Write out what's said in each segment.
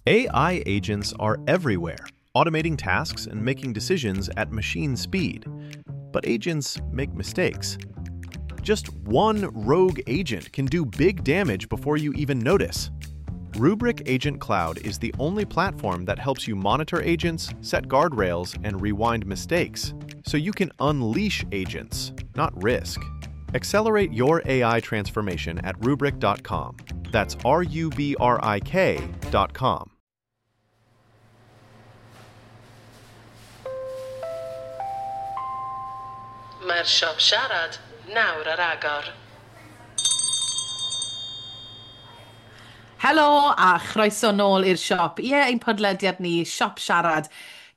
AI agents are everywhere, automating tasks and making decisions at machine speed. But agents make mistakes. Just one rogue agent can do big damage before you even notice. Rubrik Agent Cloud is the only platform that helps you monitor agents, set guardrails, and rewind mistakes, so you can unleash agents, not risk. Accelerate your AI transformation at Rubrik.com. That's RUBRIK.com. Mae'r siop siarad nawr ar agor. Helo a chroeso nôl i'r siop. Ie, ein podlediad ni, Siop Siarad.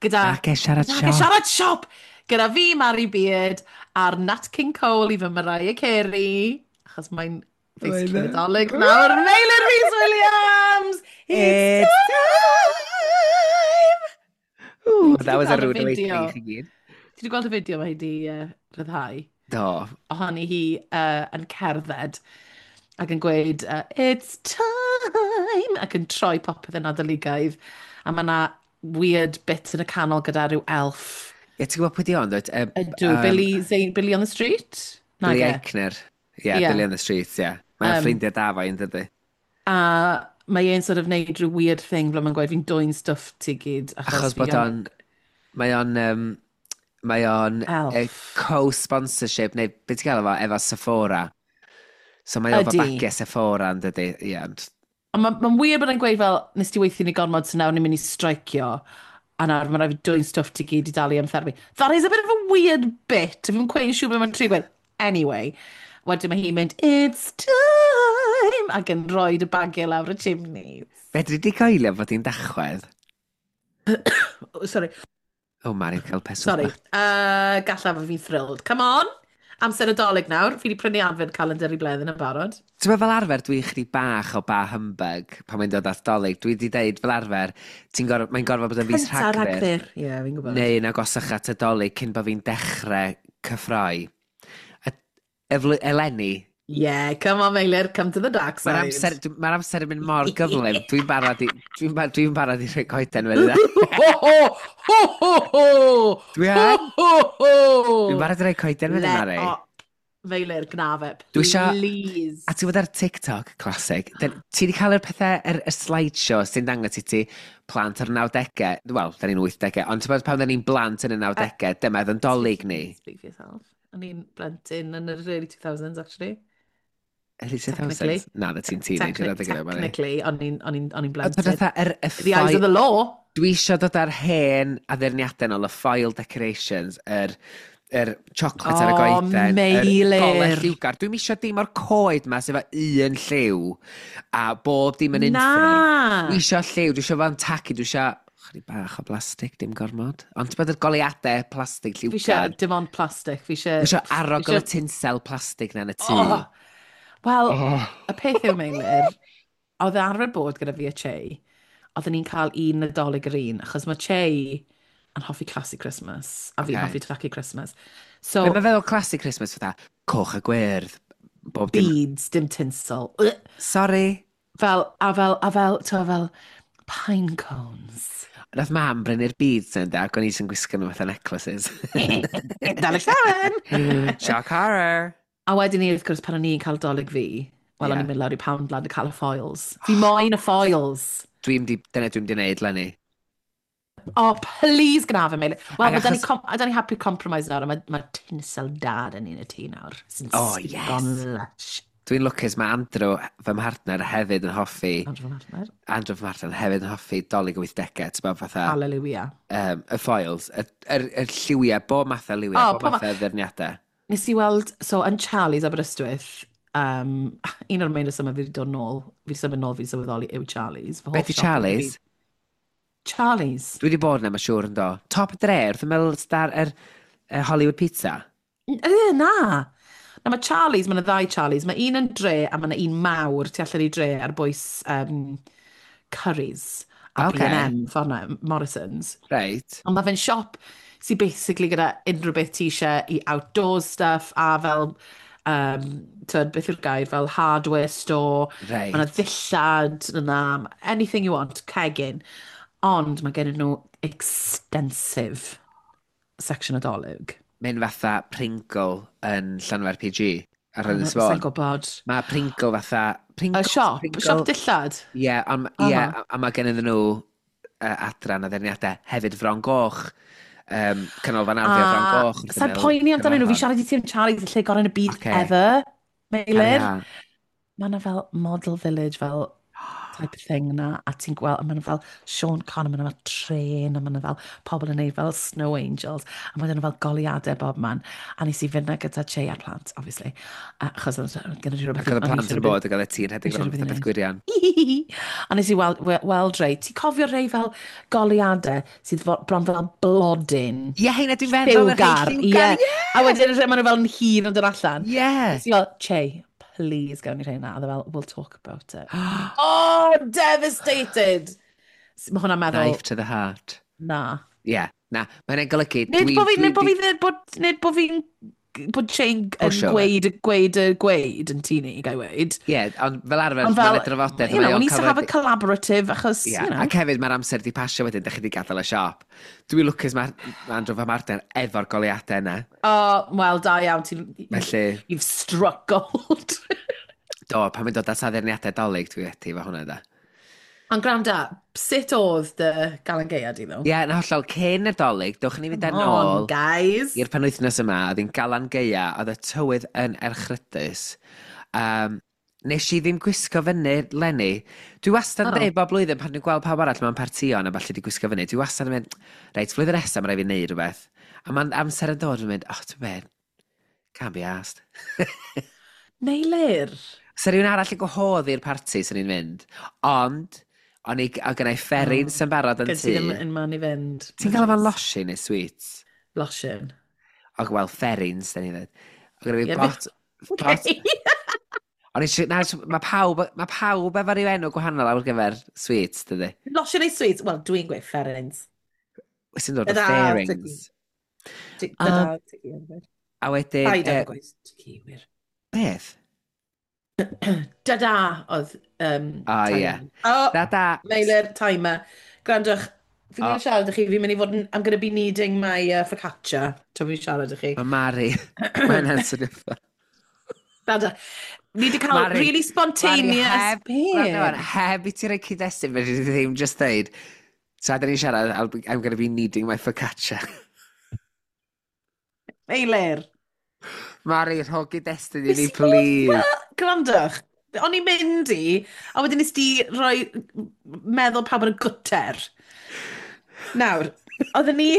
Gyda... Nage Siarad Nage Siop. Siarad Siop! Gyda fi, Mari Beard, a'r Nat King Cole i fy Mariah Carey. Achos mae'n basically Nadolig nawr. Meilir Rhys Williams! It's time! Ooh, that was a Ti 'di gweld y rude awakening fideo? i chi gyd. Ti wedi gweld y fideo mae hi wedi rhyddhau? Do. Ohoni hi yn cerdded ac yn gweud "It's time!" ac yn troi popeth yn Nadoligaidd. A mae yna weird bit yn y canol gyda rhyw elf. Ie, ti'n gwybod pwy di ond, dwyt? Ydw, Billy, Zane, Billy on the Street? Billy Nage. Eichner. Ie, Ie. Billy on the Street, ie. Mae'n ffrindiau da fo, yn dydy. A mae e'n sort of neud rhyw weird thing ble mae'n gweud fi'n dwyn stwff ti gyd. Achos bod o'n... Mae o'n... Mae o'n Elf. co-sponsorship, neu beth ti'n gael efo, efo Sephora. So mae o efo Ydi. bagiau Sephora yn dydy. Ie, ond Ond mae'n ma weird bod e'n gweud fel, nes ti weithio ni gormod, so nawr ni'n mynd i streicio. A nawr mae'n rhaid fi dwyn stwff ti gyd i dalu am therapi. That is a bit of a weird bit. Fi'n cweith yn siŵr beth mae'n trio gweud. Anyway, wedyn mae hi'n mynd, "It's time!" Ac yn rhoi y bagiau lawr y chimneys. Fedri di coelio fod hi'n dachwedd? Oh, sorry, O, Mari'n cael peswch sorry. bach. Gallaf fi'n thrilled. Come on! Amser Nadolig nawr. Fi wedi prynu advent calendar i Bleddyn yn barod. Ti'n meddwl fel arfer dwi'n chydig bach o ba humbug pan mae'n dod at Dolig. Dwi wedi deud fel arfer, ti'n gorfod, mae'n gorfod bod yn fis Cynta Rhagfyr. Rhagfyr. Ie, yeah, fi'n gwybod. Neu yn agosach at y Dolig cyn bod fi'n dechrau cyffroi. A eleni, Yeah, come on Meilir, come to the dark side. mae'r amser, mae'r amser yn mynd mor gyflym. Dwi'n barod i, dwi'n dwi'n barod i rhoi coeden fyny. Ho, ho, ho, ho, ho! Dwi yn. Ho, ho, ho! Dwi'n barod i rhoi coeden fyny, Mari. Meilir, gna fe, Dwi please. A ti'n bod ar TikTok, classic, ti wedi cael yr pethau, yr slideshow sy'n dangos i ti plant o'r 90au, wel, da ni'n 80au, ond ti'n bod pan da ni'n blant yn y 90au, dyma oedd yn dolyg ni. Speak for yourself. O'n i'n blentyn yn yr early 2000s, actually. Early 2000s? Technically. Na, na ti'n teenager adeg yna, Mari. Technically, o'n i'n o'n i'n- o'n i'n Ond bod blentyn. fatha, y The eyes of ffoil, the law. dwi eisiau dod ar hen addurniadau nôl, y foil decorations, yr chocolate ar y O, goeden, yr Meilir. golau lliwgar. Dwi'm eisiau dim o'r coed ma sydd efo un lliw a bob dim yn unffurf. Na! Dwi eisiau lliw, dwi eisiau fo'n tacu, dwi eisiau chydig bach o blastig, dim gormod. Ond ti'n bod yr goleuadau plastig Fi eisiau lliwgar. dim ond plastic. Fi eisiau... Dwi eisiau arogl fi y tinsel plastig na yn y tŷ. Oh. Wel, Oh. y peth yw, Meilir, oedd e arfer bod gyda fi a Che, oedden ni'n cael un Nadolig yr un, achos mae Che yn hoffi classic Christmas, a fi'n Okay. hoffi tacky Christmas. So, Be mae'n feddwl classic Christmas fatha, coch a gwyrdd, bob dim. beads, dim tinsel. Ugh. Sorry. Fel, a fel, a fel, ti'n fel, pine cones. Nath mam brynu'r beads yn da, ac o'n i sy'n gwisgo nhw fatha necklaces. Dalig llawen! Shock horror. A wedyn ni, wrth gwrs, pan o'n i'n cael dolyg fi, wel, o'n Ie. i'n mynd lawr i Poundland a cael y foils. Fi moyn y foils. Dwi'n di, dyna dwi'n di wneud, Lenny. Oh, please gna fe, Meilir. Wel, Ac mae da ni, achos- da ni happy compromise nawr, a mae ma tinsel dad yn un y tŷ nawr. Sy'n Oh, yes. gone lush. Dwi'n lwcus, mae Andrew, fy mhartner, hefyd yn hoffi, Andrew fy mhartner. Andrew fy mhartner hefyd yn hoffi dolyg y 80au, ti'n bod fatha, Hallelujah. y foils, y lliwiau, bob math o liwiau, Oh, bob pob math o ddyrniadau. Nes i weld, so yn Charlie's Aberystwyth, un o'r main resymau fi wedi dod nôl, fi wedi symud nôl, fi wedi sylweddoli yw Charlie's. Fy hoff Be di siop yn y Charlie's? byd. Charlie's. Dwi wedi bod yna, mae'n siŵr yn do. Top y dre, wrth ymyl star yr Hollywood Pizza. Na. Na, mae Charlie's, mae yna ddau Charlie's. Mae un yn dre a mae yna un mawr tu allan i dre ar bwys Currys a Ocê. B&M, ffordd na, Morrison's. Reit. Ond mae fe'n siop sy'n basically gyda unrhyw beth ti eisiau i outdoors stuff a fel Tyd, beth yw'r gair, fel hardware store. Mae yna ddillad yna, anything you want, cegin. Ond mae gen nhw extensive section o Dolig. Mae'n fatha Pringle yn Llanfair PG ar Ynys Sa'n Fôn. gwybod. Mae Pringle fatha... Y siop, Pringle, siop dillad. Ie, yeah, yeah, a mae gen nhw adran addurniadau hefyd Fron Goch. Canolfan Arddio Fron Goch. wrth Sa'n ymyl poeni amdanyn nhw, fi Caernarfon. siarad i ti am Charlie's, y lle gorau yn y byd ever. Meilir. Carry on. Mae yna fel model village, fel type of thing na, a ti'n gweld, a mae yna fel Sean Connery, mae yna fel tren, a mae yna fel pobl yn neud fel snow angels, a mae yna fel goleuadau bob man. A nes i fynd na gyda Che a'r plant, obviously, achos oedd gyda fi rhywbeth... Ac oedd y o'n i plant eisiau yn rhywbeth- bod ac oedd y ti'n rhedeg eisiau rownd rhywbeth i fatha beth wneud. gwirion. A nes i weld rei, ti'n cofio rei fel goleuadau sydd bron fel blodyn? Ie, heina dwi'n feddwl. yr rhei Lliwgar, ie. lliwgar, A wedyn maen nhw fel yn hir yn dod allan. Ie. Nes i fel, "Che, please gawn ni rheina." A oedd e fel, "We'll talk about it." Oh, devastated! Mae hwnna'n meddwl, Knife to the heart. Na. Ie, yeah, na. Mae'n golygu... Nid bo fi, nid bo fi, bod, nid bo fi'n, bod Che'n yn Pwsio fe. gweud, gweud, y gweud yn tŷ ni, gai weud. Ie, ond fel arfer, Ond fel, mae'n drafodaeth. you know, we need to have a collaborative, achos, Ie, you know. ac hefyd mae'r amser di pasio wedyn, da chi di gadael y siop. Dwi'n lwcus mae Andrew fa Martin efo'r goleuadau yna. Oh, wel, da iawn, ti'n... Felly, You've struck gold. Do, pan mae'n dod at addurniadau Dolig, dwi wedi efo hwnna, da. Ond gwranda, sut oedd dy Galan Gaea di, ddo? Ie, yeah, na hollol, cyn y Dolig, dewch ni fynd ar Come on, ôl guys. i'r penwythnos yma, oedd hi'n Galan Gaea, oedd y tywydd yn erchrydus. Nes i ddim gwisgo fyny, Lenny. Dwi wastad yn dweud bob blwyddyn pan dwi'n gweld pawb arall mewn partïon a falle di gwisgo fyny, dwi wastad yn mynd, "Reit, flwyddyn nesaf mae rhaid fi wneud rhywbeth." A mae'n amser yn dod yn mynd, "Oh, ti'n bed, can't be asked." Meilir. Sa rhywun arall yn gwahodd i'r parti sy'n ni'n mynd, ond o'n i, o gennau fferins yn barod yn Gyd ti ddim tŷ. yn man i fynd. Ti'n gael efo'n losin neu sweets? Losin. O, wel, fferins, da ni ddweud. O, gyda fi Ie, bot... Bot... O'n i eisiau... Na, mae pawb efo ryw enw gwahanol ar gyfer sweets, dydy. Losin neu sweets? Wel, dwi'n gweud fferins. Wyt ti'n dod o Ta-da, fairings. Ta-da, ti yn A wedyn... Paid â gweud ti, wir. Beth? Da-da oedd... O, ie. Oh, Da-da. Meilir, timer. Gwrandwch, fi'n mynd O. i siarad â chi, fi'n mynd i fod yn... I'm going to be needing my focaccia. Tra fi'n siarad â chi. Mae Mari. Mae'n answer. Da-da. Ni wedi cael Mari, really spontaneous... Mari, heb, Be? gwrando wan, heb i ti roi cyd-destun, fe di ddim just dweud, tra da ni'n siarad, I'm going to be needing my focaccia. Meilir. Mari, rho gyd-destun i ni, Nes i fod- please. Gwrandwch, o'n i'n mynd i, a wedyn nes di rhoi meddwl pawb yn y gwter. Nawr, oedden ni...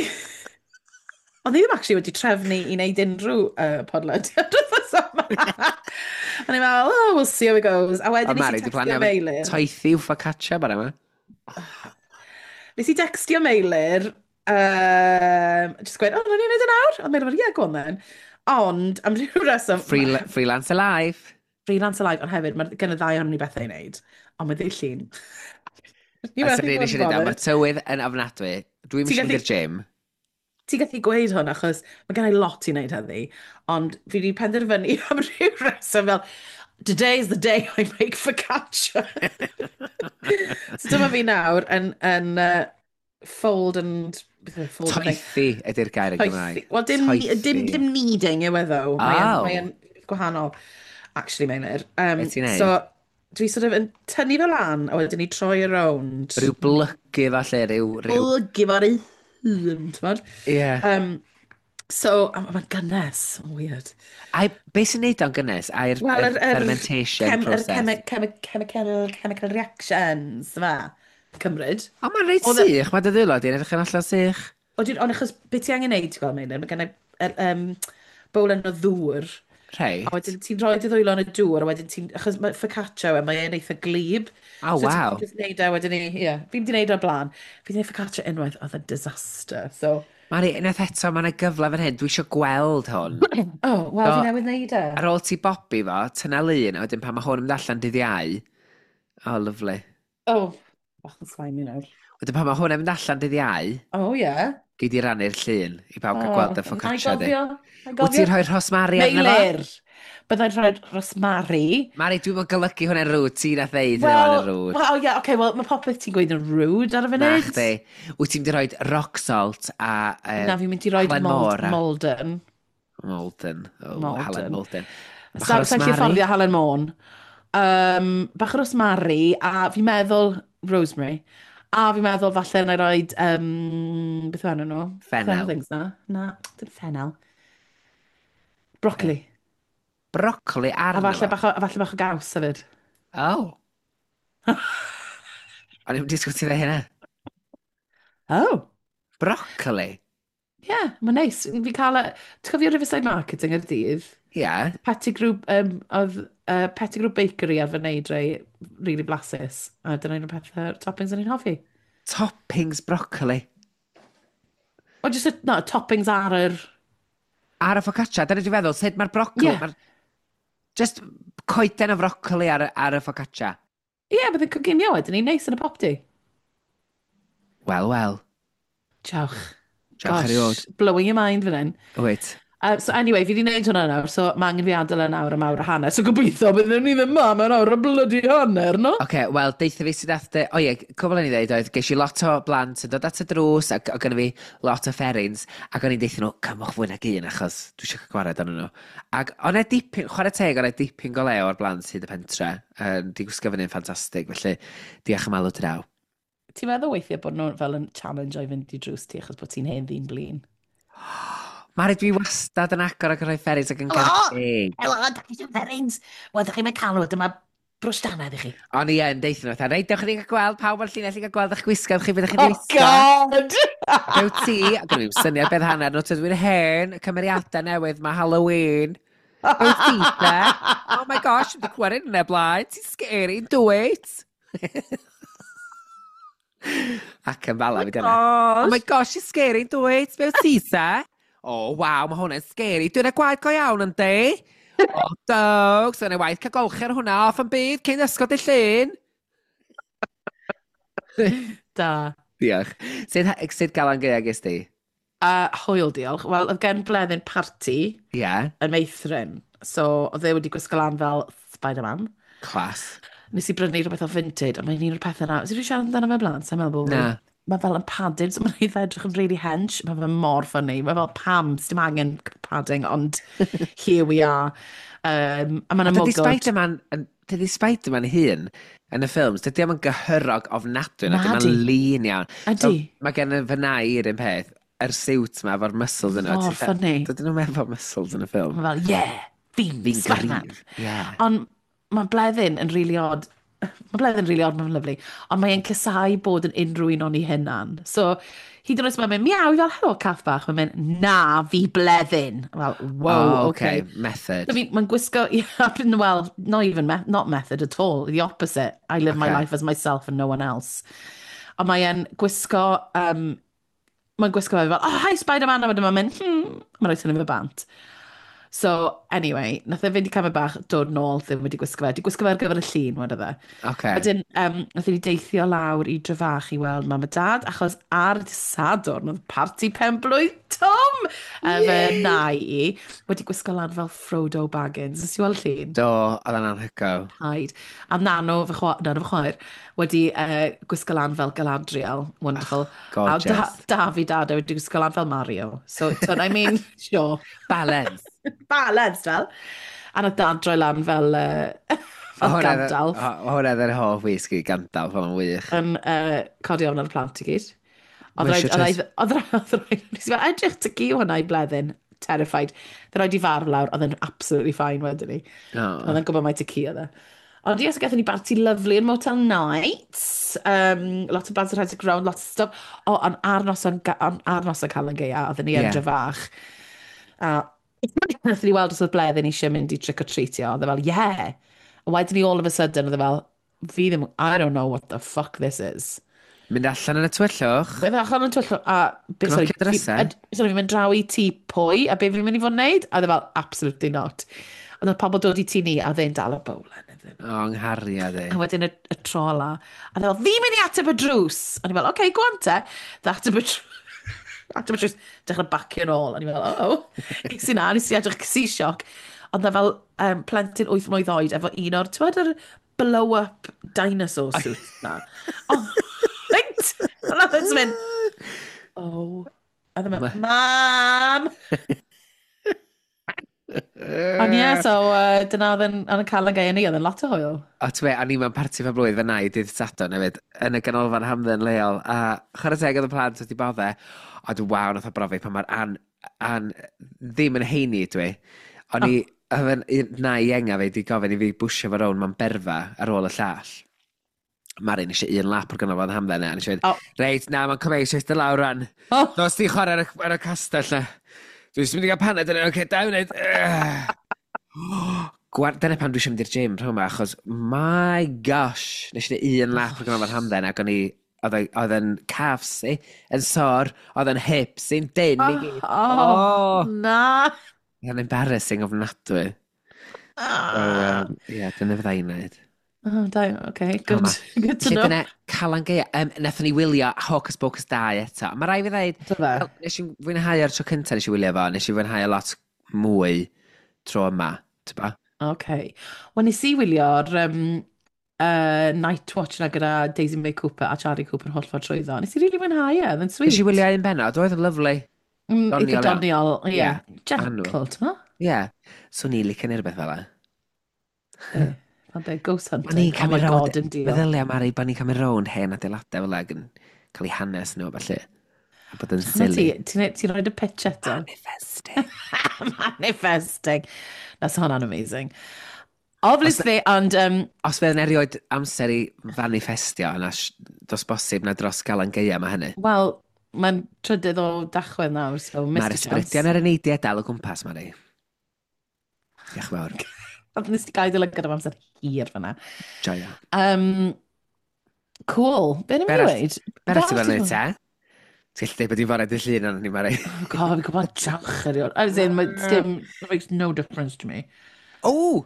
Oedd ni ddim actually wedi trefnu i wneud unrhyw podlediad wythnos yma. O'n i'n meddwl, "Oh, we'll see how it goes." A wedyn O, nes Mari, i di textio plannu am Meilir. toethi yw focaccia bara yma. Nes i textio Meilir, just gweud, "Oh, nawn ni wneud e nawr?" Ond Meilir fel, "Yeah, go on then." Ond, am ryw reswm... Freelance Alive. Freelance Alive, ond hefyd, mae gen y ddau ohonon ni bethau i wneud. Ond mae ddydd Llun. Ni A methu sy'n bod un yn eisiau neud, bothered. mae'r tywydd yn ofnadwy. Dwi'n Ti'n mynd i'r gym. Ti'n gallu gweud hwn achos mae gen i lot i wneud heddi, ond fi wedi penderfynu am ryw reswm fel, "Today is the day I make focaccia." So dyma fi nawr yn fold and... beth yw e? Fold and Toethi ydy'r gair yn Gymraeg. Toethi. Wel, dim, Toethi. dim kneading yw e ddo. Mae'n Oh. mae gwahanol, actually, Meilir. Be ti'n neud? So, dwi sort of yn tynnu fe lan, a wedyn ni troi around. Rhyw blygu falle, rhyw. Blygu fo'r ei hun, t'mod? Ie. So, a mae'n gynnes, weird. Ai, beth sy'n neud o'n gynnes? Ai'r Wel, yr fermentation yr process? chemical reactions, yma. Cymryd. O, mae'n reit sych. Mae dy ddwylo di'n edrych yn allan sych. Ond achos beth ti angen neud, ti'n gweld, Meilir, mae gen i bowlen o ddŵr. Reit. A wedyn ti'n rhoi dy ddwylo yn y dŵr, a wedyn ti'n... Achos mae focaccia yw e, mae'n eitha glyb. Oh, So waw. ti'n just neud e wedyn ni, ie. Fi'n di neud o'r blaen. Fi di neud focaccia unwaith, oedd e'n disaster. So, Mari, unwaith eto, mae yna gyfle fan hyn. Dwi eisiau gweld hwn. Oh, wel, Do. fi newydd neud e. Ar ôl ti bobi fo, tynna lun, a wedyn pan mae hwn yn mynd allan dydd Iau. Oh, lovely. Oh, Bach yn slimy nawr. Wedyn pan mae hwnna'n mynd allan dydd Iau, Oh, yeah. gei di rannu'r llun i bawb gael gweld y focaccia di. Na i Wyt ti'n gofio. rhoi rhosmari arno fo? Meilir! Byddai'n rhoi rosmari. Mari, dwi'n mynd golygu hwnna'n rude, ti'n a ddeud hwnna'n Wel, rude. well, yeah, okay, well, mae popeth ti'n gweud yn rude ar y Na funud. chdi. Wyt ti'n mynd i rhoi rock salt a Na, fi'n mynd i roi Halen Môr Malden. Malden. Oh, Malden. Halen Malden. Bach o Sa'n gallu rosmari. fforddio Halen Môn. Bach o rosmari, a fi'n meddwl rosemary. A fi'n meddwl falle na i roed, beth yw enw nhw? Fennel. Things na. Na, dim fennel. Broccoli. Broccoli A arno falle fo. bach o gaws hefyd. Oh. O'n i'n disgwyl ti ddeud hynna. Oh. Broccoli? Yeah, mae'n neis. Fi'n cael... Ti'n cofio Riverside Market yng Nghaerdydd? Ie. Yeah. Pettigrew, oedd Pettigrew Bakery ar fy wneud rei really blasus. A dyna un o'r pethau, toppings o'n i'n hoffi. Toppings broccoli. O, just, no, toppings ar yr. Ar y focaccia, dyna dwi'n feddwl, sut mae'r broccoli... Ie. Yeah. Just coeden o broccoli ar y focaccia. Ie, yeah, bydd yn coginio wedyn ni'n neis yn y popty. Wel, wel. Diolch. Diolch erioed. Blowing your mind fan hyn. Wait. So anyway, fi wedi gwneud hwnna nawr, so mae angen fi adael yn awr am awr a hanner. So gobeithio byddwn ni ddim ma mewn awr a bloody hanner, no? Oce, okay, wel, deitha fi sydd ath. O ie, cwbl o'n i ddeud oedd, ges i lot o blant yn dod at y drws, ac oedd gynna fi lot o fferins, ac o'n i'n deitha nhw, cymwch fwy nag un, achos dwi eisiau cael gwared arnyn nhw. Ac o'n e dipyn, chwarae teg, o'n e dipyn go lew o'r blant hyd y pentre. Di gwisgo fyny'n ffantastig, felly diolch am alw draw. Ti'n meddwl weithiau bod nhw fel yn challenge o'i fynd i drws ti achos bod ti'n hen ddyn blin? Mari, dwi wastad yn agor ac yn rhoi fferins ac yn Helo! garedig. Helo, da chi eisiau ferins? Wel, da chi'n cael nhw, dyma brwsh dannedd i chi. O'n i yn deitha nhw, fatha, reit, dewch i ni gael gweld pawb o'r llinell i gael gweld eich gwisgoedd chi, beth ych chi'n Oh, gwisgo. God! Be wyt ti? Ac o'n i'n syniad beth hanner nhw, tydw i'n hen, y cymeriadau newydd, mae Halloween. Be wyt ti, te? Oh my gosh, dwi'n clywed hynny blaen, ti'n scary, do it. Ac yn fala fi dyna. Oh my gosh, she's scary, do it. Be wyt ti, te? Oh, waw, mae hwnna'n scary. Dwi'n y gwaed go iawn, yndi? Oh, dogs, yna waith cael golchi ar hwnna off yn byd cyn ysgol dy llun. Da. Diolch. Sut galan gaea ges di? Hwyl, diolch. Wel, oedd gen Bleddyn party Ie, yeah, yn meithrin. So, oedd e wedi gwisgo lan fel Spider-Man. class. Nes i brynu rhywbeth o Vinted, a mae'n un o'r pethau na. Nes i siarad amdano fe blaen, sa'n meddwl bod Na. Mae fel yn padded, so mae'n eitha edrych yn really hench. Mae fe mor funny. Mae fel pam, sdim angen padding, ond here we are. A mae'n Dydy ymwgod. Spider-Man, dydy Spider-Man hun yn y ffilms, dydy o'm yn gyhyrog ofnadwy, na, Na dydy di. o'n lean iawn. Ydy. So, mae gen i fy nai i'r un peth, yr siwt ma efo'r muscles yno. Mor funny. Dydyn nhw'n efo muscles yn y ffilm. Mae fel, yeah, fi'n Fi'n Spider-Man. gryf. Yeah. Ond mae Bleddyn yn really odd. Mae Bleddyn yn really odd, mae'n lyfli. Ond mae'n casau bod yn unrhyw un o'n ei hunan. So, hyd yn oed os mae'n mynd, miaw, i fel, helo, cath bach. Mae'n mynd, na, fi Bleddyn. Fel, wow, oh, okay. okay. Method. So mae'n gwisgo, yeah, well, not even, not method at all, the opposite. I live my life as myself and no one else. Ond mae'n gwisgo, mae'n gwisgo fe fel, "Oh, hi Spider-Man," a wedyn mae'n mynd, mae'n rhaid tynnu fe bant. So, anyway, nath e fynd i camau bach, dod nôl, ddim wedi gwisgo fe. Di gwisgo fe ar gyfer y llun, wedodd e. Wedyn, nath ni deithio lawr i Drefach i weld mam a dad, achos ar y Sadwrn oedd parti penblwydd Tom! Fy nai i, wedi gwisgo lan fel Frodo Baggins. Nes i weld llun? Do, oedd o'n anhygoel. Paid. A nano fy chwaer, wedi gwisgo lan fel Galadriel. Wonderful. Gorgeous. A Dafi dad wedi gwisgo lan fel Mario. So, I mean, sure. Balance. Balance, fel. A nath dad droi lan fel Gandalf. Hwnna oedd yr hoff wisgi Gandalf, oedd o'n wych. Yn codi ofn ar y plant i gyd. Oedd Mae rhaid, eisiau oedd rhaid, nes i fel, edrych ty gi hwnna i Bleddyn, terrified. Oedd rhaid i farf lawr, oedd e'n absolutely fine wedyn ni. Oh. Oedd e'n gwybod mai ty ci oedd e. Ond ie, so gathon ni barti lovely yn Motel Nights. Lot o blant yn rhedeg round, lots of stuff. O, ond ar noson Calan Gaea, oedden ni yn Drefach. A nathon ni weld os oedd Bleddyn eisiau mynd i trick-or-treatio. Oedd e fel, "Yeah." A wedyn ni all of a sudden, oedd e fel, "Fi ddim, I don't know what the fuck this is." Mynd allan yn y tywyllwch. Mynd allan yn tywyllwch, a sorry, Gnocio drysau. Sorry, fi'n mynd draw i tŷ pwy, a be fi'n mynd i fod yn neud? A oedd e fel, "Absolutely not." Ond oedd pobl dod i tŷ ni, a oedd e'n dal y bowlen iddyn iddyn nhw. O, nghariad i. A wedyn y tro ola, a fel, fi'n mynd i ateb y drws. A ni fel, oce, okay, go on te. Dda ateb y drws. Ateb y drws, dechrau bacio yn ôl. A ni fel, oh, oh. Ges i na, nes i edrych, ges i sioc. Ond na fel plentyn 8 mlwydd oed efo un o'r, ti'n gwybod yr blow-up dinosaur suit na? Oh, right! A nath e'n mynd, oh. A ddim yn, mam! Ond ie, so dyna oedd yn cael yn gael ni, oedd yn lot o hwyl. O, ti'n meddwl, a ni mewn parti fa blwydd fy nai dydd Sadwrn hefyd, yn y ganolfan hamdden leol, a chwarae teg oedd y plant wedi bodde, a dwi waw, nath o brofi pan mae'r An ddim yn heini dwi. O'n i, oedd yn nai ienga fi wedi gofyn i fi bwysio fo rown mewn berfa ar ôl y llall. Marin eisiau un lap o'r ganolfan hamdden e, a nes i oh. Reit, na, mae'n cymryd eisiau eistedd lawr ran. Oh. Dos di chwarae ar y castell na. Dwi'n mynd i gael paned yn oce, da wneud. Dyna pam dwi eisiau mynd i'r gym rhwng yma, achos, my gosh, nes i wneud un lap o'r ganolfan hamdden, ac o'n i, oedd yn calves i, yn sor, oedd yn hips i'n dyn i gyd. Oh, na. Oedd yn embarrassing ofnadwy. So, yeah, dyna fydda i'n neud. Oh, da, okay, good, good to know. Dyna Calan Gaea, nathon ni wylio Hocus Pocus 2 eto. Mae rai fi ddeud, well, nes i fwynhau ar tro cyntaf nes i wylio fo, nes i fwynhau lot mwy tro yma, ti'n ba? Okay. Wel, nes i wylio'r Night Watch na gyda Daisy May Cooper a Charlie Cooper holl ffordd trwyddo. Nes i really fwynhau e, oedd yn sweet. Nes i wylio un bennod, oedd yn lovely. Eitha doniol, ie. Yeah. Gentle, ti'n ma? Ie. So ni'n licio neu rhywbeth fel e. Ond ghost hunting, oh my god, yn diol. Meddylia, Mari, bod ni'n cymryd rownd hen adeiladau fel ag yn cael ei hanes nhw, felly. A bod yn silly. Ti'n rhoi y pitch eto? Manifesting. Manifesting. Na, so hwnna'n amazing. Obviously, ond... Os fydd yn erioed amser i manifestio, yna dos bosib na dros Galan Gaea mae hynny. Wel, mae'n trydydd o Dachwedd nawr, so missed Mae'r ysbrydion ar y neidiau dal o gwmpas, Mari. Diolch yn fawr. Ond nes ti gael dy lygad am amser hir fyna. Joio. Cool. Be ni'n mynd i weid? Be arall ti'n mynd i te? Ti'n gallu dweud bod i'n fore dy llun arno ni, Mari. Oh god, fi'n gwybod jawch erioed. I was in, dim, it makes no difference to me. O!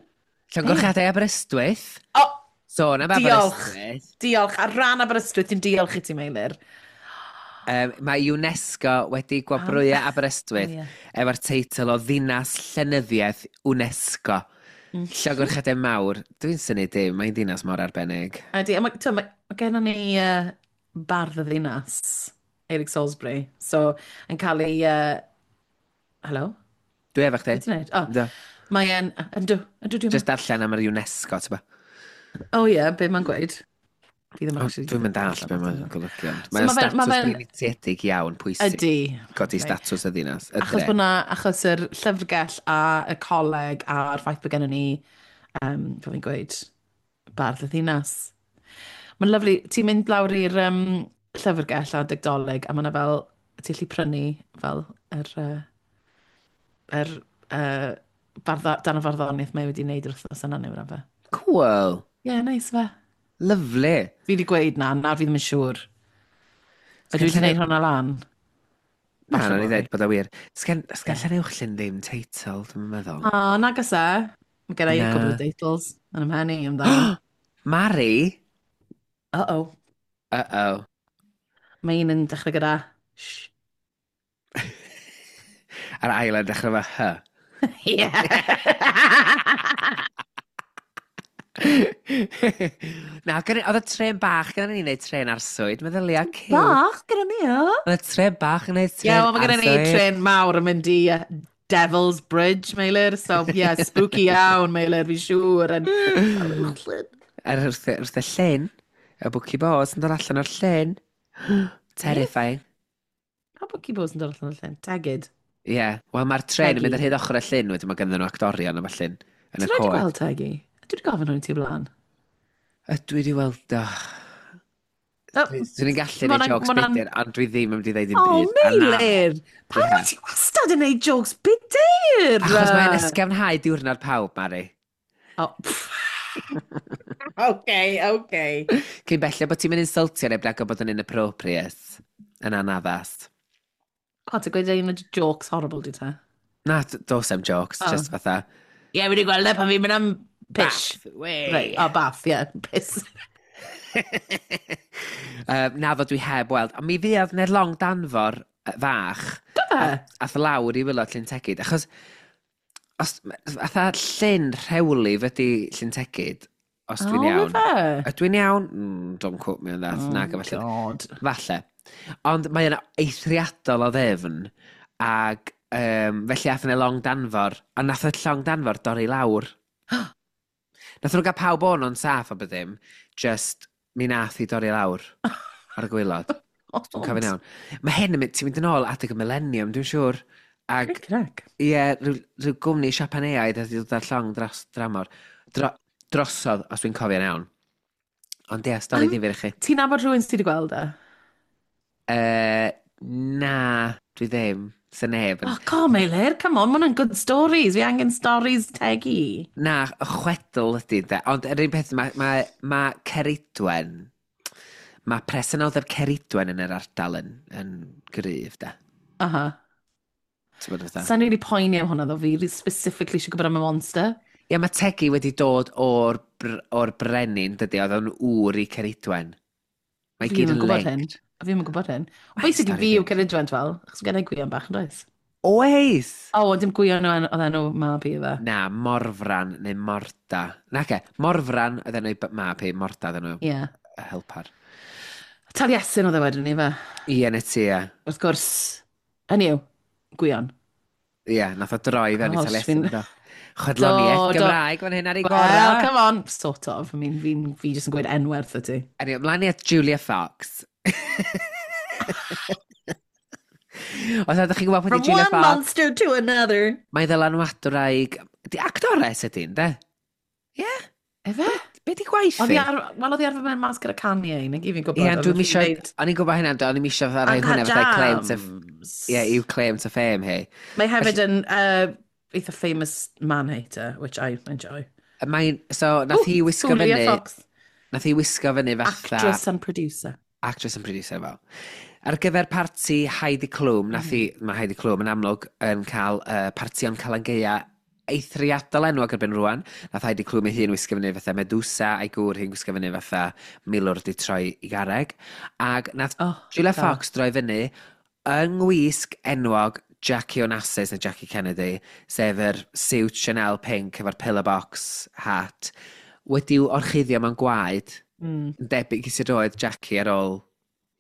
Llongyfarchiadau Aberystwyth. O! Sôn am Aberystwyth. Diolch. Ar ran Aberystwyth, ti'n diolch i ti, Meilir. Mae UNESCO wedi gwobrwyo Aberystwyth efo'r teitl o Ddinas Llenyddiaeth UNESCO. Llongyfarchiadau mawr. Dwi'n synnu dim, mae'n ddinas mor arbennig. Ydy, a mae gennym ni bardd y ddinas, Eric Salisbury. So, yn cael ei... Hello? Dwi efo chdi. Be ti'n neud? Oh, mae'n... Yndw, ydw. Just darllen am yr UNESCO, ti'n ba? O ie, be mae'n gweud? Fi ddim actually... Dwi'n mynd all be mae'n golygu. Mae'n statws breintiedig iawn, pwysig. Ydy. Codi statws y ddinas. Achos bod na, achos yr llyfrgell a y coleg a'r ffaith bod gennym ni, fel fi'n gweud, bardd y ddinas. Mae'n lyfli, ti'n mynd lawr i'r llyfrgell a Dolig a mae yna fel, ti'n gallu prynu fel yr dan y farddoniaeth mae wedi wneud yr wythnos yna neu whatever. Cool. Yeah, nice fe. Lovely. Fi wedi gweud na fi ddim yn siŵr. Ydw i wedi gwneud hwnna lan? Na, na, ni ddweud bod o wir. Sgen Llanuwchllyn ddim teitl, dwi'n meddwl. O, nag oes e. Mae gen i a couple of titles yn ymhen i amdano. Mari? Uh-oh. Uh-oh. Mae un yn dechrau gyda sh. A'r ail yn dechrau efo hy. Ie. Na, oedd y tren bach gyda ni wneud tren arswyd, meddylia, cute. Bach gyda ni, o? Oedd y tren bach yn gwneud tren arswyd. Ie, wel, mae gyda ni tren mawr yn mynd i Devil's Bridge, Meilir. So, yeah, spooky iawn, Meilir, fi'n siŵr. Ar wrth y llyn, y Bwci Boz yn dod allan o'r llyn. Terrifying. Pa Bwci Boz yn dod allan o'r llyn? Tegid. Ie, yeah. Wel mae'r tren yn mynd ar hyd ochr y llyn, wedyn mae ganddyn nhw actorion a ballu'n yn y coed. Ti'n rhaid i gweld Tegi? Dwi wedi gofyn hwn i ti blaen. Ydw i wedi weld o. Dwi'n gallu gwneud jokes budur, ond dwi ddim yn mynd i ddeud dim byd. O, Meilir! Pam wyt ti wastad yn gwneud jokes budur? Achos mae'n ysgafnhau diwrnod pawb, Mari. O, Okay. Cyn belled bod ti'n mynd insultio neb nag o bod yn inappropriate, yn anaddas. O, ti'n gweud un o jokes horrible, di te? Na, dos am jokes, just fatha. Ie, yeah, wedi gweld e pan fi'n mynd am Pish. Bath. Wey. Right, oh, bath, yeah, piss. Na fod dwi heb weld. Ond mi fuodd 'na long danfor fach. Do fe? Ath lawr i waelod Llyn Tegid. Achos, os, fatha llyn rhewlif ydy Llyn Tegid, os dwi'n Oh, iawn. fe? Ydw i'n iawn? Don't quote me on that. Oh, Na, falle. God. Falle. Ond mae yna eithriadol o ddefn, ac felly ath yna long danfor, a nath y llong danfor dorri lawr. Nath nhw gael pawb o'n o'n saff o beth ddim, just mi nath i dorri lawr ar y gwaelod. Dwi'n cofio'n iawn. Mae hyn yn mynd, ti'n mynd yn ôl adeg y millennium, dwi'n siŵr. Ag, Crec. ie, rhyw gwmni Siapaneaidd wedi dod ar llong dros dramor. Drosodd, os dwi'n cofio'n iawn. Ond ie, stori ddifyr i chi. Ti'n nabod rhywun sydd wedi gweld e? Na, dwi ddim. Sy neb yn. Oh, come Meilir, come on, ma' hwnna'n good stories. Fi angen stories tegi. Na, y chwedl ydy, de. Ond yr un peth, mae Ceridwen, mae presenoldeb Ceridwen yn yr ardal yn gryf, de. Aha. Ti'n bod fatha? Sa'n rili poeni am hwnna, ddo. Fi really specifically eisiau gwybod am y monster. Ie, mae Tegi wedi dod o'r brenin, dydy, oedd o'n ŵr i Ceridwen. Mae Fi gyd ddim yn yn gwybod hyn. linked. Fi ddim yn gwybod hyn. Mae'n Basically, stori fi yw ddifyr. Ceridwen, fel, achos gen i Gwion bach yn does? Oes! O, oh, dim Gwion oedd enw mab i fe. Na, Morfran neu Morda. Na, ce, Morfran oedd enw i mab hi, Morda oedd enw Ie. y helpar. Taliesin oedd e wedyn ni fe. Ie, na ti, ie. Wrth gwrs, hynny yw, Gwion. Ie, nath o droi fewn i Gosh, Taliesin. fi'n- Do. Chwedloniaeth Do, do. Gymraeg fan hyn ar ei Well, gorau. come on. Sort of. I mean, fi jyst yn gweud enwerth y ti. Anyway, ymlaen i at Julia Fox. Os ydych chi'n gwybod pwy From di Julia one Fox, monster to another. mae ddylanwadwraig. Di actores ydy'n, de? Ie? Efe? Be di gwaith Oedd hi? hi ar, wel, oedd hi arfer mewn mas gyda Kanye, neu gyd fi'n gwybod. Ie, oedd dwi'n hi'n misio. neud O'n i'n gwybod hynna, o'n i'n misio fatha rhoi hwnna Uncut fatha claim to. Jams. Ie, i'w claim to fame hi. Mae hefyd yn eitha famous man hater, which I enjoy. Mae'n. So, nath hi Ooh, wisgo Julia fyny. Fox. Nath hi wisgo fyny fatha Actress and producer. Actress and producer, fel. Ar gyfer parti Heidi Klum, nath hi, mae Heidi Klum yn amlwg yn cael partion Calan Gaea eithriadol enwog erbyn rwan. Nath Heidi Klum ei hun wisgo fyny fatha Medusa, a'i gŵr hi'n gwisgo fyny fatha milwr di troi i garreg. Ac nath Oh, Julia da. Fox droi fyny yng ngwisg enwog Jackie Onassis neu Jackie Kennedy, sef yr suit Chanel pink efo'r pillar box hat, wedi'w orchuddio mewn gwaed, yn debyg i sut oedd Jackie ar ôl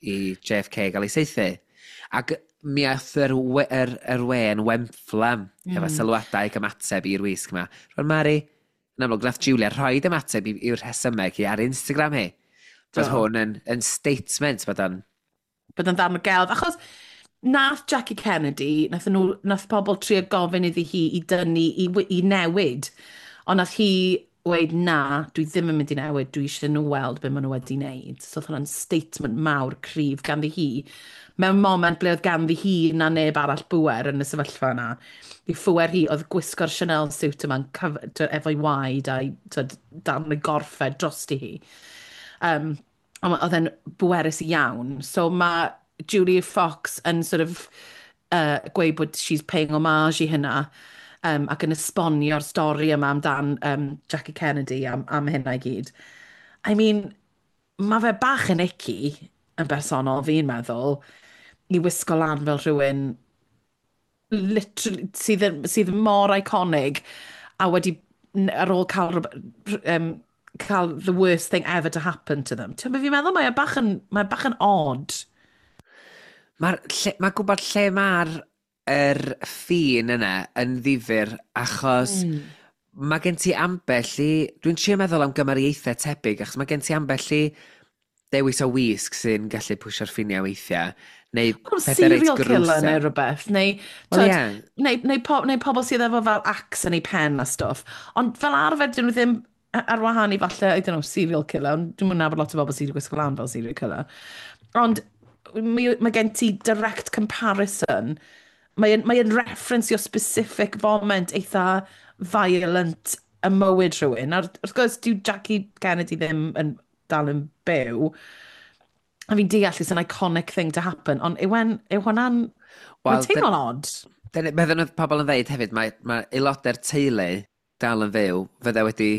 i JFK gael ei saethu. Ac mi aeth yr we yn wenfflam efo sylwadau ac ymateb i'r wisg yma. Rwan Mari, yn amlwg, nath Julia rhoid ymateb i'w rhesymeg hi ar Instagram hi. Bod Do. hwn yn statement bod o'n. Bod yn ddarn o gelf. Achos nath Jackie Kennedy, nath pobl trio gofyn iddi hi i dynnu, i newid. Ond nath hi weud, "Na, dwi ddim yn mynd i newid, dwi eisiau nhw weld be maen nhw wedi wneud." So oedd hwnna'n statement mawr cryf ganddi hi. Mewn moment ble oedd ganddi hi na neb arall bwer yn y sefyllfa yna. I phwer hi oedd gwisgo'r Chanel suit yma'n efo'i waed a'i twyd, darn y gorffed drosti hi. Ond oedd e'n bwerus iawn. So mae Julia Fox yn sort of gweud bod she's paying homage i hynna ac yn esbonio'r stori yma amdan Jackie Kennedy am hynna i gyd. I mean, mae fe bach yn icky yn bersonol, fi'n meddwl, i wisgo lan fel rhywun literally, sydd mor iconic a wedi, ar ôl cael the worst thing ever to happen to them. Ti'n fi'n meddwl mae e bach yn odd. Mae gwybod lle mae'r yr ffin yna yn ddifyr achos mae gen ti ambell i. Dwi'n trio meddwl am gymariaethau tebyg achos mae gen ti ambell i dewis o wisg sy'n gallu pwsio'r ffiniau weithiau. Neu Wel, pethau reit serial killer gruesome. neu rhywbeth, neu, Wel, twyd, ie. neu pobl sydd efo fel axe yn ei pen a stwff. Ond fel arfer, dyn nhw ddim ar wahân i falle, I don't know, serial killer, ond dwi'n mynd nabod lot o bobl sydd wedi gwisgo lan fel serial killer. Ond mae gen ti direct comparison. Mae'n reference i o specific moment eitha violent y mywyd rhywun. A wrth gwrs, dyw Jackie Kennedy ddim yn dal yn byw. A fi'n deall it's an iconic thing to happen, ond yw hwnna'n. Wel, Mae'n teimlo'n odd. Dyna beth oedd pobl yn dweud hefyd, mae aelodau'r teulu dal yn fyw, fydde wedi,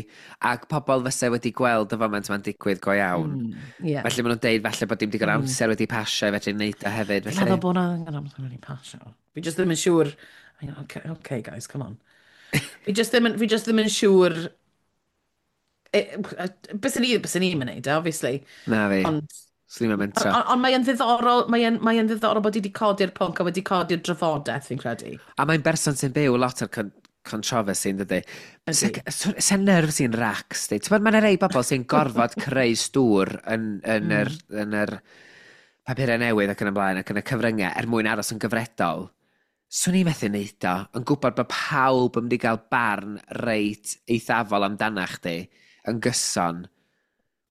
ac pobl fysa wedi gweld y foment ma'n digwydd go iawn. Felly maen nhw'n deud falle bod dim digon amser wedi pasio i fedru wneud o hefyd. Fi'n Felly, meddwl bod 'na angen amser wedi pasio. Fi just ddim yn siŵr. Okay, guys, come on. Fi just ddim yn siŵr. Bys ni'n mynd, obviously. Na fi, Ond swn i'n mentro. on mae yn ddiddorol bod hi wedi codi'r pwnc a wedi codi'r drafodaeth, fi'n credu. A mae'n berson sy'n byw lot o'r controversy, yn dydy. Ydi. Se nerves i'n racs, di. Ti'n mae'n rei bobl sy'n gorfod creu stŵr yn yr papurau newydd ac yn y blaen ac yn y cyfryngau er mwyn aros yn gyfredol. Swn i'n methu neud o, yn gwybod bod pawb yn mynd i gael barn reit eithafol amdana chdi yn gyson.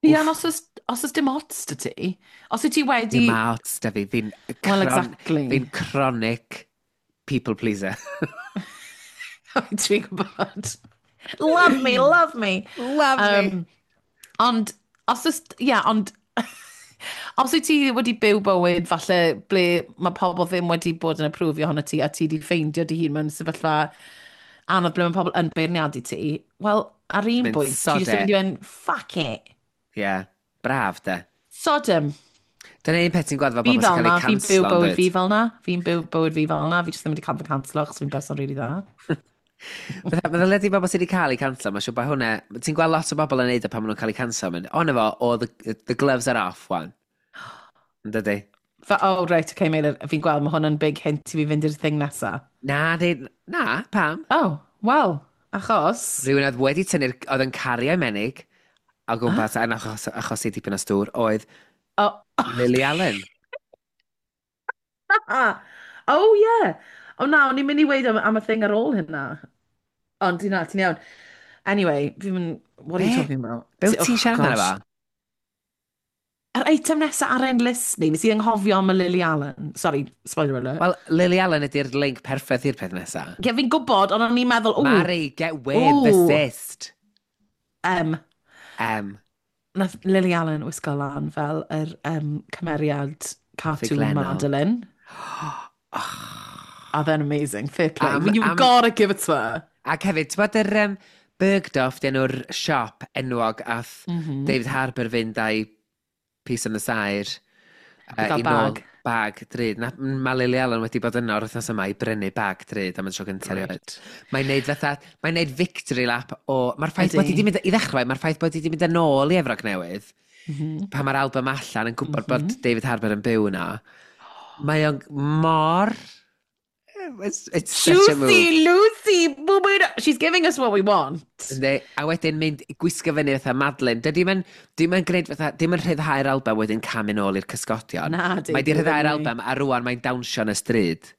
Ie, ond os oes dim ots 'da ti, os wyt ti wedi. Dim ots da fi, fi'n Well, exactly. Fi'n chronic people pleaser. Dwi'n gwybod. Love me, love me. Love. Ond, os oes, ie, yeah, ond, os wyt ti wedi byw bywyd, falle, ble mae pobl ddim wedi bod yn approve-io ohono ti, a ti wedi ffeindio dy hun mewn sefyllfa anodd ble mae pobl yn beirniadu ti, wel, ar un Mynd, bwynt, ti "Sod jyst yn it." mynd i fynd, "Fuck it." Ie, yeah, braf de. Sodom. Dyna un peth ti'n gweld fel Fi bobl fel sy'n na, cael eu fi'n byw canslo, bywyd fi fel na. Fi'n byw bywyd fi fel na. Fi jyst ddim wedi cael fy canslo, achos fi'n person really dda. Meddwl ydy bobl sydd wedi cael eu canslo, mae'n siŵr bod hwnna. Ti'n gweld lot o bobl yn neud o pan maen nhw'n cael eu canslo, mynd, o na fo, o, the gloves are off, wan. Yn dydy? Oh, right, okay, Meilir, fi'n gweld, mae hwn yn big hint i fi fynd i'r thing nesa. Na, di, na, pam? Oh, well, achos. Rhywun oedd wedi tynnu'r, oedd yn cario menig, o gwmpas, yn achos i dipyn o stŵr, oedd Lily Allen. Oh, yeah. Oh, na, o'n i'n mynd i weud am y thing ar ôl hynna. Ond, na, ti'n iawn. Anyway, fi'n mynd. What are you Be? talking about? Be wyt ti'n Oh, siarad amdano gosh. fo? Yr eitem nesaf ar ein list ni, nes i anghofio am y Lily Allen. Sorry, spoiler alert. Wel, Lily Allen ydy'r link perffaith i'r peth nesaf. Ie, fi'n gwybod, ond o'n i'n meddwl, o, Mari, get with the Ooh. cyst. M. M. Nath Lily Allen wisgo lan fel yr cymeriad cartoon Ffuglennol. Madeline. A then amazing, fair play. You've gotta give it to her. Ac hefyd, ti'n bod yr Bergdorf, di enw'r siop enwog ath David Harbour fynd a'i piece on the side I gael i nôl bag. Bag drud. Na, mae Lily Allen wedi bod yno o'r wythnos yma i brynu bag drud am y tro gyntaf erioed. Mae'n neud victory lap o. Mae'r ffaith bod hi wedi mynd, i ddechrau, mae'r ffaith bod hi wedi mynd yn ôl i Efrog Newydd, pan mae'r album allan yn gwybod bod David Harbour yn byw yno, mae o'n mor. It's such a move. Juicy Lucy, boo boo. She's giving us what we want. Yndi, a wedyn mynd i gwisgo fyny fatha Madeline. Dydy ma'n dim yn gwneud fatha, dim yn rhyddhau'r album wedyn camu nôl i'r cysgodion. Na, di, Mae di di rhyddhau'r ddim, album a rwan mae'n dawnsio yn y stryd.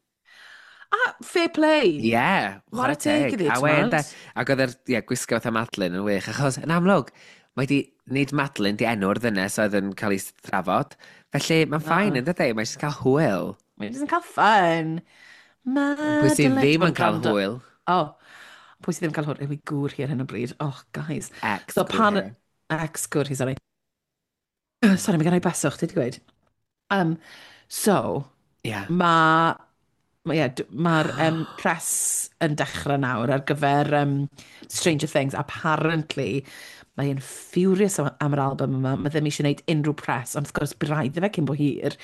A fair play. Ie, yeah, Chwarae teg iddi, A wen, t'mod? de, ac oedd yr, ie, gwisgo fatha Madeline yn wych, achos yn amlwg, mae di, nid Madeline di enw'r ddynes oedd yn cael ei thrafod. Felly mae'n fine yn dydy, mae'n jyst cael hwyl. Mae'n jyst yn cael fun. Pwy sydd Madeline. ddim yn cael Gwrando. hwyl? Oh, pwy sydd ddim yn cael hwyl? Yw ei gŵr hi ar hyn o bryd. Oh, guys. Ex. So gŵr pan. hi. Ex gŵr hi, sorry. Sorry, mae gen i beswch, ti wedi gweud. So, Mae yeah, mae'r press yn dechrau nawr ar gyfer Stranger Things. Apparently, mae'n furious am yr album yma. Mae ddim eisiau gwneud unrhyw press, ond wrth gwrs, bydd rhaid iddo fe cyn bo hir.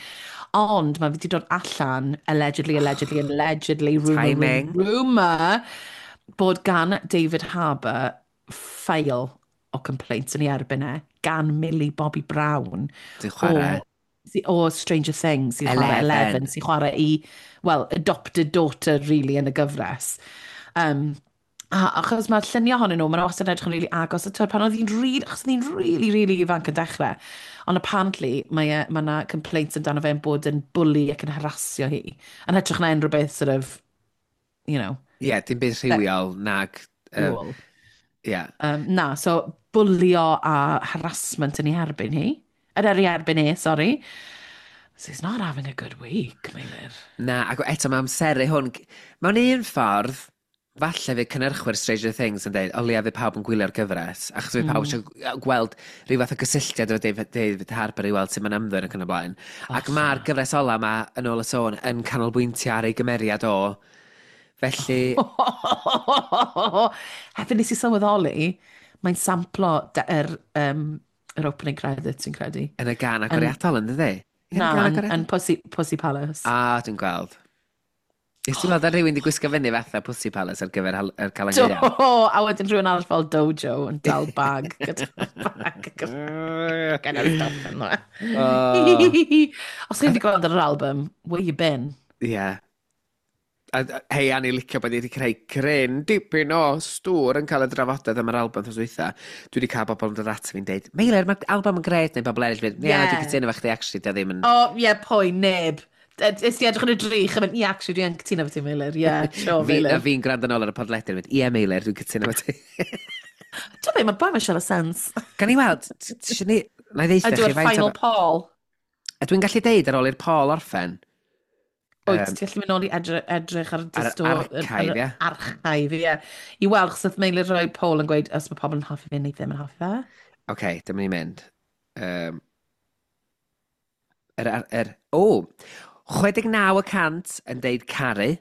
Ond mae wedi dod allan, allegedly, allegedly, allegedly, rumour, Timing. rumour, bod gan David Harbour file o complaints yn ei erbyn e, gan Millie Bobby Brown. Dwi'n chwarae. O Stranger Things, sy'n chwarae Eleven. Eleven, sy'n chwarae i, well, adopted daughter, really, yn y gyfres. A achos mae'r lluniau ohonyn nhw, maen nhw wastad yn edrych yn really agos. A twyd, pan oedd hi'n really, achos oedd hi'n really, really ifanc yn dechrau. Ond apparently, mae yna complaints amdano fe'n bod yn bully ac yn harassio hi. Yn hytrach na unrhyw beth sort of, Ie, yeah, dim byd rhywiol nag. Cool. Yeah. Na, so bwlio a harassment yn ei erbyn hi. Yn ei erbyn hi, sorry. So he's not having a good week, Meilir. Na, ac eto mae amseru hwn. Mewn un ffordd, falle fydd cynhyrchwyr Stranger Things yn dweud, o leia fydd pawb yn gwylio'r gyfres, achos fydd pawb eisiau gweld rhyw fath o gysylltiad efo David Harbour i weld sut mae'n ymddwyn ac yn y blaen. Ac mae'r gyfres ola yma, yn ôl y sôn, yn canolbwyntio ar ei gymeriad o Felly... Hefyd nes i sylweddoli, mae'n samplo yr yr opening credits, sy'n credu. Yn y gan agoriadol, yn dydi? Na, yn Pussy Palace. Ah, dwi'n gweld. Nes ti'n meddwl rhywun wedi gwisgo fyny fatha Pussy Palace ar gyfer yr Calan Gaeaf? Do, a wedyn rhywun arall fel Dojo yn dal bag gyda bag gyda stuff ynddo. Os chi'n wedi gweld ar yr album, where you been? Ie. Yeah. A, hei, Annie licio bod i wedi creu cryn dipyn o stŵr yn cael y drafodaeth am yr album thos dwytha. Dwi wedi cael bobl yn dod at fi'n deud, "Meilir, mae'r album yn gret," neu bobl eraill yn mynd, "Ie, dwi'n cytuno efo chdi, actually, dio ddim yn..." O, oh, ie, yeah, pwy, neb. Nes ti edrych yn y drych a mynd, "Ie, actually, dwi'n cytuno efo ti, Meilir. Ie, yeah, sure, Meilir." A fi'n gwrando nôl ar y podlediad yn mynd, "Ie, Meilir, dwi'n cytuno efo ti." Dwi'n meddwl, mae'r boi mae'n siarad sens. Gan i weld, ti ni, na i ddeutha chi faint final poll. A dwi'n gallu deud ar ôl i'r poll orffen. Wyt, ti'n gallu mynd nôl i edrych ar y archive, ie. Archive, ie. I weld, chos oedd Meilir rhoi poll yn gweud os mae pobl yn hoffi fe neu ddim yn hoffi fe. Oce, okay, dyma ni'n mynd. O, 69% yn deud caru,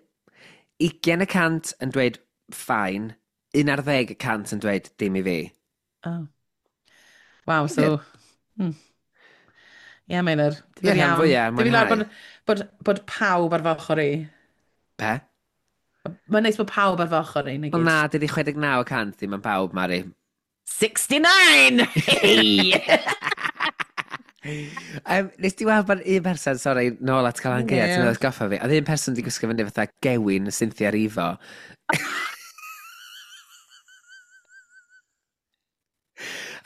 20% yn dweud fine, 11% yn dweud dim i fi. Oh. Wow, so... Ie, Meilir. Ie, rhan fwyaf, mwynhau. Bod pawb ar fy ochr i. Pe? Mae'n neis bod pawb ar fy ochr i. Wel na, dydi 69% ddim yn pawb, Mari. 69! Hey! Nes ti weld bod un person, sorry, nôl at Calan Gaeaf, ti'n meddwl goffa fi, oedd un person wedi gwisgo fyny fatha gewyn Cynthia Erivo.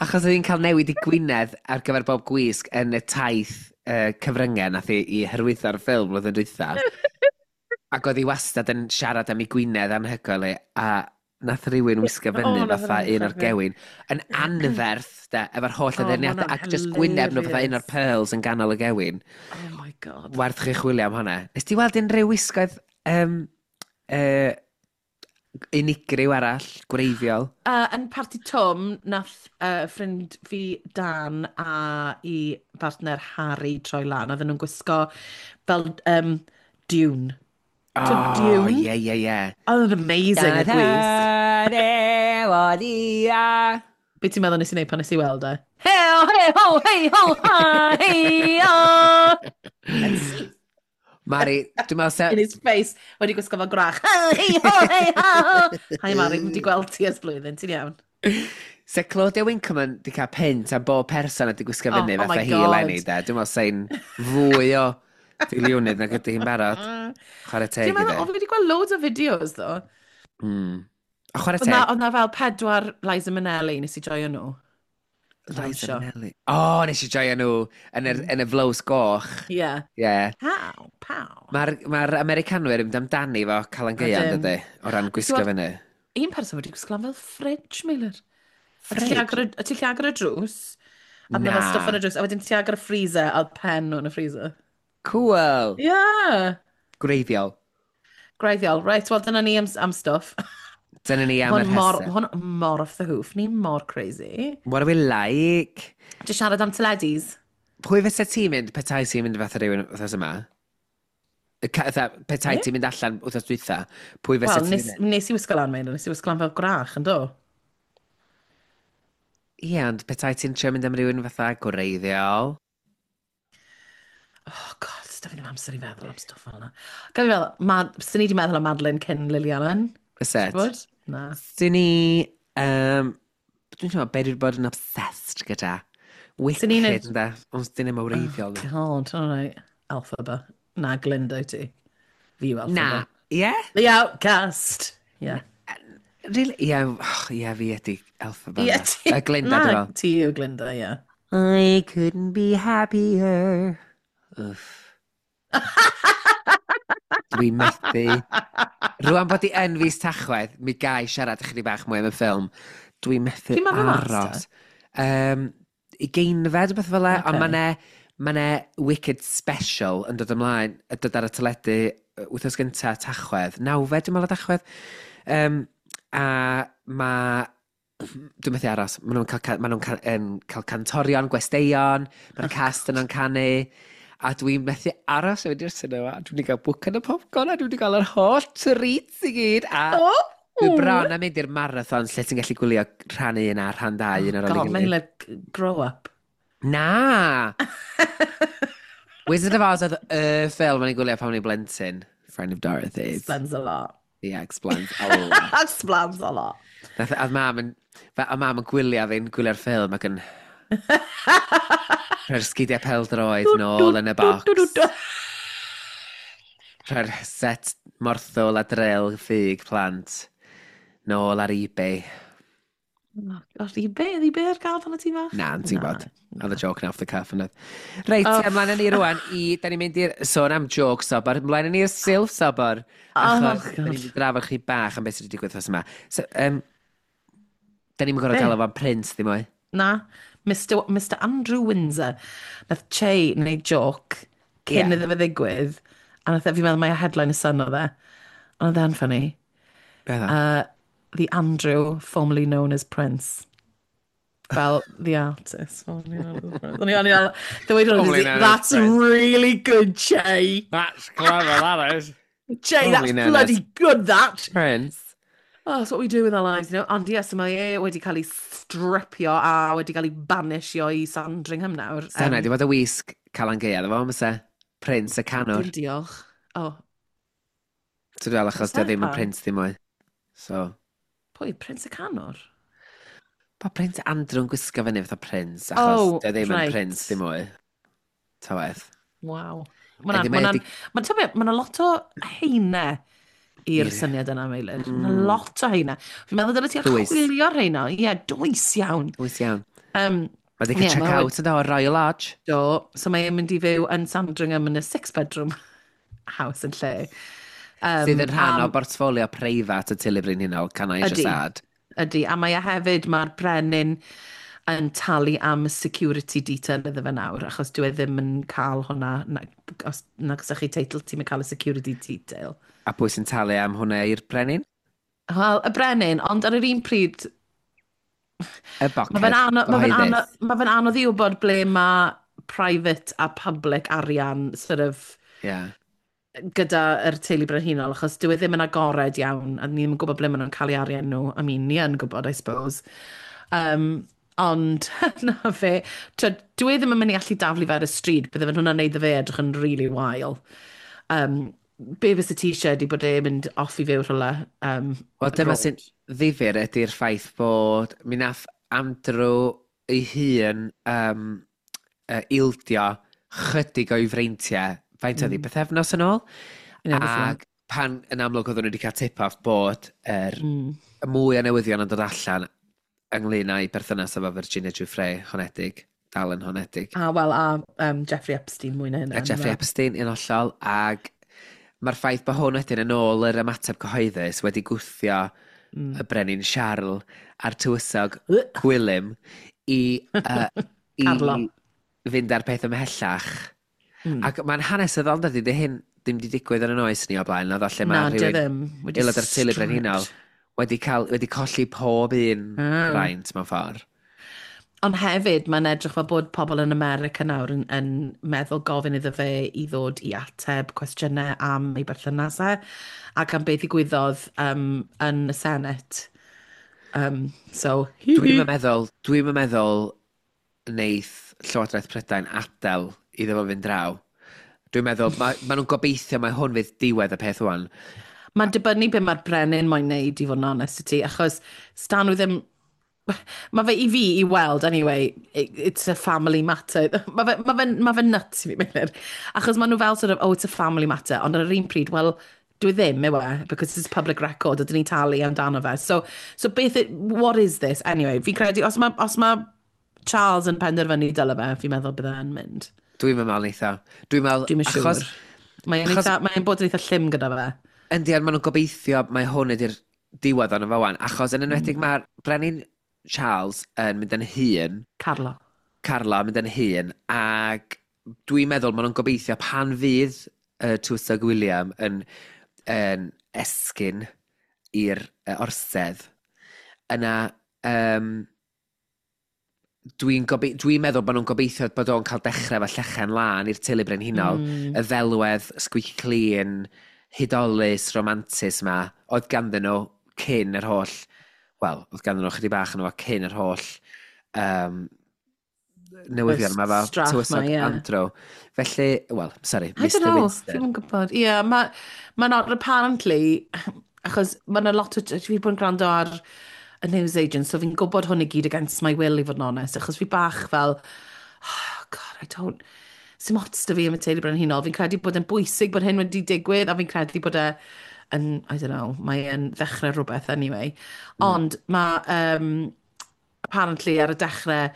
Achos oedd hi'n cael newid i Gwynedd ar gyfer bob gwisg yn y taith cyfryngau nath i hyrwyddo'r ffilm blwyddyn dwytha. Ac oedd hi wastad yn siarad am ei Gwynedd anhygoel i, a nath rhywun wisgo fyny fatha un o'r gewyn yn anferth, de, efo'r holl addurniadau, ac just gwyneb nhw fatha un o'r pearls yn ganol y gewyn. Oh my God. Werth chi chwilio am hwnna. Nes ti weld unrhyw wisgoedd unigryw arall, gwreiddiol? Yn parti Twm, nath ffrind fi Dan a i partner Harry troi lan. Oedden nhw'n gwisgo fel Dune. Oh, Dune? Ie, ie, ie. Oedd yn amazing y gwisg. Be ti'n meddwl nes i wneud pan nes i weld e? Hei ho, hei ho, hei ho, ha, hei ho! Mari, dwi'n meddwl In his face, wedi gwisgo fel gwrach. Hei ho, hei ho! Hi Mari, wedi gweld ti ers blwyddyn, ti'n iawn? Se Claudia Winkleman di cael pint am bob person a di gwisgo fyny oh, fatha hi eleni, de. Dwi'n meddwl sein fwy o filiwnydd nag ydy hi'n barod. Chwarae teg iddi. Dwi'n meddwl, fi wedi gweld loads o fideos, ddo. A chwarae teg. Oedd na fel 4 Liza Minnelli, nes i joio nhw. Liza Minnelli. O, oh, nes i joio nhw yn yr, yn y flows goch. Ie. Yeah. Yeah. Pow, pow. Mae'r ma Americanwyr yn mynd amdani fo Calan Gaeaf, dydy, o ran gwisgo fyny. Un person wedi gwisgo lan fel fridge, Meilir. Fridge? A ti'n llagor y drws, a na fel stwff yn y drws, a wedyn ti'n agor y freezer, a pen nhw yn y freezer. Cool. Yeah. Gwreiddiol. Gwreiddiol. Right, wel dyna ni am stwff. Dyna ni am yr hesau. Hwn mor off the hoof. Ni mor crazy. What are we like? Just siarad am teledis. Pwy fysa ti'n mynd petai ti'n mynd fatha rhywun wythnos yma? Petai ti'n mynd allan wythnos dwytha, pwy fysa ti'n mynd? Wel, nes i wisgo lan, Meilir. Nes i wisgo lan fel gwrach, yn do? Ie, ond petai ti'n trio mynd am rhywun fatha gwreiddiol? Oh, God, da fi ddim amser i feddwl am stwff fel yna. Gael fi feddwl, sy'n ni wedi meddwl am Madeline cyn Lily Allen? Fyset? Na. Sy'n ni... Dwi'n teimlo, be dwi wedi bod yn obsessed gyda. Wicked, ynde? Ond dyn ni'n wreiddiol. Oh, God, all right. Alphaba. Na, Glinda i ti. Fi yw Alphaba. Na, ie? Yeah? The Outcast. Yeah. Really? Ie, yeah, oh, yeah, fi ydi Alphaba. Yeah, ti... Glinda, dwi'n meddwl. Ti yw Glinda, ie. Yeah. I couldn't be happier. Uff. Dwi'n methu. Rwan bod i yn fis Tachwedd, mi gai siarad ychydig bach mwy am y ffilm. Dwi'n methu aros. Ugeinfed, beth fel e, okay. Ond mae 'ne Wicked Special yn dod ymlaen, yn dod ar y teledu wythnos gynta Tachwedd, 9fed, dwi'n meddwl o Tachwedd. A mae... Dwi'n methu aros. Maen nhw'n cael, cael cantorion, gwesteion, mae'r cast yno'n canu. A dwi'n methu aros i fynd i'r cinema. Dwi'n wedi cael bwcan y popcorn a dwi wedi cael yr holl treats i gyd. A Oh! dwi bron a mynd i'r marathon lle ti'n gallu gwylio rhan 1 a rhan 2 un ar ôl God, ei gilydd. mae'n like grow up. Na! Wizard of Oz oedd y ffilm o'n i'n gwylio pan o'n i'n blentyn. Friend of Dorothy's. Explains a lot. Yeah, explains a lot. Explains a lot. Nath, a mam yn, a mam yn gwylio fi'n gwylio'r ffilm ac yn rhoi'r sgidiau peldroed nôl yn y bocs. Rhoi'r set morthwl a drill ffug plant nôl ar eBay. Oh, gosh, eBay? Oedd eBay ar gael pan o ti fach? Na, yn ti'n gwybod. Oedd y joke na off the cuff yn oedd. Reit, Oh. ymlaen â ni rwan i... Da ni'n mynd i'r sôn am joke sobor. Ymlaen â ni i'r silff sobor. Oh, Achos da God. ni'n mynd i drafod chi bach am beth sydd wedi digwydd wrth yma. So, da ni'n gorfod Be? gael fo'n Prince ddim mwy. Na, Mr Andrew Windsor. Nath Che wneud joke cyn Ie. iddo fe ddigwydd. A nath e, fi'n meddwl mai headline y Sun oedd e. Ond oedd e'n funny. Beth o? The Andrew, formerly known as Prince. Fel, the artist, formerly known as Prince. O'n i fel, the way to Formerly known as that's Prince. really good, Che. That's clever, that is. Che, that's Formerly known bloody as- good, that. Prince. Oh, that's what we do with our lives, you know. Ond ie, so mae e wedi cael ei stripio a wedi cael ei banisio i Sandringham nawr. Sana, di bod y wisg Calan Gaeaf, efo, fysa? Prince y canwr. Dim diolch. Oh, So dwi'n meddwl achos Fysa? di o ddim yn Pam? Prince ddim mwy. So, pwy, Prince y Canwr? pa Prince Andrew'n gwisgo fyny fatha Prince, achos Oh, di o ddim yn right. Prince ddim mwy. Ta waeth. Waw. Ydy, Mae'n mae ma ma ma lot o heine i'r Ie. syniad yna, Meilir. Mae lot o heine. Fi'n meddwl dyle ti Dwys. archwilio'r heina. Ie, dwys iawn. Dwys iawn. Mae di Ie, cael check ma' out yn do, Royal Lodge. Do, so mae'n mynd i fyw yn Sandringham yn y six-bedroom house yn lle. Sydd yn rhan o am- bortffolio preifat y teulu brenhinol, can I just Ydi. add. Ydy, a mae e hefyd, mae'r brenin yn talu am security detail iddo fe nawr, achos dwi e ddim yn cael hwnna, na, os nag oes chi teitl, ti'n cael y security detail. A pwy sy'n talu am hwnna i'r brenin? Wel, y brenin, ond ar yr un pryd, Y boced mae fe'n anodd, ma fe'n gyhoeddus. anodd, ma fe'n anodd i wybod ble mae private a public arian sort of Ie. gyda'r teulu brenhinol, achos dyw e ddim yn agored iawn, a ni ddim yn gwybod ble maen nhw'n cael eu arian nhw. I mean, ni yn gwybod, I suppose. Ond, na fe, twyd, dyw e ddim yn mynd i allu daflu fe ar y stryd, bydde fe'n hwnna'n neud fe edrych yn really wael. Be fysa ti eisiau ydi bod e'n mynd off i fyw rhywle? Wel, dyma abroad. sy'n ddifyr ydy'r ffaith bod mi nath Andrew ei hun ildio chydig o'i freintiau, faint oedd hi, bythefnos yn ôl? Ie, beth Ac pan yn amlwg oedden nhw wedi cael tip-off bod yr y mwy o newyddion yn dod allan ynglyn â'i berthynas efo Virginia Giuffre honedig, dal yn honedig. A wel, a Jeffrey Epstein mwy na hynna. A Jeffrey Epstein yn hollol, ac mae'r ffaith bod hwn wedyn yn ôl yr ymateb cyhoeddus wedi gwthio y brenin Charles a'r tywysog Gwilym i, i Carlo. fynd ar peth ymhellach. Ac mae'n hanesyddol, dydy, dy hyn ddim wedi digwydd yn yn oes ni o blaen, na lle Na, mae dio rhywun ddim. Wedi aelod o'r teulu brenhinol stripped. wedi colli pob un braint mewn ffordd. Ond hefyd, mae'n edrych fel bod pobl yn America nawr yn meddwl gofyn iddo fe i ddod i ateb cwestiynau am ei berthynas e, ac am beth ddigwyddodd yn y Senate. So, Dwi'm yn meddwl neith Llywodraeth Prydain adael iddo fo fynd draw. Dwi'n meddwl, ma nhw'n gobeithio mai hwn fydd diwedd y peth wan. Mae'n dibynnu be mae'r brenin moyn neud, i fod yn honest i ti, achos stan nhw ddim... Mae fe i fi i weld, anyway, it's a family matter. Ma fe nuts i fi, Meilir. Achos maen nhw fel sort of, oh, it's a family matter, ond ar yr un pryd, well, dwi ddim, yw e, because it's public record, a dyn ni'n talu amdano fe. So beth, what is this? Anyway, fi'n credu, os ma Charles yn penderfynu dyle fe, fi'n meddwl bydde e'n mynd. Dwi'n meddwl neith o. Dwi'n meddwl, Dwi'n siŵr. achos, Mae'n mae'n bod yn eitha llym gyda fe. yndi, ond maen nhw'n gobeithio mai hwn ydy'r diwedd ond fo wan, achos yn enwedig mae'r brenin Charles yn mynd yn hŷn, Carlo. Carla yn mynd yn hŷn, ac dwi'n meddwl maen nhw'n gobeithio pan fydd Tywysog William yn esgyn i'r orsedd, yna Dwi'n dwi meddwl bod nhw'n gobeithio bod o'n cael dechrau efo llechen lân i'r teulu brenhinol, y ddelwedd squeaky clean, hudolus, romantus ma, oedd ganddyn nhw cyn yr holl, wel, oedd ganddyn nhw chydig bach yn nhw cyn yr holl newyddion yma fel tywysog ma, yeah. Andrew. Felly, well, sorry, I Mr don't know, Winston. Fi'n gwybod. Ie, yeah, mae ma not apparently, achos mae yna lot o, fi wedi bod yn gwrando ar y news agent, so fi'n gwybod hwn i gyd against my will, i fod yn onest, achos fi bach fel, oh God, I don't, sim ots da fi am y teulu brenhinol. Fi'n credu bod e'n bwysig bod hyn wedi digwydd, a fi'n credu bod e yn, I don't know, mae e'n ddechrau rhywbeth anyway. Ond mae, apparently ar y dechrau,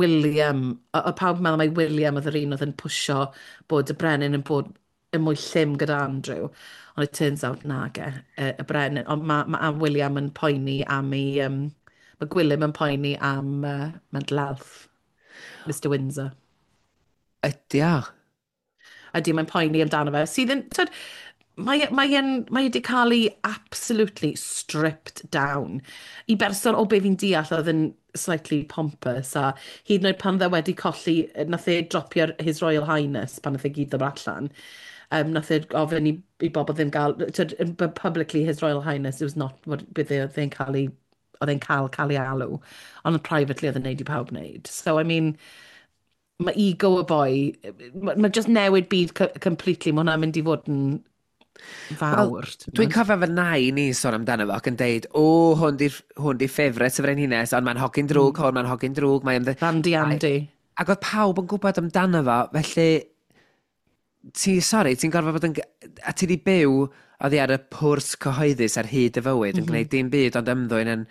William, o pawb yn meddwl mai William oedd yr un oedd yn pwsio bod y brenin yn bod yn mwy llym gyda Andrew. Ond it turns out nage, y brenin. Ond mae ma William yn poeni am ei... mae Gwilym yn poeni am mental health. Mr Windsor. Ydy o? Ydy, mae'n poeni amdano fe. Sydd yn, tyd, mae wedi cael ei absolutely stripped down. I berson o be fi'n deall oedd yn slightly pompous a hyd yn oed pan dde wedi colli, nath e dropio'r His Royal Highness pan nath e gyd ddod allan. Nath e ofyn i bobl ddim gael, tyd, but publicly His Royal Highness, it was not what beth oedd e'n cael ei, oedd e'n cael ei alw, ond privately oedd e'n neud i pawb wneud. So, I mean, mae ego y boi, mae just newid byd completely, mae hwnna'n mynd i fod yn fawr. Wel, dwi'n cofio fy nain i sôn amdano fo ac yn deud, o, hwn di ffefryn y frenhines, ond mae'n hogyn drwg, hwn mae'n hogyn drwg. Mae'n Randy Andy. Ac oedd pawb yn gwybod amdano fo, felly, ti, sorry, ti'n gorfod bod yn... A ti di byw oddi ar y pwrs cyhoeddus ar hyd y fywyd, yn gwneud dim byd ond ymddwyn yn...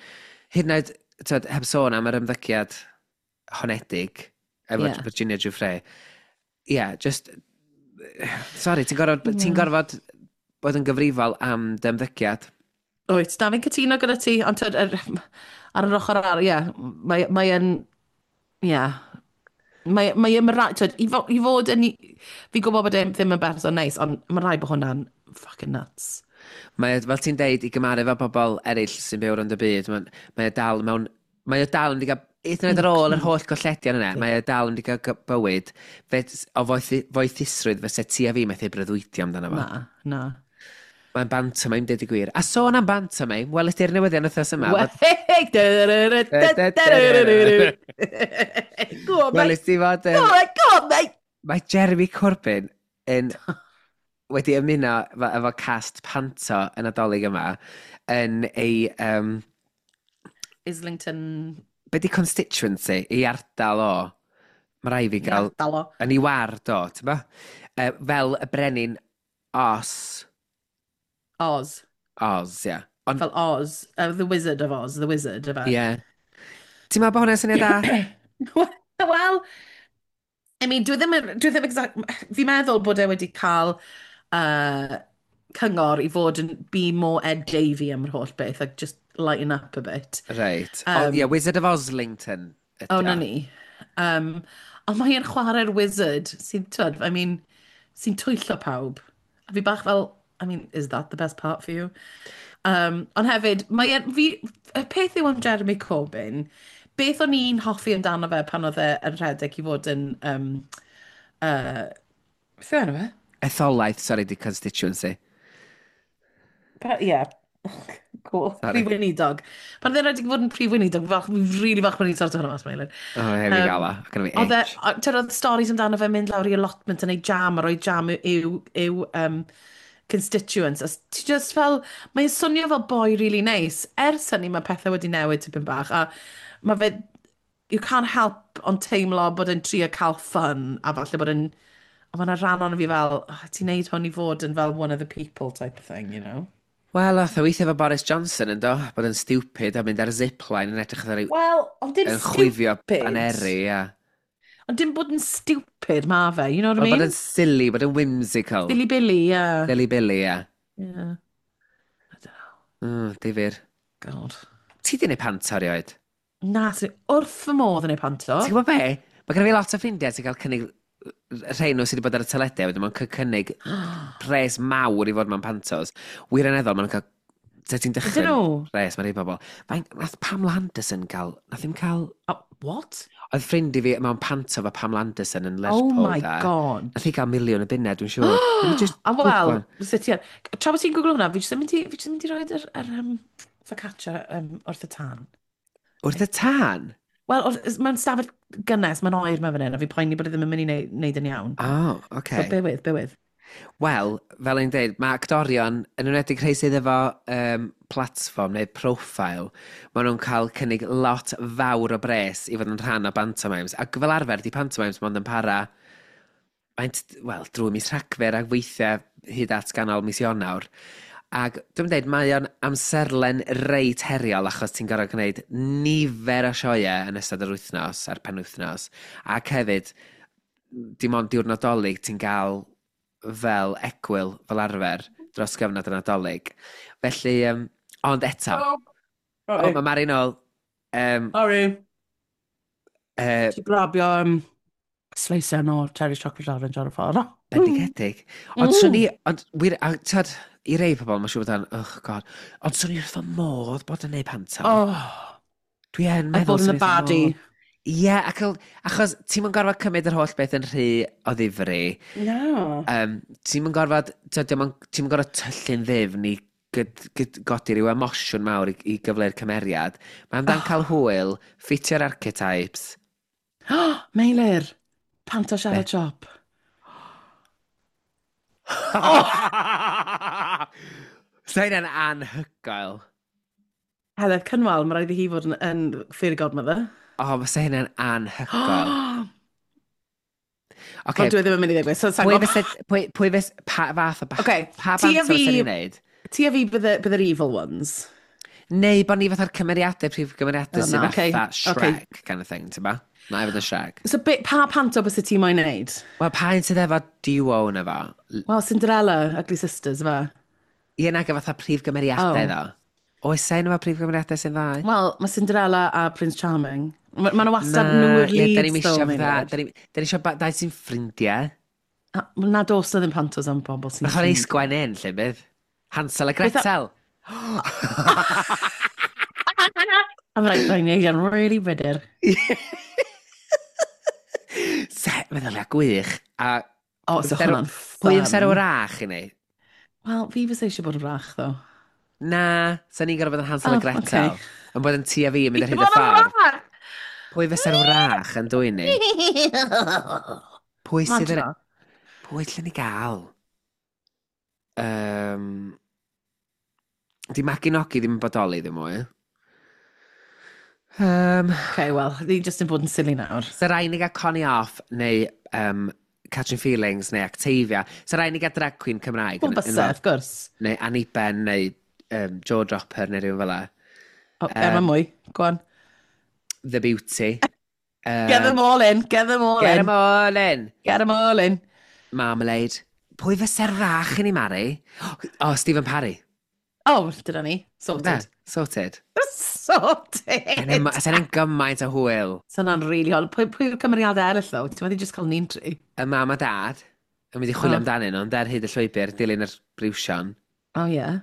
Hyd yn oed, tyd, heb sôn am yr ymddygiad honedig efo Virginia Giuffre. Yeah, just... Sorry, ti'n gorfod, ti gorfod bod yn gyfrifol am dy ymddygiad. Wyt, na, fi'n cytuno gyda ti, ond tyd, ar yr ochr arall, ie, mae yn, ie, mae yn, tyd, i fod yn, fi'n gwybod bod e ddim yn berson neis, ond mae rhaid bod hwnna'n fucking nuts. Mae, fel ti'n deud, i gymharu efo pobl eraill sy'n byw rownd y byd, mae o dal mewn... Mae o dal yn mynd i gael, hyd yn oed ar ôl yr holl golledion yna, mae o dal yn mynd i gael bywyd fe, o foethusrwydd fyse ti a fi methu breuddwydio amdano fo. Na, na. Mae'n pantomime, deud y gwir. A sôn am pantomime, wel, ydy'r newyddion wythnos yma. Go on, Wel, mate. ydy fod... Go on, go on, mate. Mae Jeremy Corbyn yn wedi ymuno efo cast panto yn Nadolig yma yn ei... Islington. Be di constituency? Ei ardal o? Mae rai fi gael... Ardal o. Yn ei ward o, ti'n ba? Fel y brenin Oz. Oz. Oz, ie. Yeah. Ond, Fel Oz. The Wizard of Oz. The Wizard, efe. ie. Yeah. Ti'n meddwl bod hwnna'n syniad da? Wel, I mean, dwi ddim exact, fi'n meddwl bod e wedi cael cyngor i fod yn be more Ed Davey am yr holl beth, like just lighten up a bit. Right. Oh, yeah, Wizard of Oslington ydi O, o. na ni. Ond mae e'n chwarae'r wizard sy'n, twyd, I mean, sy'n twyllo pawb. A fi bach fel, I mean, is that the best part for you? Ond hefyd, mae e'n, fi, y peth yw am Jeremy Corbyn, beth o'n i'n hoffi amdano fe pan oedd e yn rhedeg i fod yn, beth yw enw fe? Etholaeth, sorry, di constituency. Ie. Cool. Sorry. Prif Weinidog. Pan oedd e'n rhedeg i fod yn Prif Weinidog, fi'n really falch bod ni'n sorto hwnna mas, Meilir. O, oh, hefyd gael o. Ac yn fi Oedd e, itch. tyd, oedd stories amdano fe mynd lawr i allotment yn ei jam a rhoi jam i'w constituents. A ti just fel, mae'n swnio fel boi really nice. Ers hynny mae pethau wedi newid tipyn bach. A mae fe, you can't help ond teimlo bod e'n trio cael fun a falle bod e'n, a mae yna rhan ono fi fel, oh, ti'n neud hwn i fod yn fel one of the people type of thing, you know? Wel, oedd o weithio efo Boris Johnson yn do, bod yn stupid a mynd ar y zipline yn edrych ar ei... Wel, ond dim yn chwifio stupid. baneri, ia. Ond dim bod yn stupid, ma fe, you know what I Wel, mean? bod yn silly, bod yn whimsical. Silly Billy, yeah. Silly Billy, ia. Yeah. I don't know. Difyr. God. Ti di neud panto erioed? Na, sy'n wrth fy modd yn ei panto. Ti'n gwybod be? Mae gen i fi lot o ffrindiau sy'n cael cynnig rhai nhw sydd wedi bod ar y teledu, a wedyn maen cael cynnig pres mawr i fod mewn pantos. Wirioneddol, maen nhw'n cael Te ti'n Ydyn dychryn nhw? res, mae rhai bobl. Faint, nath Pamela Anderson gael, nath ddim cael. Oh, what? Oedd ffrind i fi mewn panto fo Pamela Anderson yn Oh Lerpwl, my da. God. Nath hi gael 1 miliwn o bunnau, dwi'n siŵr. Let me just A wel, Google. sut ti ar. Tra bod ti'n googlo hwnna, fi jyst yn mynd i, fi jyst yn mynd i roid yr focaccia wrth y tân. Wrth y tân? Wel, mewn stafell gynnes, mae'n oer mae fan hyn, a fi poeni bod e ddim yn mynd i neud yn iawn. Oh, So, okay. bear with, bear with. Wel, fel o'n dweud, mae actorion, yn enwedig rhai sydd efo platform neu profile, maen nhw'n cael cynnig lot fawr o bres i fod yn rhan o pantomimes. Ac fel arfer, di pantomimes mond yn para, faint, wel, drwy mis Rhagfyr ac weithiau hyd at ganol mis Ionawr. Ac dwi'n dweud, mae o'n amserlen reit heriol achos ti'n gorfod gwneud nifer o sioeau yn ystod yr wythnos a'r penwythnos. Ac hefyd, dim ond diwrnod Dolig ti'n gael fel egwyl fel arfer dros gyfnod y Nadolig. Felly, ond eto, Oh, oh, mae Mari nôl. Sorry. Uh, Ti grabio slicer o Terry's Chocolate Orange ar y ffordd. Bendigedig. Ond swn i, ond wir, a tyd, i rei pobl, mae'n siŵr bod yn, oh God, ond swn i wrth fy modd bod yn neud panto. Oh, Dwi yn a meddwl bod yn swn y i wrth fy baddie. modd. Ie, ac achos ti'n mynd gorfod cymryd yr holl beth yn rhy o ddifri. No. Ti'n mynd gorfod, ti'n mynd gorfod tyllu'n ddyfn i godi rhyw emosiwn mawr i gyfleu'r cymeriad. Mae'n amdan cael hwyl, ffitio'r archetypes. Meilir, panto siarad siop. Oh! Sa hynna'n anhygoel. Heledd Cynwal, mae rhaid i hi fod yn fairy godmother. O, oh, sa hynna'n anhygoel. Okay. Oce, Ond dwi ddim yn mynd i ddigwydd. So, pwy fysa, pwy fys, pa fath o, Ocê, pa ti a banto fysa fi- ni'n neud? Ti a fi bydd yr evil ones. Neu bod ni fatha'r cymeriadau, prif gymeriadau O, sydd na, ocê, fatha ocê. Shrek kind of thing, ti'n ba? Na i fod yn Shrek. So, pa panto bysa ti moyn neud? Wel, pa un sydd efo duo yna fo? Wel, Cinderella, Ugly Sisters, fe. Ie, nag fatha prif gymeriadau Oh. ddo. Oes e un efo prif gymeriadau sy'n ddau? Wel, mae Cinderella a Prince Charming. Mae ma nhw wastad nhw yw'r ie, da leads, ni'm though, isio fatha, Meilir. da ni isio dau sy'n ffrindiau. A, wel, na dos na ddim pantos am bobl sy'n Mae'n chwarae sgwen un, lle bydd. Hansel a Gretel. I'm like, rhaid ni yn really bitter. Se, meddylia gwych. A O, so Fysa'r- hwnna'n pwy fysa'r fun. wrach i ni? Wel, fi fysa eisiau bod yn wrach, though. Na, sa ni'n gorfod bod yn Hansel Oh, a Gretel. ocê. Yn bod yn ti a fi yn mynd ar hyd y Bod yn ffordd. wrach! Pwy fysa'r wrach yn dwy ni? Pwy sydd yn. Madra. Pwy lle ni gael? Di Maginogi ddim yn bodoli ddim mwy. Okay, wel, ni just yn bod yn silly nawr. Sa rai ni gael Connie Off neu Catching Feelings neu Octavia. Sa rai ni gael drag queen Cymraeg. Wel, bysa, of course. Neu Annie Ben neu Joe Dropper neu rhywun fel 'a. Oh, Emma mwy, go on. The Beauty. Get them all in, get them all Get in. them all in. Get them all in. Marmalade. Pwy fysa'r wrach i ni, Mari? Oh, Stephen Parry. Oh, dyna ni. Sorted. Na, sorted. Sorted. Sa'n e'n gymaint o hwyl. So hwnna'n really hol. Pwy yw'r cymeriadau eraill, though? Ti'n meddwl just cael ni'n tri? Y mam a dad yn mynd i chwilio Oh. amdanyn nhw, ond ar hyd y llwybr, dilyn yr briwsion. Oh, yeah.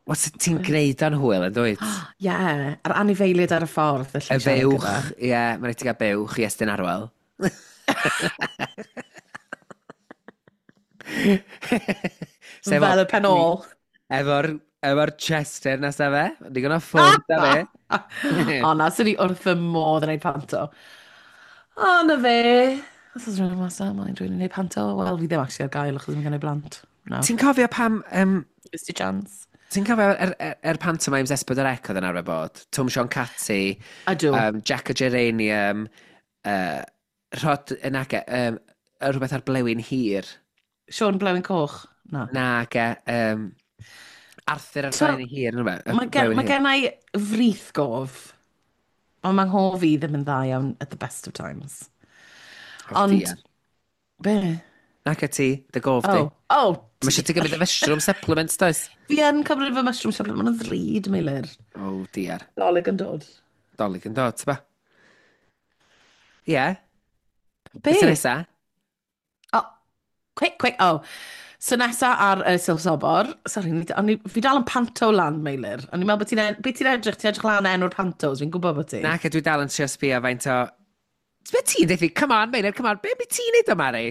Wel, sut ti'n gwneud o'n hwyl yn dwyt? Yeah. A'r anifeiliaid ar y ffordd. Y buwch, ie, yeah, mae'n rhaid ti gael buwch i Estyn Arwel. Sef Fel y pen ôl. Efo'r Chester nesa fe, digon o ffwrdd da fe. O na, swn i wrth fy modd yn ei panto. O, na fe. Os oes rhywun mas na, mae'n rhywun yn ei panto. Wel, fi ddim actually ar gael achos mae gen i blant. No. Ti'n cofio pam. Just a chance. Ti'n cofio er pantomimes S4C oedd yn arfer bod? Twm Siôn Cati, Ydw. Jack o Geranium, Rhod yn age, rhywbeth ar blewyn hir. Siôn Blewyn Coch. Na. Na, ge, Arthur ar So, blewyn hir, neu rhywbeth. Mae gen i frith gof, ond mae nghof fi ddim yn dda iawn at the best of times. Ond, be? Nac ti, dy gof di. Oh, oh. Mae eisiau ti gymryd y mushroom supplements, does? Fi yn cymryd fy mushroom supplement, mae'n ddrud, Meilir. Oh, dear. Dolig yn dod. Dolig yn dod, tyba? Ie. Yeah. Be? Beth nesa? Oh, quick, quick, oh. So nesa ar Silff Sobor, sorry, o'n i, fi dal yn panto land, Meilir. O'n i'n meddwl bod ti'n be ti'n edrych, ti'n edrych lan enw'r pantos, fi'n gwybod bod ti. Na, dwi dal yn trio sbio faint o. Be ti'n dweud? Come on, Meilir, come on. Be ti'n neud o, Mari?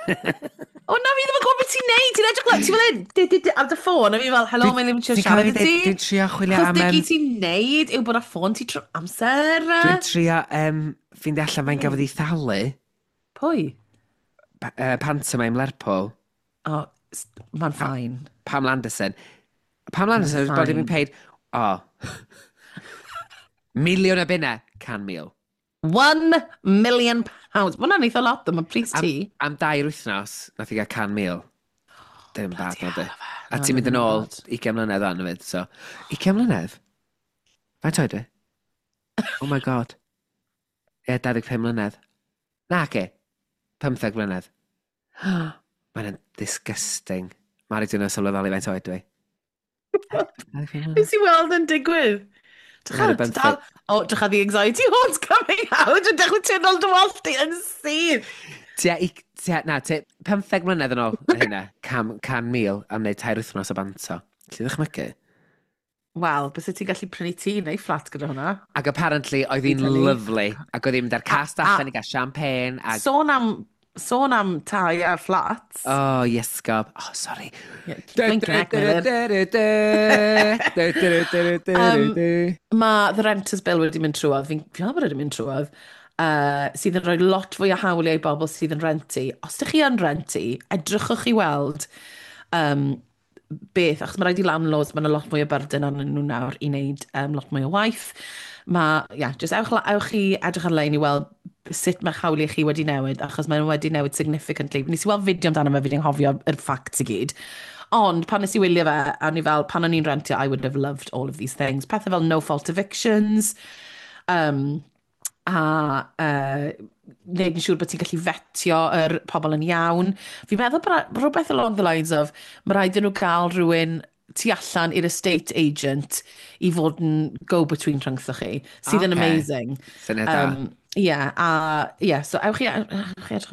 O na, fi ddim yn gwybod beth ti'n neud. Ti'n edrych lan, ti'n fel hyn, di, di, di, ar dy ffôn, a fi fel, hello, mae'n ddim yn trio siarad i ti. Dwi'n trio chwilio am. Chos dy gyd ti'n neud yw bod ar ffôn ti trwy amser. Dwi'n trio ffeindio allan faint gafodd ei thalu. Pwy? Pantomime Lerpwl. O, mae'n fine. Pam Anderson. Pam Anderson was been paid, oh, £1 million, 100,000. £1 million. Mae hwnna'n eitha lot, mae pris ti. Am 2 wythnos, nath i gael 100,000. Dim bad, na di. A ti'n mynd yn ôl 20 mlynedd o'n fyd, so. 20 mlynedd? Faint oed i? Oh my God. Ie, yeah, 25 mlynedd. Na, ge. 15 mlynedd. Mae'n disgusting. Mari, dwi'n sylweddoli faint oed dwi. Nes i weld yn digwydd. Oh, drycha the anxiety horns coming out. Dwi'n dechrau teimlo dy wallt di yn syth. Tua, tua, na, tua, 15 mlynedd yn ôl hynna, 100,000 am wneud 3 wythnos o banto. Lly ddychmygu? Wel, bys ti'n gallu prynu tŷ neu fflat gyda hwnna. Ac apparently oedd hi'n lovely. Ac oedd hi'n mynd ar cast allan i gael champagne. Ag. Sôn am tai a flats. Oh, yes, gob. Oh, sorry. Mae The Renters Bill wedi mynd trwodd. Fi'n meddwl bod wedi mynd trwodd. Sydd yn rhoi lot fwy o hawliau i bobl sydd yn rentu. Os ydych chi yn rentu, edrychwch i weld beth, achos mae rhaid i landlords, mae'n lot mwy o burden arnyn nhw nawr i wneud lot mwy o waith. Mae, yeah, just ewch i edrych ar-lein i weld sut mae hawliau chi wedi newid, achos mae'n wedi newid significantly. Nes i weld fideo amdano fe, fi wedi anghofio yr facts i gyd. Ond pan nes i wylio fe, a ni fel, pan o'n i'n rentio, I would have loved all of these things. Pethau fel no fault evictions, a wneud yn siŵr bod ti'n gallu vetio yr pobl yn iawn. Fi'n meddwl bod rhywbeth along the lines of, mae rhaid i nhw gael rhywun tu allan i'r estate agent i fod yn go-between rhyngthoch chi, sydd yn amazing. Syniad da. Yeah, a yeah, so ewch chi edrych, rhaid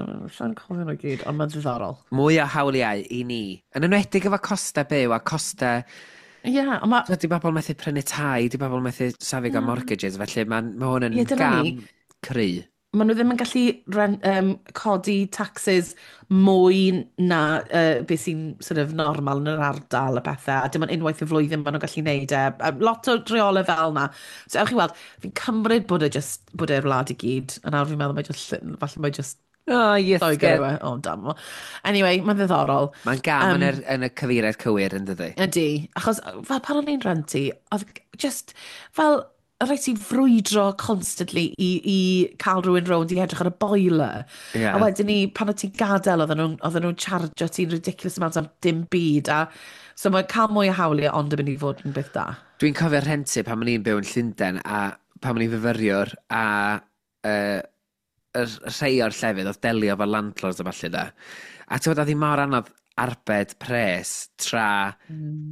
cofio nhw gyd, ond mae'n ddiddorol. Mwy o hawliau i ni. Yn enwedig efo costau byw a costau. Ie, yeah, ond mae. Di bobl methu prynu tai, di bobl methu safio gael mortgages, felly mae ma hwn yn yeah, gam cry. Maen nhw ddim yn gallu codi taxes mwy na beth sy'n sort of normal yn yr ardal a pethau, a dim ond unwaith y flwyddyn maen nhw'n gallu neud e. A lot o reolau fel na. So ewch i weld, fi'n cymryd bod e just, bod e'r wlad i gyd, a nawr fi'n meddwl mae just, falle mae just Oh, yes. Lloegr yw e. Oh, damn. Anyway, mae'n ddiddorol. Mae'n gam yn y cyfeiriad cywir, yn dydi? Ydy. Achos fel pan o'n i'n rentu, oedd just fel rhaid ti frwydro constantly i cael rhywun rownd i edrych ar y boiler. A wedyn ni, pan o ti'n gadael, oedden nhw'n charge ti'n ridiculous amount am dim byd. A, so mae cael mwy o hawliau ond yn mynd i fod yn beth da. Dwi'n cofio rhentu pan o'n i'n byw yn Llundain a pan o'n i'n fyfyriwr a y rhai o'r llefydd oedd delio efo landlords a falle da. A ti'n gwybod, oedd hi mor anodd arbed pres tra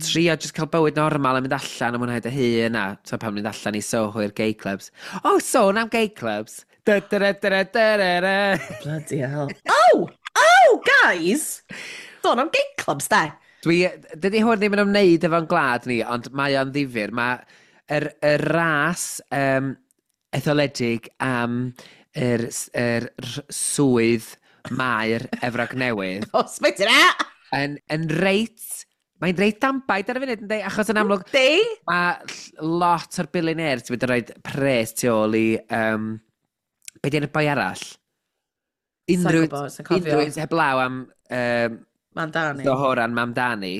trio just cael bywyd normal a mynd allan a mwynhau dy hun a so pan mynd allan i Soho i'r gay clubs. Oh, sôn am gay clubs. Da, da, da, da, da, da, da. Bloody hell. Oh! Oh, guys! Sôn am gay clubs, de. Dydy hwn ddim yn ymwneud efo'n gwlad ni, ond mae o'n ddifyr. Mae yr ras etholedig am yr swydd maer Efrog Newydd Os mae ti'n e? yn reit. Mae'n reit danbaid ar y funud, yndi? Achos yn amlwg, Di? mae lot o'r billionaires wedi rhoi pres tu ôl i. Be di'n y boi arall? Unrhyw, gwbod, sai'n cofio. Unrhyw un heblaw am Mamdani. Zohran Mamdani.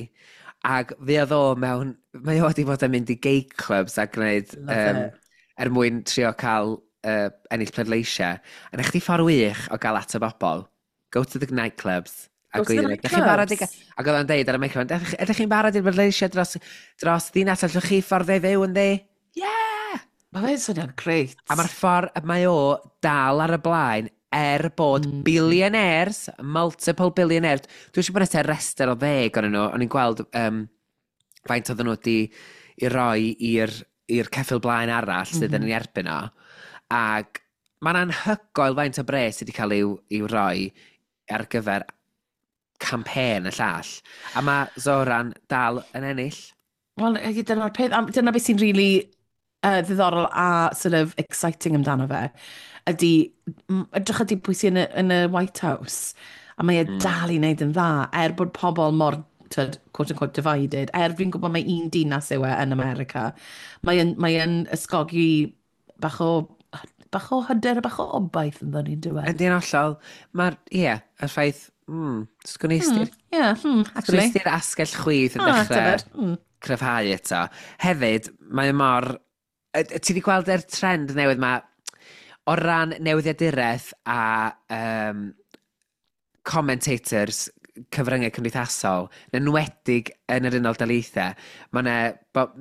Ac fe oedd o mewn. Mae o wedi bod yn mynd i gay clubs a gwneud Love it. Er mwyn trio cael ennill pleidleisiau. A na chdi ffordd wych o gael at y bobl. Go to the nightclubs. A Go to the gweud, "Ydych chi'n barod i nightclubs." Ac oedd o'n deud ar y microphone, "Ydych chi'n barod i'r bleidleisiau dros ddinas? Allwch chi ffordd ei fyw yn di?" Yeah! Mae fe'n swnio'n grêt. A mae'r ffordd mae o dal ar y blaen er bod billionaires, multiple billionaires. Dwi'n siŵr bod yna rester o 10 o'n nhw. O'n i'n gweld faint oedden nhw wedi i roi i'r ceffyl blaen arall sydd yn ei erbyn o. Ac mae'n anhygoel faint o bres sydd wedi cael i'w roi ar gyfer Campaign y llall. A mae Zoran dal yn ennill. Wel, dyna'r peth, dyna beth sy'n really ddiddorol a sort of exciting amdano fe, ydy, edrych ydy pwy sy'n yn y White House, a mae e dal i wneud yn dda, er bod pobl mor, tyd, quote unquote, divided, er fi'n gwybod mae un dinas yw e yn America, mae e'n ysgogi bach o hyder a bach o obaith yn ni'n dweud. Ydy'n hollol. Mae'r, ie, y ffaith, sgwn i Yeah, actually. Sgwn asgell chwith yn dechrau cryfhau eto. Hefyd, mae mor... Ti wedi gweld yr trend newydd ma o ran newyddiaduraeth a commentators cyfryngau cymdeithasol, yn enwedig yn yr Unol Daleithiau, mae yna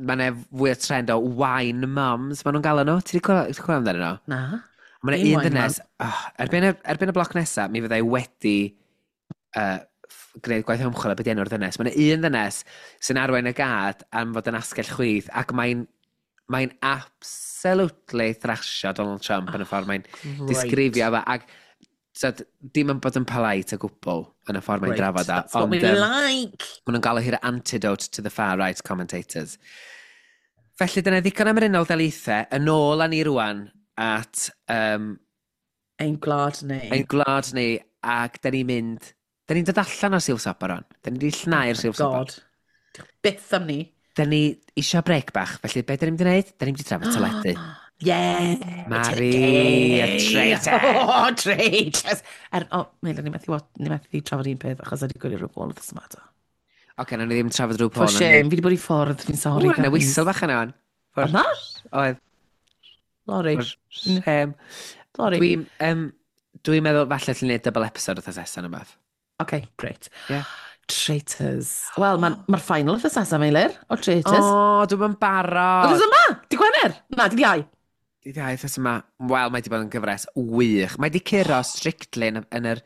ma fwy o trend o wine moms, maen nhw'n galw nhw. Ti wedi clywed amdano nhw? Na. Mae yna un ddynes, oh, erbyn y bloc nesaf, mi fyddai wedi gwneud gwaith ymchwil a beth enw'r ddynes. Mae yna un ddynes sy'n arwain y gad am fod yn asgell chwith, ac mae'n absolutely thrashio Donald Trump yn y ffordd mae'n disgrifio fe. Ac so, dim yn bod yn polite o gwbl yn y ffordd mae'n drafod a. That's what we like. Maen nhw'n galw hi'r antidote to the far-right commentators. Felly dyna ddigon am yr Unol Daleithiau, yn ôl â ni rwan at ein gwlad ni. Ein gwlad ni, ac da ni'n mynd... Da ni'n dod allan o'r silff sopor on. Da ni wedi llnau'r silff sopor. God. Byth am ni. Da ni eisiau brec bach, felly be da ni'n mynd i wneud? Da ni'n mynd i trafod teledu. Yeah! Mari, y traitor! Oh, traitors! Er, oh, Meilir, ni methu trafod un peth achos wedi gwylio rhyw wythnos yma to. Oce, okay, nawn ni ddim trafod rhyw For shame, fi wedi bod i ffwrdd, fi'n sorry. Ww, na whistle bach yna wan. Oedd na? Oedd. Sorry. Shame. Sorry. Dwi'n dwi meddwl falle allwn ni wneud double episode wrth nesaf yma. OK, great. Yeah. Traitors. Wel, mae'r ma final wythnos nesaf, Meilir, o Traitors. O, oh, dwi'n barod. Wythnos yma? Di Gwener? Na, di Iau. Dydd Iau wythnos yma. Wel, mae di bod yn gyfres wych. Mae di curo Strictly yn yr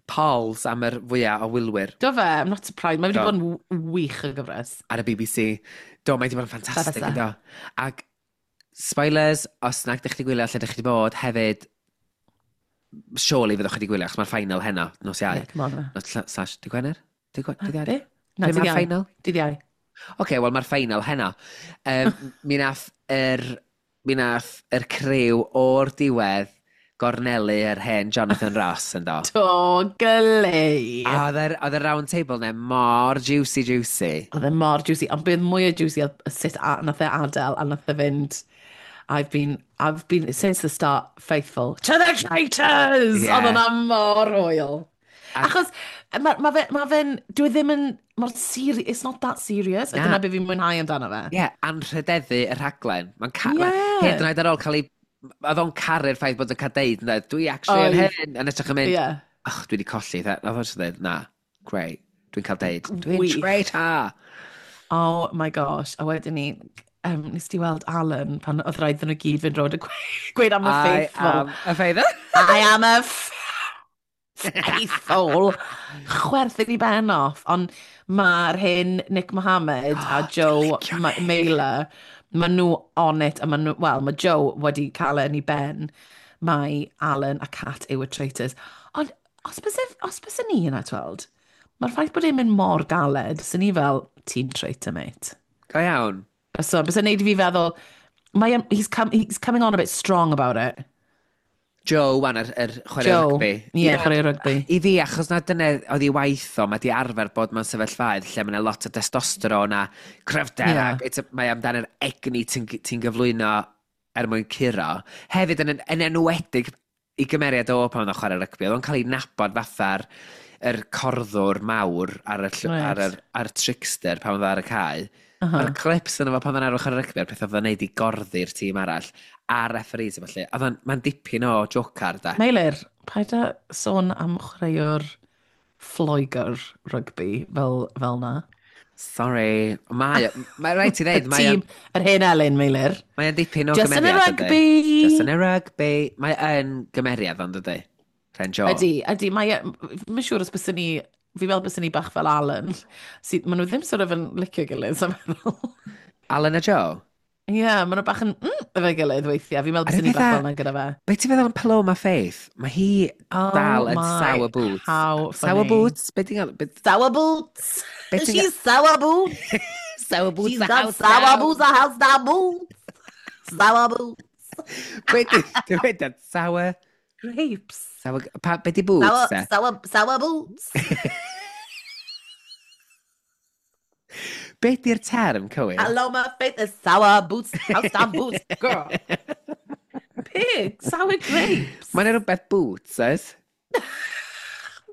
polls am yr fwyaf o wylwyr. Do fe, I'm not surprised. Mae wedi bod yn wych y gyfres. Ar y BBC. Do, mae di bod yn ffantastig, do. Ac spoilers, os nag ydych chi wedi gwylio lle ydych chi wedi bod, hefyd, surely fyddwch chi wedi gwylio, achos mae'r final heno, nos Iau. Yeah, come on. Nos slash, dy Gwener? Dy Iau? Na, dydd Iau. Final? Dydd Iau. Oce, okay, wel mae'r final heno. Mi nath yr criw o'r diwedd gornelu yr hen Jonathan Ross yn do. Do, gylei. A oedd y round table ne mor juicy juicy. Oedd e mor juicy, ond bydd mwy o juicy oedd sut nath e adael a nath e fynd, I've been, since the start, faithful to the traitors! Yeah. Oedd hwnna mor hwyl. Achos ma fe'n, dwi e ddim yn, mor serious, it's not that serious. A dyna beth fi'n mwynhau amdano fe. Ie, yeah, anrhydeddu y rhaglen. Mae'n hyd yn oed ar ôl cael ei... Oedd o'n caru'r ffaith bod yn cael deud, ynde, dwi actually yn hyn, yn edrych yn mynd, "Och, dwi wedi colli." Oedd o'n just dweud, "Na, great, dwi'n cael deud, dwi'n traitor." Oh my gosh, a wedyn ni, nes ti weld Alan pan oedd rhaid iddyn nhw gyd fynd rownd y gweud am y faithful. I am a faithful. I am a faithful. Chwerthin i ben off. Ond mae'r hyn Nick Mohammed a Joe Mailer, maen nhw on it, a maen nhw, wel, mae Joe wedi cael e yn ei ben. Mae Alan a Kat yw y traitors. Ond os byse ni yna, tweld, mae'r ffaith bod e'n mynd mor galed, sy'n ni fel, "Ti'n traitor, mate." Go iawn. So, byse neud i fi feddwl, he's coming on a bit strong about it. Joe, wan, yr chwarae rygbi. Ie, yeah, chwarae rygbi. I fi, achos na dyna oedd ei waith o, mae di arfer bod mewn sefyllfaoedd lle mae yna lot o testosteron a cryfder, ac mae amdano'r egni ti'n ti gyflwyno er mwyn curo. Hefyd, yn enwedig i gymeriad o pan oedd o'n chwarae rygbi, oedd o'n cael ei nabod fatha'r yr corddwr mawr ar y, right. ar, yr, ar trickster pan oedd ar y cae. Mae'r clips yna fo pan oedd o'n arfer chwarae rygbi, a'r peth oedd o'n neud i gorddi'r tîm arall, a'r referees a falle. Oedd mae'n dipyn o jocar, da. Meilir, paid â sôn am chwaraewr Lloegr rygbi fel na. Sorry. Mae rhaid ti ddeud. Mae tîm, yr hen Elin, Meilir. Mae'n dipyn o Just gymeriad. Just yn y rygbi! Just yn y rygbi. Mae yn gymeriad, ond ydy? Ren Joe. Ydy, ydy. Mae'n siŵr os byswn ni, fi'n meddwl byswn ni bach fel Alan. Maen nhw ddim sort of yn licio gilydd, so meddwl. Alan a Joe? Ie, yeah, maen nhw bach yn efo'i gilydd weithiau. Fi'n meddwl A'r bys ni peth bach a- fel yna gyda fe. Be ti'n feddwl am Paloma Faith? Mae hi Oh dal yn my, sour boots. How Sour funny. boots? Be ti'n gael? Be, Sour boots! be ti'n She's sour boots! Sour boots She's the got house sour down. boots, a house down boots! Sour boots! Be ti'n dweud? Sour... Grapes. Sour... Pa, be di boots, Sour, te? sour, sour boots! Be di'r term, cywir? Paloma Faith is sour boots, house down boots, girl. Pig, sour grapes. Mae'n rhywbeth boots, oes?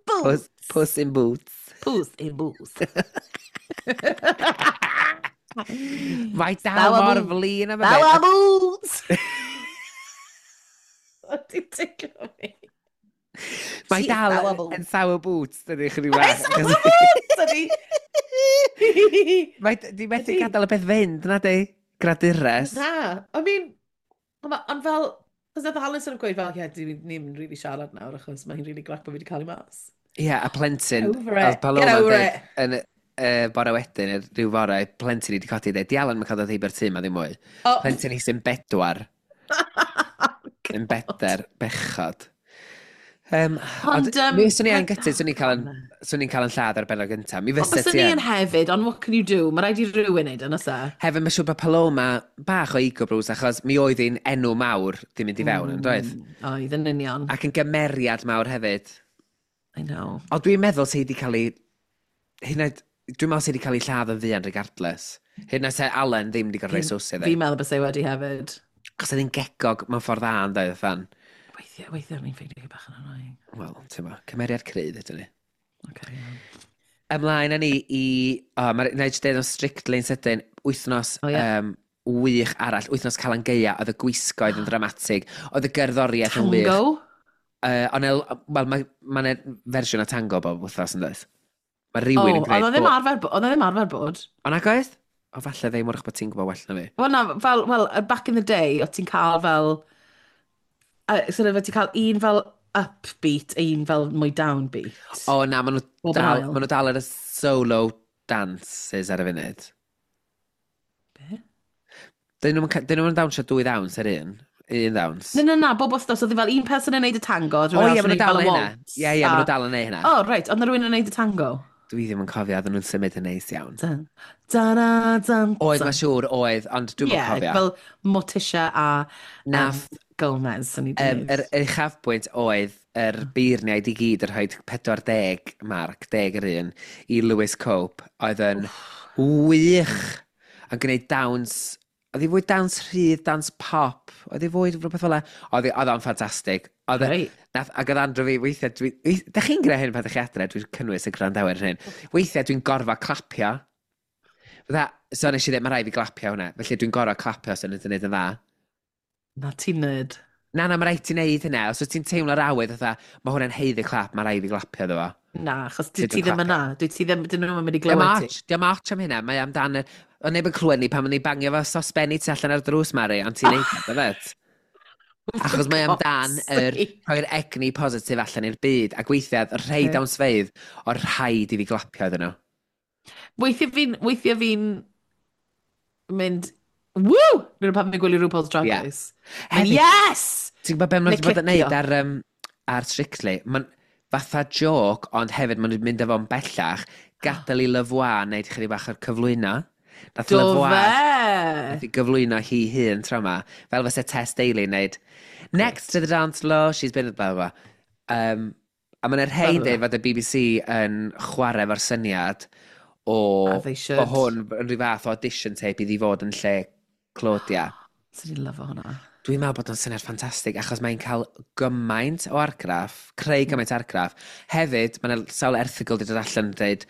Boots. Puss, puss in boots. Puss in boots. Mae dal Sour mor boots. flin am y Sour beth. boots! Ti'n ticlo fi? Mae She's dal sour boots. yn sour boots, dydy chydig Mae bach. sour boots, ydi! Mae di methu Ydi. gadael y peth fynd, na di? Gradures. Na, I mean, ond fel, cos nath Alison yn gweud fel, ie, yeah, ni'n really siarad nawr, achos mae hi'n really grac bod fi wedi cael ei mas. Ie, a plentyn. Over Oedd it. Paloma Get over yn deud it. Yn bore wedyn, rhyw fore, plentyn i wedi codi dweud, di Alan mae'n cael dod heibio'r tŷ ma ddim mwy. Oh. Plentyn hi sy'n bedwar, yn beder, bechod. Ond, Ond, mi swn i yn gytid, swn i'n cael yn, Na. swn i'n cael yn lladd ar benod gyntaf. Mi Ond fysa byswn ti ni yn. yn hefyd, ond what can you do? Mae rhaid i rhywun neud yn oes e? Hefyd, mae'n siŵr bod Paloma bach o ego bruise, achos mi oedd hi'n enw mawr di mynd i fewn, yn doedd? Oedd yn union. Ac yn gymeriad mawr hefyd. I know. Ond dwi'n meddwl sydd wedi cael ei... Hyd yn oed, dwi'n meddwl sydd wedi cael ei lladd yn fuan regardless. Hyd yn oed se Alan ddim wedi gorfod rhoi sws iddi. Fi'n meddwl bys ei wedi hefyd. Cos oedd hi'n gegog mewn ffordd dda yn dweud, fan. Weithiau, weithiau o'n i'n ffeindio hi bach yn annoying. Wel, ti'n ma, cymeriad cryf ydyn ni. Okay, iawn. Ymlaen â ni i... O, oh, na i jyst deud o'n strictly yn sydyn, wythnos O, ie. wych arall, wythnos Calan Gaea, oedd y gwisgoedd yn dramatig, oedd y gerddoriaeth yn wych. Tango? Ond wel, mae ma 'na fersiwn o tango bob wythnos yn dweud. Mae O, rhywun yn oedd gwneud... o ddim arfer, oedd o ddim arfer bod. O nag oedd? O, falle ddim wrach bod ti'n gwybod well na fi. Wel na, fel, well, back in the day, o ti'n cael fel... Sort of, o ti'n cael un fel upbeat a un fel mwy downbeat. O na, maen nhw Bob yn dal, ail. ma nhw dal ar y solo dances ar y funud. Be? Dyn nhw'n dawnsio dwy ddawns ar un. Un ddawns. Na, na, na, bob wythnos, oedd hi fel un person yn neud y tango, O rhywun ie, arall maen yn nhw neud dal fel yn y neud hynna. waltz. Ie, ie, maen nhw dal yn neud hynna. O, reit, ond na rhywun yn neud y tango. Dwi ddim yn cofio, oedden nhw'n symud yn neis iawn. Dun, dun, dun, Oedd, dun. mae'n siŵr, oedd, ond dwi'n Ie, yeah, cofio. fel Morticia a Nath, Gomez, o'n i wedi yr uchafbwynt oedd yr beirniaid i gyd yn rhoi 40 marc, 10 yr un, i Lewis Cope, oedd yn wych yn gwneud dawns, oedd hi fwy dawns rhydd, dawns pop, oedd hi fwy rhywbeth fel 'na. Oedd o'n ffantastig. Oedd e- Reit. Nath, ac oedd Andrew fi, weithiau, dwi, da chi'n gwneud hyn pan ydych chi adre, dwi'n cynnwys y gwrandawyr hyn. Weithiau dwi'n gorfod clapio. Fydda, so nes i ddweud, mae rhaid fi glapio hwnna. Felly dwi'n gorfod clapio os ydyn nhw'n gwneud yn dda. Na, ti'n nerd. Na, na, mae rhaid ti wneud hynna. Os wyt ti'n teimlo'r awydd, fatha, mae hwnna'n haeddu clap, mae rhaid fi glapio iddo fo. Na, achos Ti dwi ti ddim ddim yna. Dwi ti ddim, dyn nhw'n mynd i Diolch glywed ti. ots, diolch ots am hynna. Mae amdan... O neb yn clywed ni pan ma'n ni bangio fo sosbenni tu allan ar drws, Mari, ond ti'n neud o, dyfed? Achos mae amdan yr rhoi'r egni positif allan i'r byd, ac weithiau, y rhai Ocê. dawnsfeydd, o'r rhaid i fi glapio iddyn nhw. Weithiau fi'n mynd, woo! Nid pan fi'n gwylio RuPaul's Drag Ie. Race. Mynd, Hefyd- yes! Ti'n gwybod beth maen nhw Neu wedi bod yn neud clicio. ar Strictly? Mae'n fatha joke, ond hefyd maen nhw'n mynd â fo'n bellach, gadael i Levois wneud chydig bach o'r cyflwyno. Nath Do Levois fe! nath i gyflwyno hi hun tro yma, fel fysa Tess Daly yn neud, next to the dance floor, she's been blah, blah, blah. A mae'n rhai Blah, blah, dweud fod y BBC yn chwarae efo'r syniad o, As they should. o hwn yn rhyw fath o audition tape iddi fod yn lle Claudia. Swn i'n lyfo hwnna. Dwi'n meddwl bod o'n syniad ffantastig achos mae'n cael gymaint o argraff, creu gymaint o argraff. Hefyd, mae'n sawl erthygl wedi dod allan yn dweud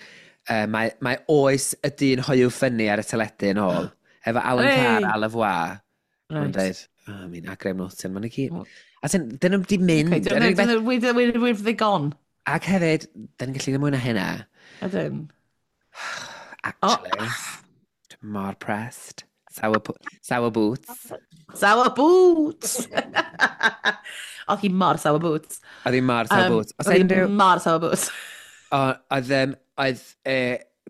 mae oes y dyn hoyw ffynnu ar y teledu yn ôl. Efo Alan Hey! Carr a Levois. Mae'n Right. dweud, oh, I mean, a Graham Norton, ma'n i gyd. Well- A sy'n, dyn nhw'n di mynd. Okay, Yr unig beth- where have they gone? Ac hefyd, dyn ni'n gallu gwneud mwy na hynna. Ydyn. Actually, Oh. dwi'n mor pressed. Sour, sour boots. Sour boots! Oedd hi mor sour boots. Oedd hi mor sour boots. Os Oedd hi unrhyw... mor sour boots. Oedd, oedd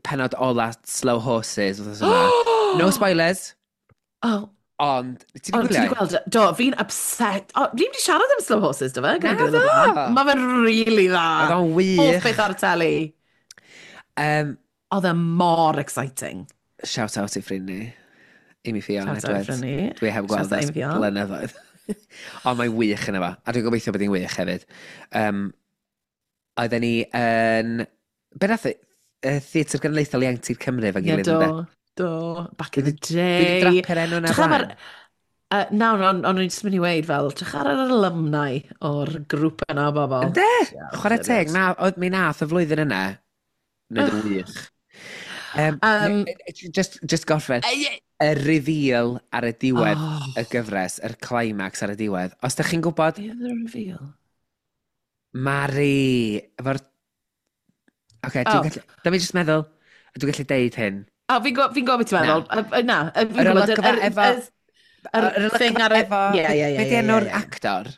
penod ola Slow Horses. Wythnos yma. No spoilers. Oh, Ond, ti wedi Ond ti gwylio? wedi gweld, do, fi'n upset. O, fi wedi siarad am Slow Horses, do fe? Na do! Mae fe'n really dda. Oedd o'n Hoff wych. beth ar y teli. Oedd e mor exciting. Shout out i ffrind ni. Amy Fion Shout out i Edwards. ffrind ni. Dwi heb Shout gweld out ers Amy Ffion. blynyddoedd. Ond mae'n wych yn efo. A dwi'n gobeithio bod hi'n wych hefyd. Oedden ni yn... Be nath y Theatr Genedlaethol Ieuenctid Cymru efo'n Ie, gilydd, do. ynde? Do. Back in the Dwi wedi day. drapio'r enw yna Drych ar... blaen. Na, ond o'n i'n just mynd i weud fel, drych ar yr alumni o'r grŵp yna o bobl. Ynde? Chwarae teg, na, oedd mi nath y flwyddyn yna. Wneud yn wych. Just gorffen, y reveal ar y diwedd y gyfres, yr climax ar y diwedd. Os da chi'n gwybod, Be oedd y reveal? Mari, efo'r... Oce, Oh. dwi'n gallu... Da mi jyst meddwl, dwi'n gallu deud hyn. O, fi'n gwybod beth ti'n meddwl. Na, fi'n Yr gwybod. olygfa efo- Yr Yr thing ar y... efo... Ie, ie, ie. Be di enw'r actor?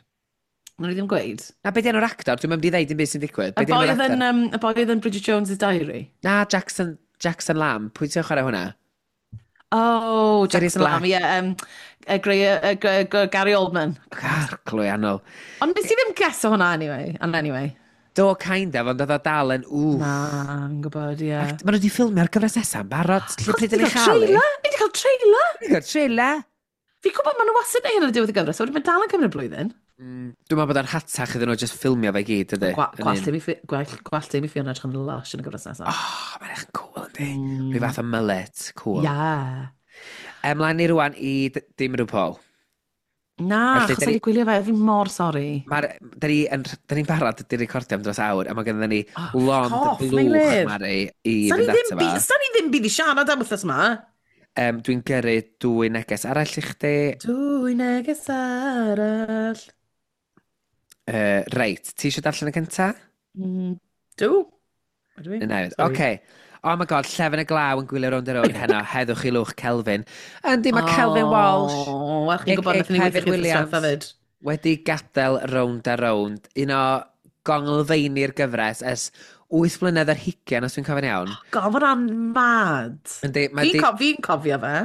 Wnawn ni ddim gweud. Na, be di enw'r actor? Dwi'n mynd i ddeud dim byd sy'n digwydd. Y Be di boi enw'r oedd yn, actor? y boi oedd yn Bridget Jones's Diary. Na, Jackson Lamb. Pwy ti'n chwarae hwnna? Oh, Sirius Jackson Lamb, Black. ie. Grey, Gary Oldman. Arglwy annwl. Ond nes i ddim guess o hwnna anyway. And anyway. Do, kind of, ond oedd o dal yn wff. Na, fi'n gwybod, ie. Ac Maen nhw wedi ffilmio'r gyfres nesaf yn barod. Lle pryd Ni yn ei chael i? trailer! Ni wedi cael trailer! Ni wedi cael trailer! Fi'n gwybod maen nhw wastad yn neud hyn ar y diwedd y gyfres, so wedyn mae'n dal yn cymryd blwyddyn. Dwi'n meddwl bod o'n hatach iddyn nhw just ffilmio fe i gyd, ydy? Gwallt Amy Fiona edrych yn lush yn y gyfres nesaf. Oh, mae'n eich yn cool, yndi? Rhyw fath o mullet, cool. Yeah. Ymlaen ni rwan i dim rhyw Paul. Na, Felly, achos da ni- wedi gwylio fe, fi'n mor sori. Mae'r, da ni yn, da ni'n barod di recordio am dros awr, a mae gennym ni Oh, lond fuck off, blwch, Meilir. Mari, i Sa ni fynd ddim ato byd- fo. sa ni ddim byd i siarad am wythnos yma. Dwi'n gyrru dwy neges arall i chdi. Dwy neges arall. Reit, ti eisiau darllen y cynta? Dw. Ydw i? Na, Sorry. oce. Oh my god, llefen y glaw yn gwylio rownd a rownd heno, heddwch i lwch Kelvin. Yndi, mae Kelvin Walsh O, wel, chi'n gwybod, AKA nathon ni weithio Kevin chi Williams. wythnos hefyd. Wedi gadael rownd a rownd. Un o gonglfeini'r gyfres ers 8 blynedd ar hugain, os dwi'n cofio'n iawn. God, mae hwnna'n mad. Yndi, mae Fi'n di, co fi cofio fe.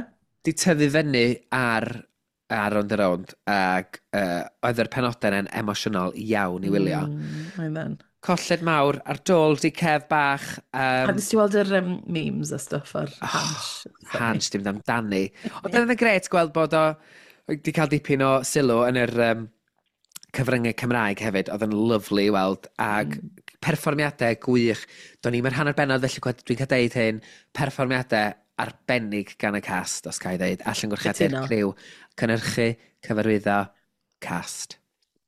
di tyfu fyny ar rownd a rownd, ac oedd yr penodau yna'n emosiynol iawn i wylio. Mae'n then. Colled mawr ar dôl di Kev bach. A nes ti weld yr memes a stuff ar Hansh? Hansh, dim amdani. Ond oedd yn gret gweld bod o wedi cael dipyn o sylw yn yr cyfryngau Cymraeg hefyd. Oedd yn lyfli i weld. Ac perfformiadau gwych. Do'n i'm yr hanner bennod, felly dwi'n cael deud hyn. Perfformiadau arbennig gan y cast, os ga i ddeud. Allan gwrchiadau'r Cytuno. criw. Cynhyrchu, cyfarwyddo, cast.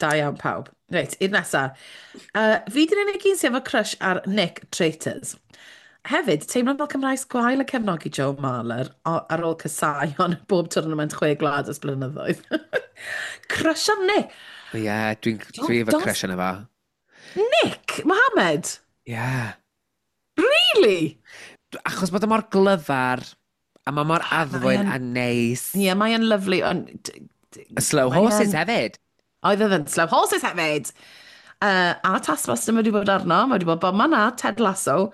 Da iawn pawb. Reit, un nesa. Fi di'r unig un sydd efo crush ar Nick Traitors. Hefyd, teimlo fel Cymraes gwael y cefnogi Joe Marler ar ôl casau ond bob tournament chwe gwlad ers blynyddoedd. Crush ar Nick. Ie, yeah, dwi'n dwi efo crush yna fo. Nick Mohammed? Ie. Yeah. Really? Achos bod o mor glyfar, a mae mor addfwyn a neis. Ie, yeah, mae yn lyfli, ond... Y Slow mae Horses yn- hefyd. Oedd oedd yn Slow Horses hefyd. A Taskmaster mae wedi bod arno, mae wedi bod bob man a Ted Lasso.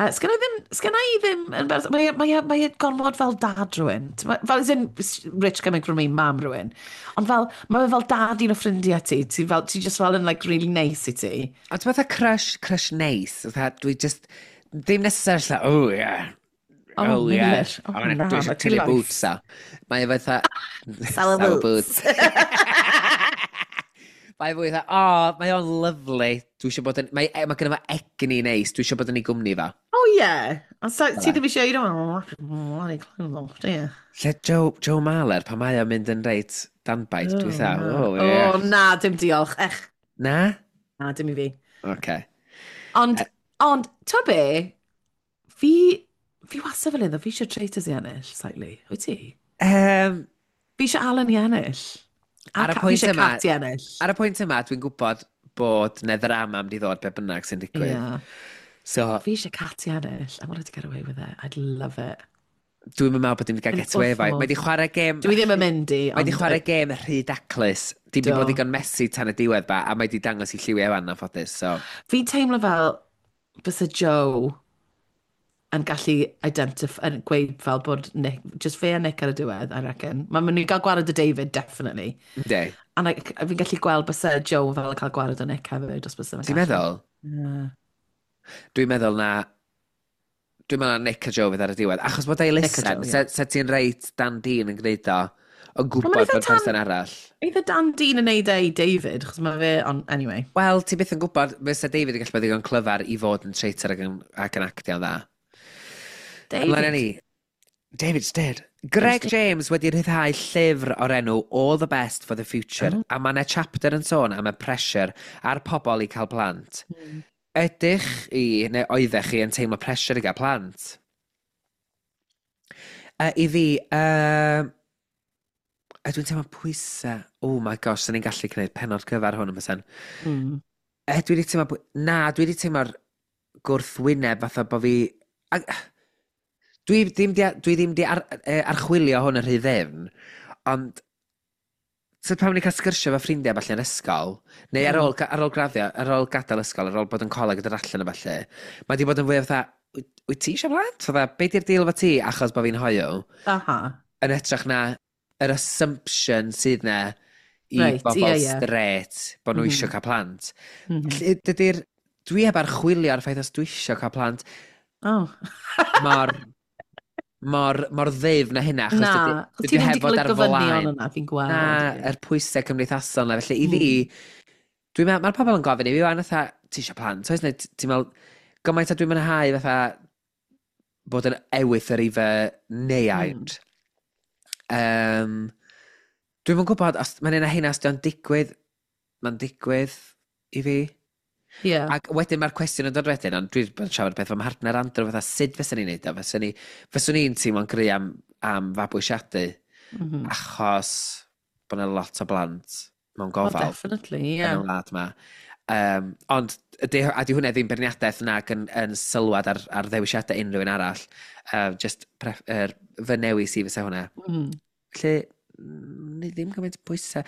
Sgynna i ddim, sgynna i ddim, yn mae gormod fel dad rhywun. Fel, as in, rich coming from me, mam rhywun. Ond fel, mae fe fel dad un o ffrindiau ti. Ti fel, ti just fel yn like really nice i ti. Ond ti'n fatha crush neis. Fatha, dwi just, ddim necessarily like, oh yeah. Oh, Oh, yeah. Meilir. Oh, I wanna- na, Dwi eisiau ma' ti tynnu life. boots a. Mae e fatha... Sour Sour boots. Mae fwy fatha, oh, mae o'n lyfli. Dwi eisiau bod yn... Mae, mae gynno fo egni neis. Dwi eisiau bod yn ei gwmni fo. Oh yeah. Ond ti ddim eisiau, you don't want to bloody clothes off, do you? Lle Joe Marler, pan mae o'n mynd yn reit danbaid, dwi fatha, oh, yeah. Oh, na, dim diolch. Ech, Na? na, dim i fi. Oce. Ond, ti'n be, fi wastad fel iddo, fi eisiau Traitors i ennill, slightly. Wyt ti? Fi eisiau Alan i ennill. A Ar y fi pwynt eisiau yma- Cat i ennill. Ar y pwynt yma, dwi'n gwybod bod ne ddrama am di ddod be bynnag sy'n digwydd. Yeah. So, Fi eisiau Cat i ennill. I wanted to get away with it. I'd love it. dwi'n meddwl bod dim wedi cael Yn get away efo. wrth Mae wedi chwarae gêm... Dwi ddim yn mynd i. Mae wedi ond- chwarae gêm rhy daclus. Dim wedi Do. bod ddigon messy tan y diwedd ba, a mae wedi dangos i lliwiau fan anffodus. So, Fi'n teimlo fel bysa Joe yn gallu identify, yn gweud fel bod Nick, just fe a Nick ar y diwedd, I reckon. Mae'n mynd i gael gwared o David, definitely. Yndi. A like, fi'n gallu gweld byse Joe fel yn cael gwared o Nick hefyd, os byse fe'n Ti'n meddwl? Yeah. Dwi'n meddwl na... Dwi'n meddwl na Nick a Joe fydd ar y diwedd. Achos bod ei Nick a listen, Joe, ie. se ti'n reit Dan Dean yn gwneud o, yn Wel, gwybod ma'n eitha bod person arall. Eitha Dan Dean yn neud e i David, achos mae fe, on, anyway. Wel, ti byth yn gwybod, fysa David yn gallu bod ddigon clyfar i fod yn traitor ac yn actio'n dda. David. Ymlaen â ni. David's dead. Greg James wedi rhyddhau llyfr o'r enw All the Best for the Future, a mae yna chapter yn sôn am y pressure ar pobl i cael plant. Ydych chi, neu oeddech chi, yn teimlo pressure i gael plant? I fi, dwi'n teimlo pwysau. Oh my gosh, sy'n ni'n gallu gwneud pennod cyfar hwn yn bysen. Dwi wedi teimlo... Na, dwi wedi teimlo'r gwrthwyneb fatha bod fi... A, dwi ddim di archwilio hwn yn rhy ddefn, ond so pan ni'n cael sgyrsio efo ffrindiau falle yn ysgol, neu ar ôl, ar ôl graddio, ar ôl gadael ysgol, ar ôl bod yn coleg a dod allan o falle, mae di bod yn fwy o fatha, wyt ti eisiau plant? Fatha, be di'r deal efo ti achos bod fi'n hoyw? Yn hytrach na yr assumption sydd na i bobl straight bod nhw eisiau cael plant. Felly, dwi heb archwilio ar y ffaith os dwi eisiau cael plant mor, mor, mor ddyfn na hynna, achos Na, dydy ti ddim heb wedi fod cael ar y gofynion flaen. yna, fi'n gweld. Na, yr pwysau cymdeithasol na. Felly i fi, dwi'n meddwl, mae'r pobl yn gofyn i fi, wan, fatha, ti eisiau plant, oes? Neu ti'n meddwl, gymaint a dwi'n mwynhau fatha bod yn ewythr i fy neuaid. Dwi'm yn gwybod, os mae'n un o heina, os 'di o'n digwydd, mae'n digwydd i fi. Ac wedyn mae'r cwestiwn yn dod wedyn, ond dwi'n bod yn siarad beth fy mhartner Andrew, fatha, sut fyswn ni'n neud o? Fyswn i'n teimlo'n gry am fabwysiadu, achos bod yna lot o blant mewn Oh, gofal definitely, yn yeah. y wlad ma. Ond, a di hwnna ddim beirniadaeth nag yn sylwad ar ddewisiadau unrhyw un arall. Just fy newis i fysa hwnna. Felly, ni ddim gymaint o bwysau.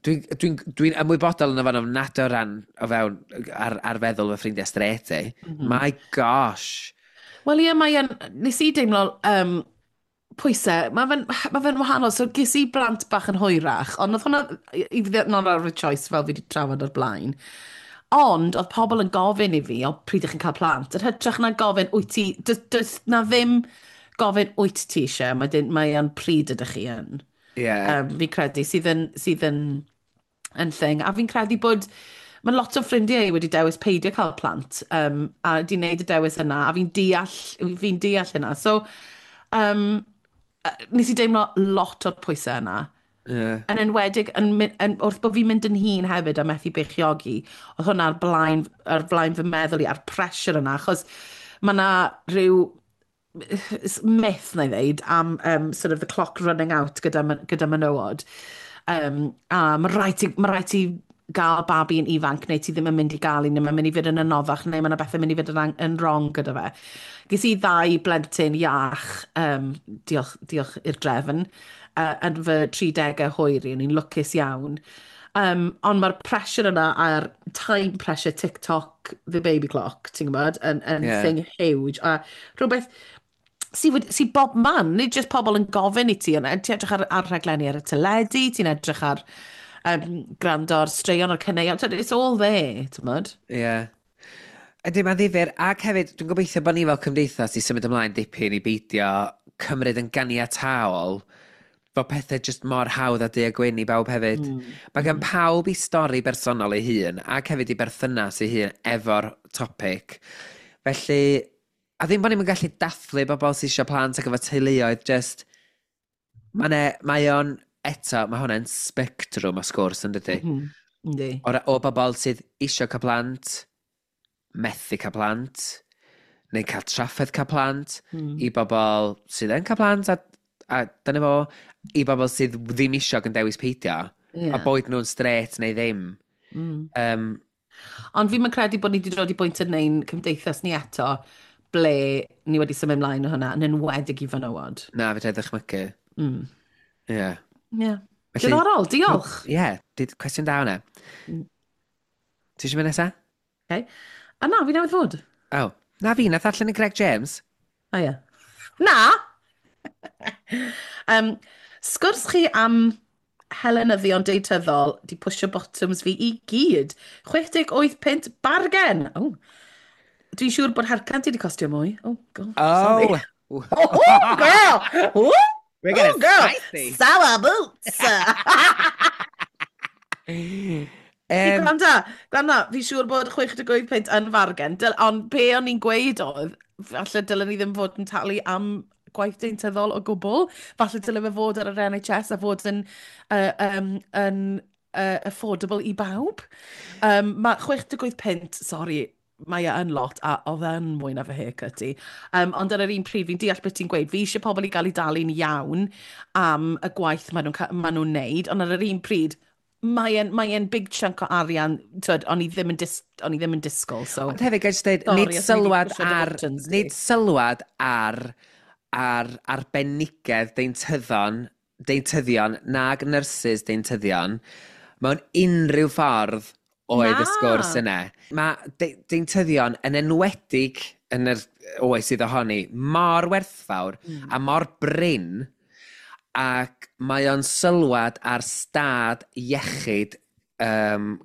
Dwi ymwybodol yn y fan ofnadwy o ran o fewn ar feddwl fy ffrindiau straight i. My gosh. Wel ie, mae yn, nes i deimlo pwysau, ma fe'n wahanol, so ges i blant bach yn hwyrach, ond oedd hwnna, i fi, not out of choice fel fi wedi trafod o'r blaen. Ond oedd pobl yn gofyn i fi, o pryd ydych chi'n cael plant, yn hytrach na gofyn, wyt ti, does na ddim gofyn wyt ti eisiau, mae yn pryd ydych chi yn. Fi'n credu sydd yn thing. A fi'n credu bod mae lot o ffrindiau wedi dewis peidio cael plant a wedi wneud y dewis yna, a fi'n deall hynna. So, nes i deimlo lot o'r pwysau yna. Yn enwedig, yn, wrth bod fi'n mynd yn hŷn hefyd a methu beichiogi, oedd hwnna ar blaen fy meddwl i, a'r pressure yna, achos mae yna rhyw myth, na i ddeud, am sort of the clock running out gyda menywod. A ma rhaid ti gael babi yn ifanc neu ti ddim yn mynd i gael un, neu mae'n mynd i fynd yn anoddach, neu mae yna bethau mynd i fynd yn wrong gyda fe. Ges i ddau blentyn iach, diolch, diolch i'r drefn, yn fy 30au hwyr i, o'n i'n lwcus iawn. Ond mae'r pressure yna a'r time pressure TikTok, the baby clock, ti'n gwybod, yn thing huge. A rhywbeth sy bob man, nid just pobl yn gofyn i ti, ond ti'n edrych ar rhaglenni ar y teledu, ti'n edrych ar gwrando ar straeon o'r caneuon, it's all there, ti'n gwybod? Ie. Yeah. Ydy, mae'n ddifyr. Ac hefyd, dwi'n gobeithio bod ni fel cymdeithas i symud ymlaen dipyn i beidio cymryd yn ganiataol bod pethau just mor hawdd a du a gwyn i bawb hefyd. Mae gan pawb i stori bersonol ei hun ac hefyd i berthynas ei hun efo'r topic. Felly, a ddim bod ni'n gallu dathlu bobl sydd eisiau plant ac efo teuluoedd, just, mae o'n, eto, mae hwnna'n spectrwm o sgwrs, yn dydy? Mm. Yndi. O bobl sydd eisiau cael plant, methu cael plant, neu cael trafferth cael plant, i bobl sydd yn cael plant, a dyna fo, i bobl sydd ddim eisiau ac yn dewis peidio, a boed nhw'n straight neu ddim. Ond fi'n credu bod ni wedi dod i bwynt yn ein cymdeithas ni eto ble ni wedi symud ymlaen o hwnna, yn enwedig i fenywod. Na, fedra i ddychmygu. Ie. Yeah. Felly- Diddorol, diolch. Ie, yeah, cwestiwn da hwnna. Ti eisiau mynd nesaf? Okay. A na, fi newydd fod. Oh. Na fi, nath allan y Greg James. O ie. Na! Sgwrs chi am helenyddion deityddol di pwysio bottoms fi i gyd. 68 punt bargen! Oh. Dwi'n siŵr bod haircut ti di costio mwy. Oh, God, sorry. Oh! Oh, girl! Ooh, We're getting oh, girl! spicy! Sour boots! Gwranda, gwranda, fi'n siŵr bod 68 punt yn fargen, ond be o'n i'n gweud oedd, falle dylen ni ddim fod yn talu am gwaith deintyddol o gwbl. Falle dylen fe fod ar yr NHS a fod yn affordable i bawb. Mae 68 punt, sorry, mae e yn lot, a oedd e'n mwy na fy haircut i. Ond ar yr un pryd, fi'n deall beth ti'n gweud, fi eisiau pobl i gael ei dalu'n iawn am y gwaith maen nhw'n ma nhw'n neud, ond ar yr un pryd, mae e'n big chunk o arian, twyd, o'n i ddim yn disgwyl, so. Ond hefyd, gael dweud, Sorry, nid os o'n i 'di sylwad pwsio dy ar, buttons di. nid sylwad ar arbenigedd deintyddion, nag nyrsys deintyddion, mewn unrhyw ffordd oedd y Na. sgwrs yna. Mae deintyddion yn enwedig yn yr oes sydd ohoni mor werthfawr a mor brin, ac mae o'n sylwad ar stad iechyd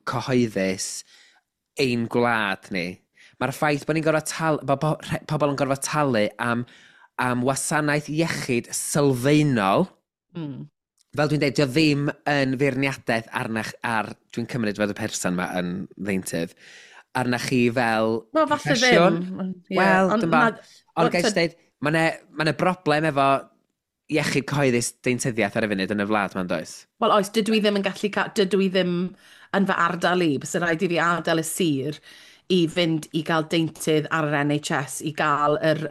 cyhoeddus ein gwlad ni. Mae'r ffaith bod ni'n gorfod tal, bod pobl yn gorfod talu am wasanaeth iechyd sylfaenol, fel dwi'n dweud, dio ddim yn feirniadaeth arnach, ar, dwi'n cymryd fod y person yma yn ddeintydd, arnach chi fel Wel, falle proffesiwn. ddim. Ie, Wel, ond dwi'm bo. Ond wel, gael dweud, mae 'na broblem efo iechyd cyhoeddus deintyddiaeth ar y funud yn y wlad ma'n does? Wel, oes, dydw i ddim yn gallu dydw i ddim yn fy ardal i, byse rhaid i fi adael y sir i fynd i gael deintydd ar yr NHS, i gael yr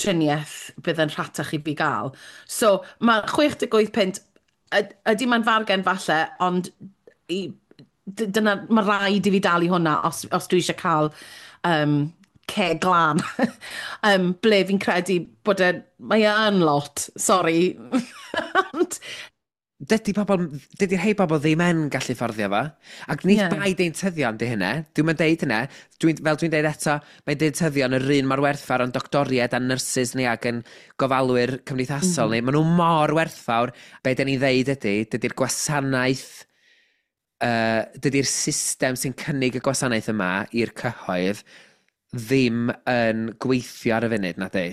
triniaeth bydd yn rhatach i fi gael. So, mae 68 punt, ydy mae'n fargen falle, ond dyna, mae rhaid i fi dalu hwnna os dwi eisiau cael ceg glân. Ble fi'n credu bod e, mae e yn lot, sorry. Ond Dydy rhai bobl ddim yn gallu fforddio fo. Ac nid bai deintyddion di hynna. Dwi'n mynd deud hynna. Fel dwi'n deud eto, mae deintyddion yr un mor werthfawr ond doctoriaid a nyrsys ni ac yn gofalwyr cymdeithasol ni. Maen nhw mor werthfawr. Be dyn ni ddeud ydy, dydy'r gwasanaeth, dydy'r system sy'n cynnig y gwasanaeth yma i'r cyhoedd ddim yn gweithio ar y funud, na di.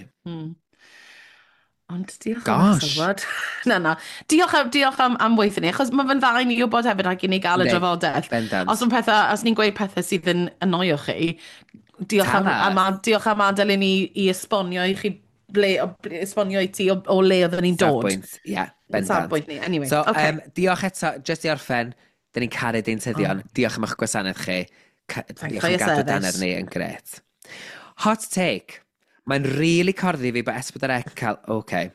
Ond diolch am Gosh. sylwad. Na. Diolch am weithio ni, achos mae fe'n dda i ni wybod hefyd ac i ni gael y drafodaeth. Bendant. Os ni'n gweud pethau sydd yn annoio chi, diolch am, Tell us. diolch am adael i ni i esbonio i chi ble, esbonio i ti o le oedden ni'n dod. Safbwynt, ie, yeah, bendant. Safbwynt ni, anyway. So, okay. Diolch eto, just i orffen, dyn ni'n caru deintyddion. Oh. Diolch am eich gwasanaeth chi. Thank Diolch you for am your gadw service. danedd ni yn gret. Hot take. Mae'n really corddi fi bod S4C yn cael. Okay.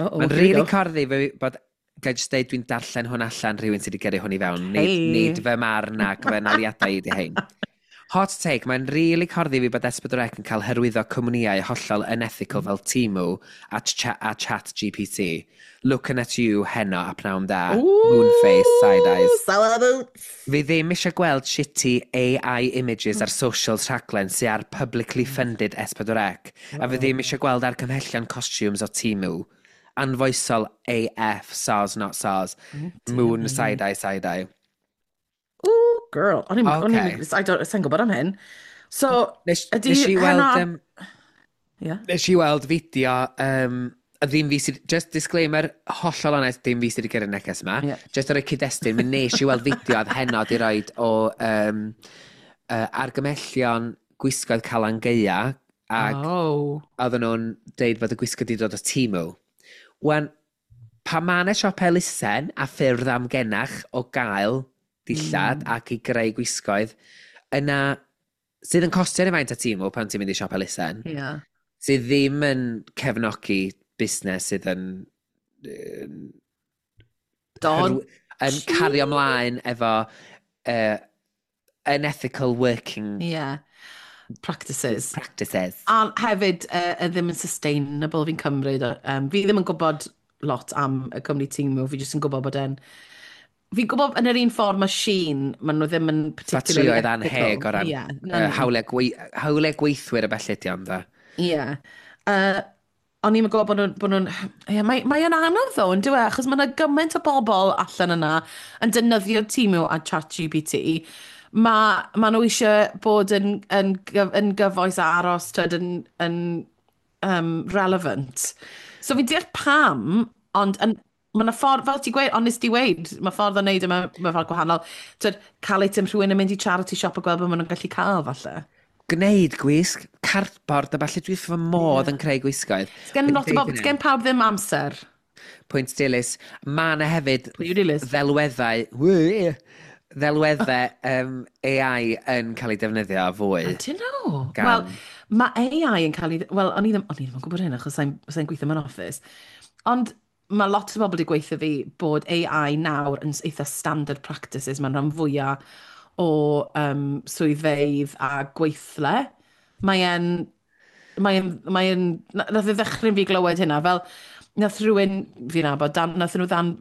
Uh-oh, Mae'n here we really go. corddi fi bod. Ga i just deud dwi'n darllen hwn allan rhywun sydd wedi gyrru hwn i fewn. Nid, Hey. nid fy marn ac fy naliadau i di hein. Hot take, mae'n really corddi fi bod S4C yn cael hyrwyddo cwmnïau hollol unethical fel Temu a Chat GPT. Looking at you heno a pnawn da. Moonface, side eyes. Sour boots. Fi ddim eisiau gweld shitty AI images ar socials rhaglen sydd ar publicly funded S4C. A fi ddim eisiau gweld argymhellion costumes o Temu. Anfoesol AF, SARS not SARS. Moon, side eye, side eye. Ooh, girl. O'n i'n, I don't, sa'n gwybod am hyn. So, ydy Nes i weld, Yeah. Nes i weld fideo, a ddim fi sydd, just disclaimer, hollol onest, dim fi sydd wedi gyrru neges yma. Just ar y cyd-destun, mi nes i weld fideo oedd heno di roed o argymellion gwisgoedd Calan Gaea, ac oedden nhw'n deud bod y gwisgo di dod o Temu. Wan, pa ma' 'na siop elusen a ffyrdd amgenach o gael dillad ac i greu gwisgoedd, yna sydd yn costio rhyw faint o Temu pan ti'n mynd i siop elusen, sydd ddim yn cefnogi busnes sydd yn, Dod. yn cario ymlaen efo unethical working Practices. Practices. A hefyd, ddim yn sustainable fi'n cymryd. Fi ddim yn gwybod lot am y cwmni Temu, fi jyst yn gwybod bod e'n Fi'n gwybod yn yr un ffordd mae Shein, maen nhw ddim yn particularly Ffatrïoedd anheg o ran hawliau, hawliau gweithwyr y bellu di ond dda. Ie. Yeah. O'n i'n gwybod bod nhw'n. Yeah, mae yn anodd ddo, yn dyw e, achos mae yna gymaint o bobl allan yna yn defnyddio Temu a ChatGPT. Mae nhw eisiau bod yn gyfoes a aros tyd, yn relevant. So fi'n deall pam, ond mae yna ffordd, fel ti'n gweud, ond nes ti weud, mae ffordd o wneud e mewn ffordd gwahanol. Tyd, cael eitem rhywun yn mynd i charity shop a gweld beth maen nhw'n gallu cael, falle. Gwneud gwisg, cardboard a falle, dwi wrth fy modd yn creu gwisgoedd. Sgen lot o bobl, sgen pawb ddim amser. Pwynt dilys. Mae yna hefyd Pwy yw dilys? Ddelweddau AI yn cael ei defnyddio fwy. Ydyn nhw? Wel, mae AI yn cael ei. Wel, o'n i ddim yn gwybod hyn achos sa gweithio mewn office. Ond mae lot o bobl wedi gweithio fi bod AI nawr yn eitha standard practices mewn rhan fwyaf o swyddfeydd a gweithle. Mae'n, nath e ddychryn fi glywed hynna, fel, nath rhywun, fi'n nabod, dan, nath nhw ddan,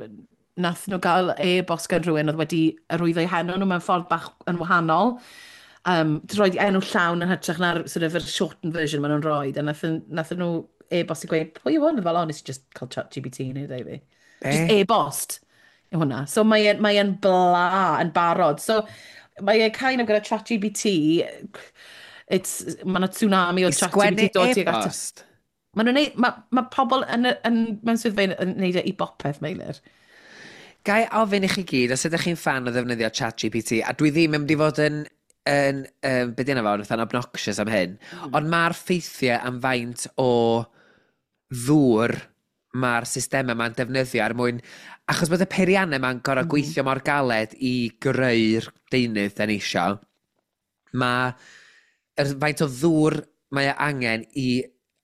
nath nhw gael e-bost gan rhywun oedd wedi arwyddo eu henw nhw mewn ffordd bach yn wahanol. Rhoi enw llawn yn hytrach na'r sort of, yr shortened version maen nhw'n rhoi. A nath nhw e-bost i gweud, "Pwy yw hwn?" Fel, "O, nes i just cael ChatGPT i neud e i fi." Just e-bost yw hwnna. So mae bla yn barod. So mae e kind of gyda ChatGPT, mae yna tsunami o I sgwennu ChatGPT dod tuag at. e-bost? Mae nhw'n neud, mae pobl mewn swyddfeydd yn neud e i bopeth, Meilir. Gai ofyn i chi gyd, os ydych chi'n fan o ddefnyddio ChatGPT, a dwi ddim yn mynd i fod yn be di enw fo, fatha'n obnoxious am hyn, ond mae'r ffeithiau am faint o ddŵr mae'r systemau ma'n defnyddio er mwyn. Achos bod y peiriannau ma'n gorfod gweithio mor galed i greu'r deunydd da ni isio, mae yr faint o ddŵr mae e angen i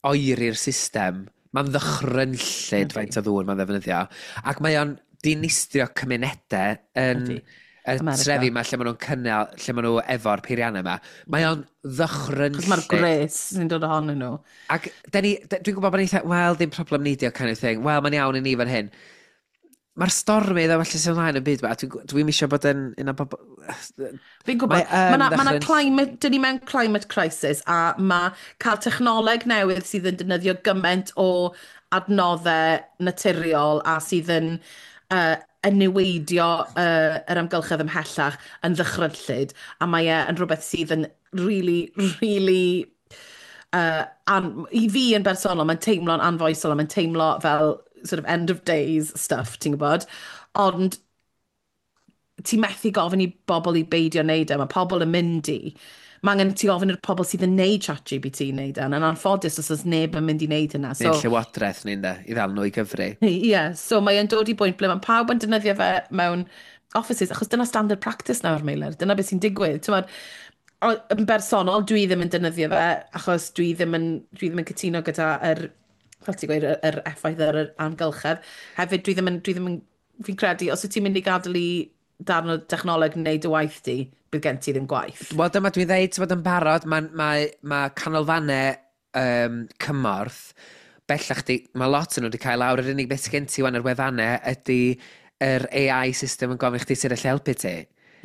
oeri'r system, mae'n ddychrynllyd faint o ddŵr mae'n ddefnyddio. Ac mae o'n dinistrio cymunedau yn y America. trefi yma lle maen nhw'n cynnal, lle maen nhw efo'r peiriannau yma. Mae o'n ddychrynllyd. Chos mae'r gwres sy'n dod ohonyn nhw. Ac dwi'n gwybod bod ni'n eitha, "Wel, ddim problem ni di o," kind of thing. "Wel, mae'n iawn i ni fan hyn." Mae'r stormydd a felly sy'n ymlaen y byd ma, a dwi'n isio bod yn un o bobl. Fi'n gwybod, Mae yn mae 'na climate, dyn ni mewn climate crisis a mae cael technoleg newydd sydd yn defnyddio gymaint o adnoddau naturiol a sydd yn niweidio yr amgylchedd ymhellach yn ddychrynllyd, a mae e yn rhywbeth sydd yn really, really i fi yn bersonol, mae'n teimlo'n anfoesol a mae'n teimlo fel sort of end of days stuff, ti'n gwybod? Ond ti'n methu gofyn i bobl i beidio wneud e, mae pobl yn mynd i. Mae angen ti ofyn i'r pobl sydd yn neud ChatGPT wneud e, yn anffodus os oes neb yn mynd i wneud hynna. So, neu'r llywodraeth ni'n de, i ddal nhw i gyfri. Ie, yeah, so mae e'n dod i bwynt ble mae pawb yn defnyddio fe mewn offices, achos dyna standard practice nawr, Meilir. Dyna beth sy'n digwydd. T'mod, yn bersonol, dwi ddim yn defnyddio fe, achos dwi ddim yn cytuno gyda yr, fel ti'n gweud, yr effaith ar yr amgylchedd. Hefyd, dwi ddim yn, fi'n credu, os wyt ti'n mynd i gadael i darn o technoleg wneud y waith di, bydd gen ti ddim gwaith. Wel, dyma dwi'n dweud, ti'n bod yn barod, mae ma canolfannau cymorth, bellach di, mae lot yn nhw wedi cael lawr, yr unig beth gen ti wan ar wefannau ydy yr AI system yn gofyn i chdi sydd allu helpu ti.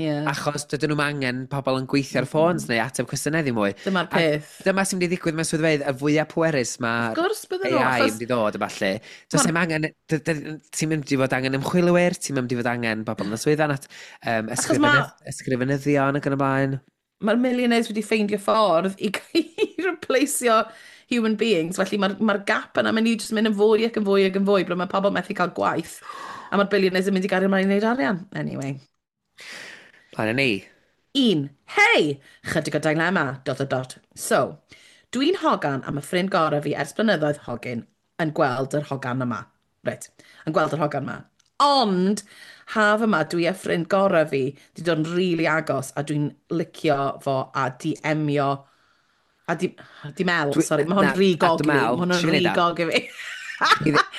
Achos dydyn nhw'n angen pobl yn gweithio ar ffôns neu ateb cwestiynau ddim mwy. Dyma'r A peth. dyma sy'n mynd i ddigwydd mewn swyddfeydd, y fwyaf pwerus mae Wrth gwrs bydden nhw, AI yn achos mynd i ddod a falle. Does dim angen, ti'n mynd i fod angen ymchwilwyr, ti'n mynd i fod angen bobl yn y swyddfa, Achos ysgrifenyddion ac yn y blaen. Mae'r millionaires wedi ffeindio ffordd i replaceio human beings, felly mae'r gap yna mynd i just mynd yn fwy ac yn fwy ac yn fwy, ble mae pobl methu cael gwaith, a mae'r billionaires yn mynd i gario ymlaen i wneud arian. Anyway. Plan ni. 1. Hei! Chydig o dilemma, dot dot dot. So, dwi'n hogan am y ffrind gorau fi ers blynyddoedd hogyn yn gweld yr hogan yma. Reit, yn gweld yr hogan yma. Ond, haf yma, dwi a ffrind gorau fi wedi dod yn rili really agos a dwi'n licio fo a DM-io a di mel, sorry, mae hwn na, rhy a gogly. dy mel, Mae hwn yn ti'n rhy neud e? gog i fi.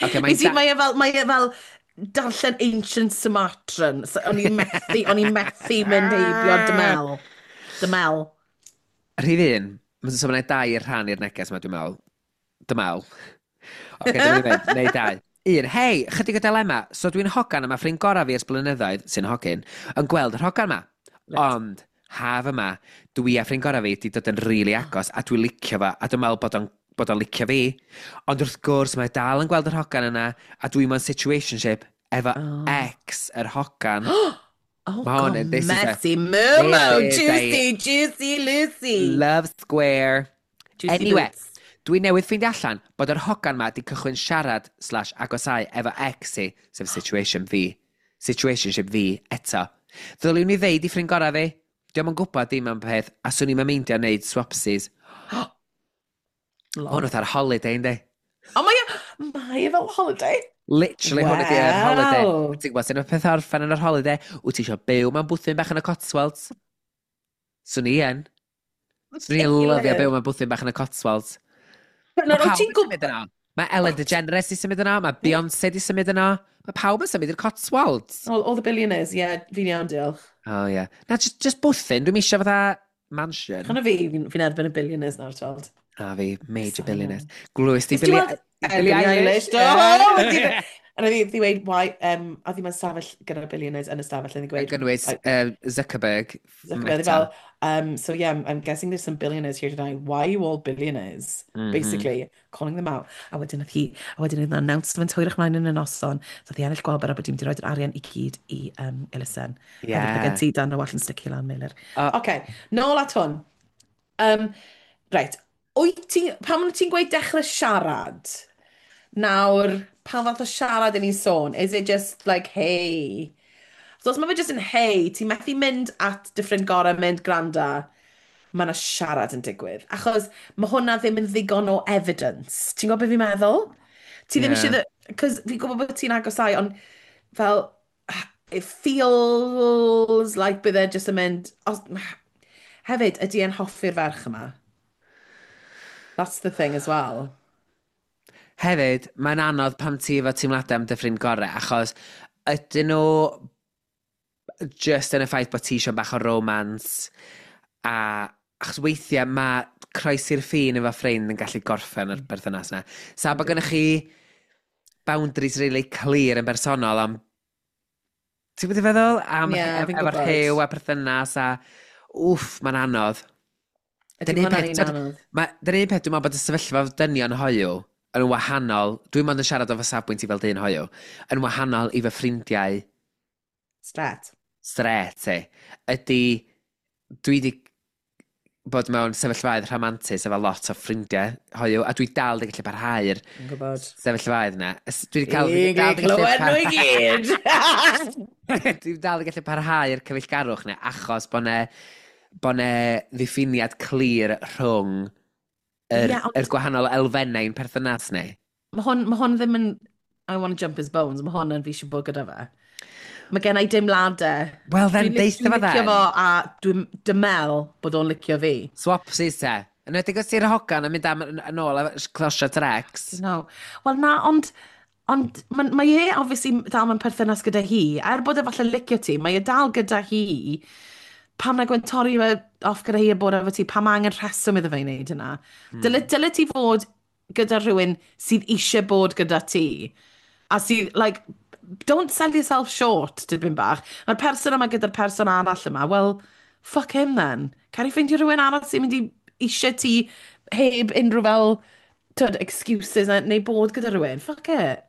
Ocê, mae'n Mae e fel darllen Ancient Sumatran. So, o'n i'n methu mynd heibio dymel. Dymel. Rhif 1, so mae'n dau i'r rhan i'r neges yma, dwi'n meddwl. Dymel. Oce, dwi'n mynd, neu dau. Un, hei, chydig o dilema. So dwi'n hogan yma, ffrind gorau fi ers blynyddoedd, sy'n hogyn, yn gweld yr hogan yma. Reit. Ond, haf yma, dwi a ffrind gorau fi di dod yn rili really agos, a dwi'n licio fo, a dwi'n meddwl bod o'n licio fi. Ond wrth gwrs, mae dal yn gweld yr hogan yna, a dwi mewn situationship efo ex yr hogan. Oh, Ma' hwn God, yn- this is a- messy Momo, this is a- juicy, juicy Lucy. Love Square. Juicy Anyway, boots. Dwi newydd ffeindio allan bod yr hogan ma di cychwyn siarad slash agosau efo ex i, sef situation fi, situationship fi eto. Ddyliwn i ddeud i ffrind gorau fi, diolch yn gwybod dim am peth, a swn i'm yn meindio wneud swapsies. Lol. Hwn oedd ar holiday, yndi? O, mae e fel holiday. Literally, hwn ydi yr holiday. Wow. Ti'n gwybod, sy'n y peth orffen yn yr holiday, wyt ti eisiau byw mewn bwthyn bach yn y Cotswolds? Swn i yn. Swn i'n lyfio byw mewn bwthyn bach yn y Cotswolds. Nawr, Mae wyt pawb ti'n yn gwybod... symud yno. Mae Ellen DeGeneres i symud yno, mae Beyoncé di symud yno. Mae pawb yn symud i'r Cotswolds. All the billionaires, yeah, fi'n iawn, diolch. Oh, yeah. Na, just bwthyn, dwi'n eisiau fatha mansion. Chan o fi, fi'n erbyn y billionaires nawr, tweld. A fi, major Sorry. billionaires. Glwys di Nes ti Billie weld- Billie Billie Eilish? Eilish, do! A oedd hi dweud, why, a ddim yn stafell gyda'r billionaires yn y stafell, yn Yn gweud, gynnwys like, Zuckerberg. Zuckerberg, Meta. fel, so yeah, I'm guessing there's some billionaires here tonight. Why are you all billionaires? Basically, calling them out. A wedyn oedd hi, a wedyn oedd 'na announcement hwyrach mlaen yn y noson. So oedd hi ennill gwobr a bod hi'n mynd i roi'r arian i gyd i elusen. Hefyd, mae Yeah. gen ti dan o wallt yn sticio lan, Meilir. O. Oce, nôl at hwn. Reit, wyt ti, pan wyt ti'n gweud dechrau siarad, nawr, pa fath o siarad yn ni'n sôn? Is it just like, hey? So os mae fe just yn hey, ti'n methu mynd at dy ffrind gorau, mynd granda, mae yna siarad yn digwydd. Achos mae hwnna ddim yn ddigon o evidence. Ti'n gwybod beth fi'n meddwl? Ti ddim eisiau... Cos fi'n gwybod bod ti'n agosau, ond fel, it feels like bydd e just yn mynd... Os, hefyd, ydy e'n hoffi'r ferch yma? That's the thing as well. Hefyd, mae'n anodd pam ti efo teimladau am dy ffrind gorau, achos ydyn nhw just yn y ffaith bod ti eisiau bach o romance, a achos weithiau mae croesi'r ffin efo ffrind yn gallu gorffen yr berthynas yna. Sa bod gennych chi boundaries really clear yn bersonol am... Ti'n gwybod i feddwl? Am Ie, fi'n efo'r gwybod. rhyw a perthynas a... Wff, mae'n anodd. Ydy Dyna un hwnna'n peth, un t'od, anodd. Dyna un peth, dwi'n meddwl bod y sefyllfa dynion hoyw yn wahanol, dwi'n meddwl yn siarad o fy safbwynt i fel dyn hoyw, yn wahanol i fy ffrindiau Stret. stret, e, ydy, dwi wedi bod mewn sefyllfaoedd rhamantus efo lot o ffrindiau hoyw, a dwi dal wedi gallu parhau'r Yn gwybod. sefyllfaoedd yna. Dwi wedi cael... Fi'n dal 'di gallu clywed nhw i gyd! Dwi dal wedi gallu parhau'r cyfeillgarwch yna, achos bod 'ne bo 'ne ddiffiniad clir rhwng yr, Ie, ond- yr gwahanol elfennau i'n perthynas ni. Mae hwn ddim yn I want to jump his bones, mae hwn yn fi eisiau bod gyda fe. Mae gen i deimladau. Wel then, Dwi'n deutha dwi'n fo licio then. fo a dwi'n dymel bod o'n licio fi. Swapsies te. Yn edrych os ti'n hogan yn mynd am yn ôl a closio Trex. No. Wel na, ond mae e obviously dal mewn perthynas gyda hi. Er bod e falle licio ti, mae e dal gyda hi. Pam na gwen torri fe off gyda hi a bod efo ti, pam mae angen rheswm iddo fe i wneud hynna? Dyle ti fod gyda rhywun sydd eisiau bod gyda ti. A sydd, like, don't sell yourself short, dipyn bach. Mae'r person yma gyda'r person arall yma, well, fuck him then. Cer i ffeindio rhywun arall sy'n mynd i eisiau ti heb unrhyw fel, tyd, excuses neu bod gyda rhywun. Fuck it.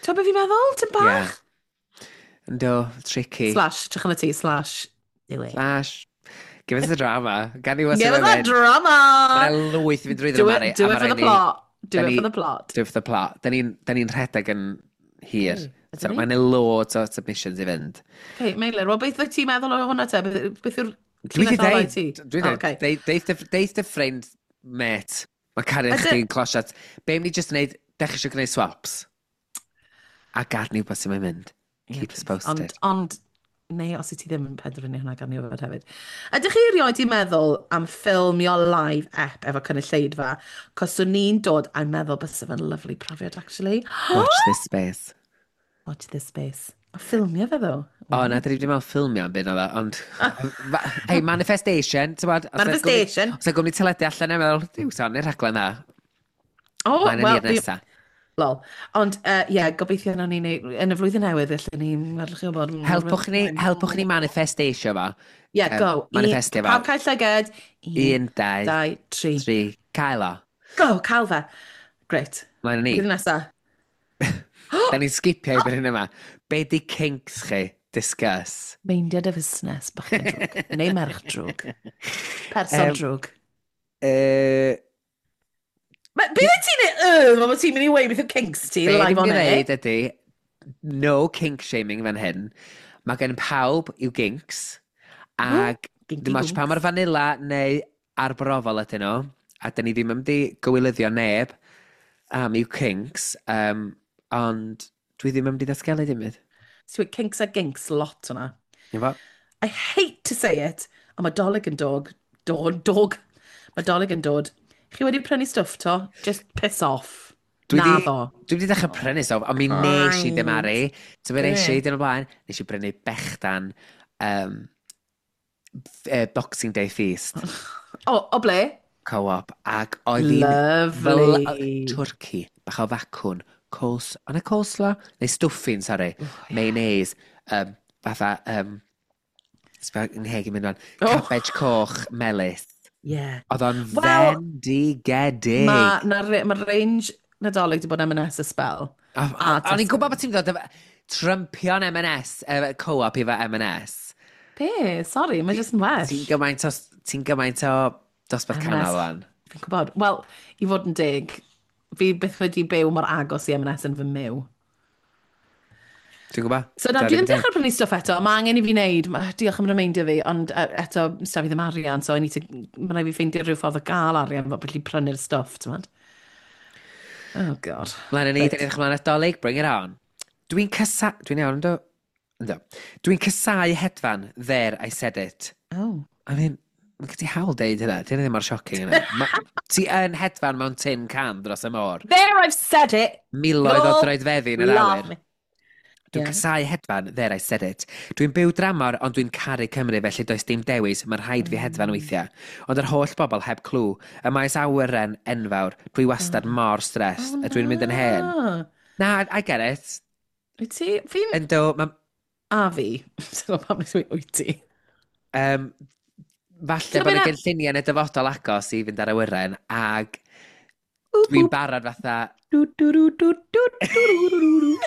Ti'n beth fi'n meddwl, ti'n bach? Yeah. Ynddo, tricky. Slash, trach yn y ti, slash, do it. Slash. Give us the drama. Gan i Give us that drama! Mae'n lwyth i fynd drwyddo Do Mari, it, do a it ma' for the raid ni- plot. Do da it ni- for the plot. Do it for the plot. Da ni'n ni rhedeg yn hir. Ydyn So, ni? mae'n loads o submissions i fynd. Okay, Meilir, wel beth wyt ti'n meddwl o hwnna te? Beth yw'r Dwi wedi llinell olau deud, ti? dwi Oh, wedi okay. deud, deith dy ffrind, mate, mae cariad chdi'n closiad. Be am ni just wneud, dechrau eisiau gwneud swaps? A gad ni wybod sy'n mynd. Ie, Keep us please. posted. Ond, neu os wyt ti ddim yn penderfynu hwnna gan ni wybod hefyd. Ydych chi erioed di meddwl am ffilmio live app efo cynulleidfa? Cos swn ni'n dod a'n meddwl bysa fe'n lovely profiad, actually. Watch this space. Watch this space. A ffilmio fe ddo. O, na, dyn ni wedi meddwl ffilmio am byd oedd o, ond... Hey, manifestation, ti'n bod? Manifestation. Os yna gwmni teledu allan yn meddwl, diw, son, i'r rhaglen dda. O, Mae'n wel, yn i'r nesa. Lol. Ond, ie, yeah, gobeithio nawn ni neud, yn y flwyddyn newydd, felly ni'n edrych i wybod. Helpwch ni manifestatio fo. Yeah, go. Manifestio fo. Pawb cael llyged. Un, dau, dau, tri. Tri. Cael o. Go, cael fe. Great. Mlaen â ni. Blwyddyn nesa. Da ni'n skipio i bryd hyn yma. Be di kinks chi? Discuss. Meindia dy fusnes, bachgen drwg. Neu merch drwg. Person drwg. Beth wyt ti'n neud? Mae ti'n mynd i weud beth yw kinks ti, Be live dwi'n on air. dweud ydy, no kink shaming fan hyn. Mae gen pawb i'w ginks. Ac Ginky dim ots pa gonks. mor vanilla neu arbrofol ydyn nhw. A dyn ni ddim yn mynd i gywilyddio neb am i'w kinks. Ond dwi ddim yn mynd i ddatgelu dim byd. So kinks a ginks lot hwnna. Efo? I hate to say it, ond mae Dolig yn dog. Dog, dog. Mae Dolig yn dod. Chi wedi prynu stwff to? Just piss off. Dwi di- Naddo. Dwi wedi dechrau prynu stwff, ond mi nes i Right. dymaru. So fe nes Be? i dyn o blaen, nes i brynu bechdan Boxing Day Feast O, o ble? Co-op, ac oedd hi'n Lovely. fel twrci, bach o facwn, coles, o'na coleslaw? Neu stuffing, sorry, Oh, yeah. mayonnaise, fatha, sbio yng ngheg i'n mynd fan, Oh. cabbage coch, melys. Yeah. Oedd o'n Wel, fendigedig. Mae ma, ma range Nadolig di bod M&S y spel. A O'n i'n Tesco. gwybod bod ti'n dod efo Trumpio'n M&S, co-op i fo M&S. Be? Sorry, mae jyst yn well. Ti'n gymaint o dosbarth M&S. canol wan. Fi'n gwybod. Wel, i fod yn deg, fi byth wedi byw mor agos i M&S yn fy myw. Dwi'n gwybod. So na, dwi ddim dechrau prynu stwff eto. Mae angen i fi wneud, diolch am remeindio fi, ond eto, sda fi ddim arian, so I need to, mae rhaid fi ffeindio rhyw ffordd o gael arian fo felly prynu'r stwff, ti'n gwbod? Oh, God. Mlaen â ni, Reit. da ni'n edrych ymlaen at Dolig, bring it on. Dwi'n casa... Dwi'n iawn, ynddo? Ynddo. Dwi'n casau hedfan, there, I said it. Oh. I mean, mae gen ti hawl deud hynna, dyn ddim mor shocking yna. Ti yn hedfan mewn tin can dros y môr. There, I've said it! Miloedd o Lol. droedfeddi yn yr Love awyr. me. Dwi'n casau hedfan, there I said it. Dwi'n byw dramor, ond dwi'n caru Cymru, felly does dim dewis, mae'n rhaid fi hedfan weithiau. Ond yr holl bobl heb clw, y maes awyren enfawr, dwi wastad mor stressed, a dwi'n mynd yn hen. Na. Na, I get it. Wyt ti? Fi'n... Ynddo, ma, A fi. Sy'n gwybod pam nes i wyt ti. Falle Ti'n bod y gwbod be' gynlluniau yn y dyfodol agos i fynd ar awyren, ag dwi'n barod fatha, Du, du, du, du, du, du, du, du, du.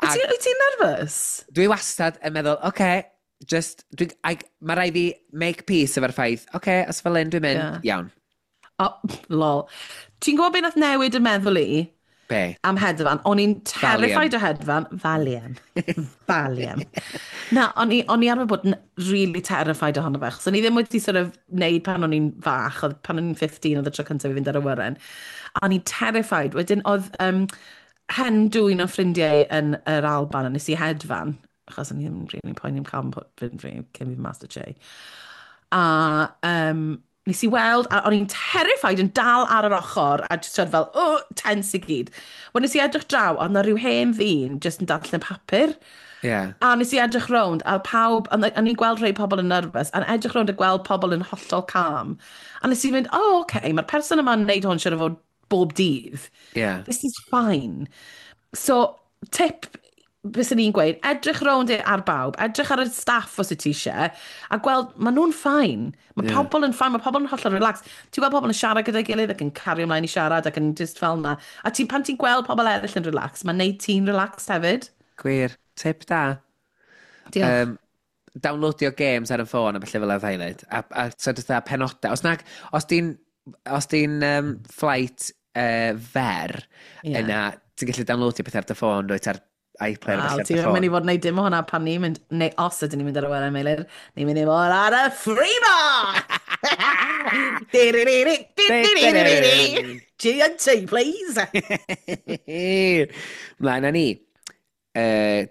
Wyt ti'n nervous? Dwi wastad yn meddwl, oce, okay, just, dwi, mae rhaid fi make peace efo'r ffaith, oce, okay, os fel hyn dwi'n mynd, iawn. Oh, lol. Ti'n gwybod beth nath newid yn meddwl i Be? am hedfan? O'n i'n terrified o hedfan. Valium. Valium. Na, o'n i arfer bod yn really terrified ohono fe. Achos o'n i ddim wedi sort of neud pan o'n i'n fach, oedd pan o'n i'n 15 oedd y tro cyntaf i fynd ar awyren. A o'n i'n terrified. Wedyn oedd hen dwyn o ffrindiau yn yr Alban a nes i hedfan, achos o'n i ddim really poeni am cael fynd fi cyn fi Master Che. A nes i weld, a o'n i'n terrified yn dal ar yr ochr, a just sort of fel, oh, tense i gyd. Wel, nes i edrych draw, oedd na rhyw hen ddyn just yn darllen papur. A nes i edrych rownd, a pawb, a o'n i'n gweld rhai pobl yn nervous, a edrych rownd a gweld pobl yn hollol calm. A nes i fynd, oh, okay, mae'r person yma'n neud hwn siŵr o fod bob dydd. This is fine. So, tip bys ni'n gweud, edrych rownd ar bawb, edrych ar y staff os wyt ti eisiau, a gweld, maen nhw'n fine. Mae pobl yn fine, mae pobl yn hollol relax. Ti'n gweld pobl yn siarad gyda'i gilydd ac yn cario ymlaen i siarad ac yn just fel na. A ti, pan ti'n gweld pobl eraill yn relax, mae'n neud ti'n relaxed hefyd. Gwir. Tip da. Diolch. Downloadio games ar y ffôn a felly fel oedd highlight. A so fatha penodau. Os, nag, os di'n flight fer, yna ti'n gallu downloadio pethau ar dy ffôn, dwyt ar iPlayer a Wel, felly ar ti'n dy ffôn. mynd i fod yn neud dim o hwnna pan ni'n mynd, neu os ydyn ni'n mynd ar awyren, Meilir, ni'n mynd i fod ar y free bar! G&T, please! Mlaen â ni.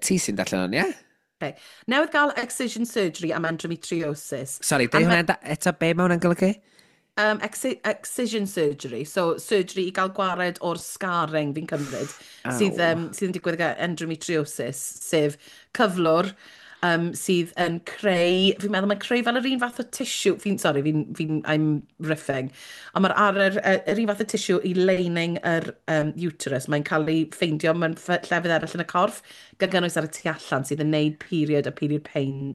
Ti sy'n darllen hwn, ie? Okay. Newydd gael excision surgery am endometriosis. Sorry, deud hwnna eto, be mae hwnna'n golygu? Excision surgery, so surgery i gael gwared o'r scarring fi'n cymryd, sydd, Aw. sydd yn digwydd gyda endometriosis, sef cyflwr sydd yn creu, fi'n meddwl mae'n creu fel yr un fath o tissue, fi'n, sorry, fi'n, fi I'm riffing, ond mae'r ar yr un fath o tissue i lining yr uterus, mae'n cael ei ffeindio mewn llefydd eraill yn y corff, gan gynnwys ar y tu allan, sydd yn neud period a period pain,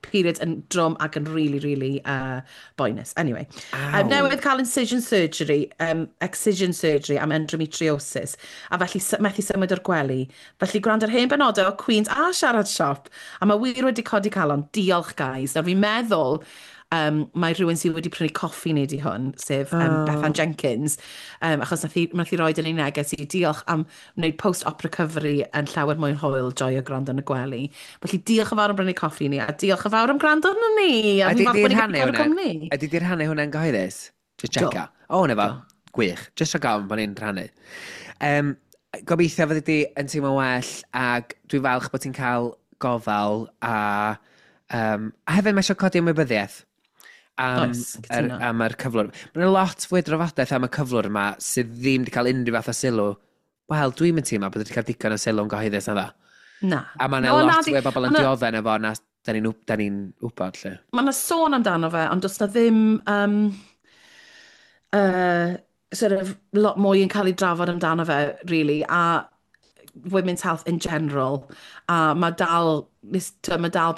period yn drwm ac yn really, really boenus. Anyway, newydd cael incision surgery, excision surgery am endometriosis, a felly methu symud o'r gwely. Felly gwrando ar hen benodau o Queens a Siarad Siop, a mae wir wedi codi calon. Diolch, guys. Nawr fi'n meddwl mae rhywun sydd wedi prynu coffi ni di hwn, sef Bethan Jenkins, achos nath hi roed yn ei neges i diolch am wneud post-op recovery yn llawer mwy hwyl, joio gwrando yn y gwely. Felly diolch yn fawr am brynu coffi ni, a diolch yn fawr am gwrando arno ni. A Ydy fi'n falch di bod ni'n rhannu gallu cadw hwnna? cwmni. Ydy di rhannu hwnna'n gyhoeddus? Just Do. checka. O, na fo. Gwych. Just rhag ofn bod ni'n rhannu. Gobeithio fyddi di yn teimlo well, ac dwi'n falch bod ti'n cael gofal a hefyd mae eisiau codi ymwybyddiaeth am, Oes, yr, cytuno. am yr cyflwr. Mae'n lot fwy o drafodaeth am y cyflwr yma sydd ddim wedi cael unrhyw fath o sylw. Wel, dwi'n mynd teimlo bod wedi cael digon o sylw yn gyhoeddus na ddo. Na. A mae'n No, lot na, fwy o bobl yn dioddef efo na da ni'n da ni wybod, lle. Mae yna sôn amdano fe, ond does na ddim sort of lot mwy yn cael ei drafod amdano fe, really, a women's health in general. A mae dal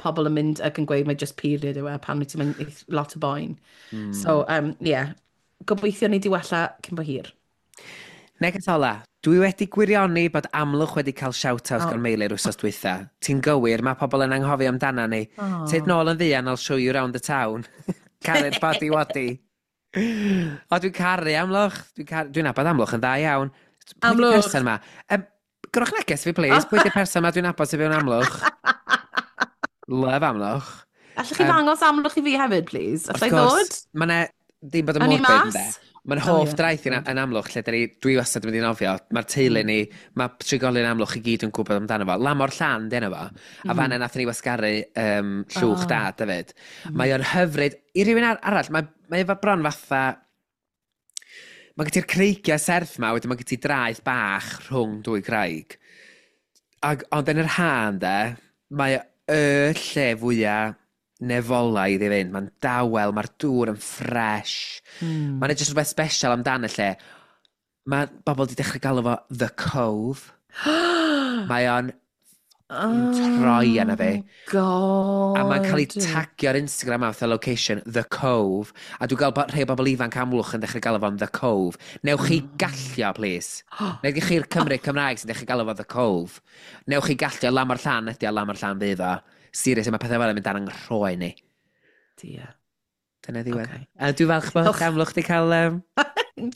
pobl yn mynd ac yn gweud mae just period yw e pan wyt ti'n mynd i lot o boen. So, yeah, gobeithio ni di wella cyn bo hir. Neges ola, dwi wedi gwirioni bod Amlwch wedi cael shout-out gan Meilir wsos dwytha. Ti'n gywir, mae pobl yn anghofio amdana ni. Oh. Tyd nôl yn fuan, I'll show you round the town. Caru'r body wadi. O, dwi'n caru Amlwch. Dwi'n caru, dwi'n nabod Amlwch yn dda iawn. Pwy 'di'r Amlwch. person ma? Gyrwch neges fi, please. Pwy di'r person ma dwi'n nabod sy'n byw yn Amlwch? Love Amlwch. Allwch chi ddangos Amlwch i fi hefyd, please? Alla i Wrth gwrs, ddod? Mae 'ne ddim bod yn Awn ni morbid, ynde? mas? Mae'n O, hoff draeth yn Amlwch, lle dwi wastad yn mynd i nofio. Mae'r teulu ni, mae trigolion Amlwch i gyd yn gwybod amdano fo. Lamor Llan, di enw fo. A fanna nathon ni wasgaru llwch dad hefyd. Mae o'n hyfryd. I rywun arall, mae efo bron fatha. Mae gen ti'r creigiau serth ma, wedyn mae gen ti draeth bach rhwng dwy graig. Ag, ond yn yr ha, ynde, mae y lle fwyaf nefolaidd i fynd. Mae'n dawel, mae'r dŵr yn ffresh. Mae'n jyst rhywbeth special amdan y lle. Mae bobl wedi dechrau galw fo The Cove. Mae o'n troi arna fi. God. A mae'n cael ei tagio ar Instagram a fatha location, The Cove. A dwi'n gweld bod rhai o bobl ifanc Amlwch yn dechrau galw fo'n The Cove. Newch chi gallio, please. Newch chi'r Cymru Cymraeg sy'n dechrau galw fo The Cove. Newch chi gallio Lamor Llan ydi o Lamor Llan fydd o. Serious, mae pethau fel yn mynd dan yng nghroen ni. Dear. Dyna ddiwedd. Ocê. A dwi'n falch bod Diolch. Amlwch wedi cael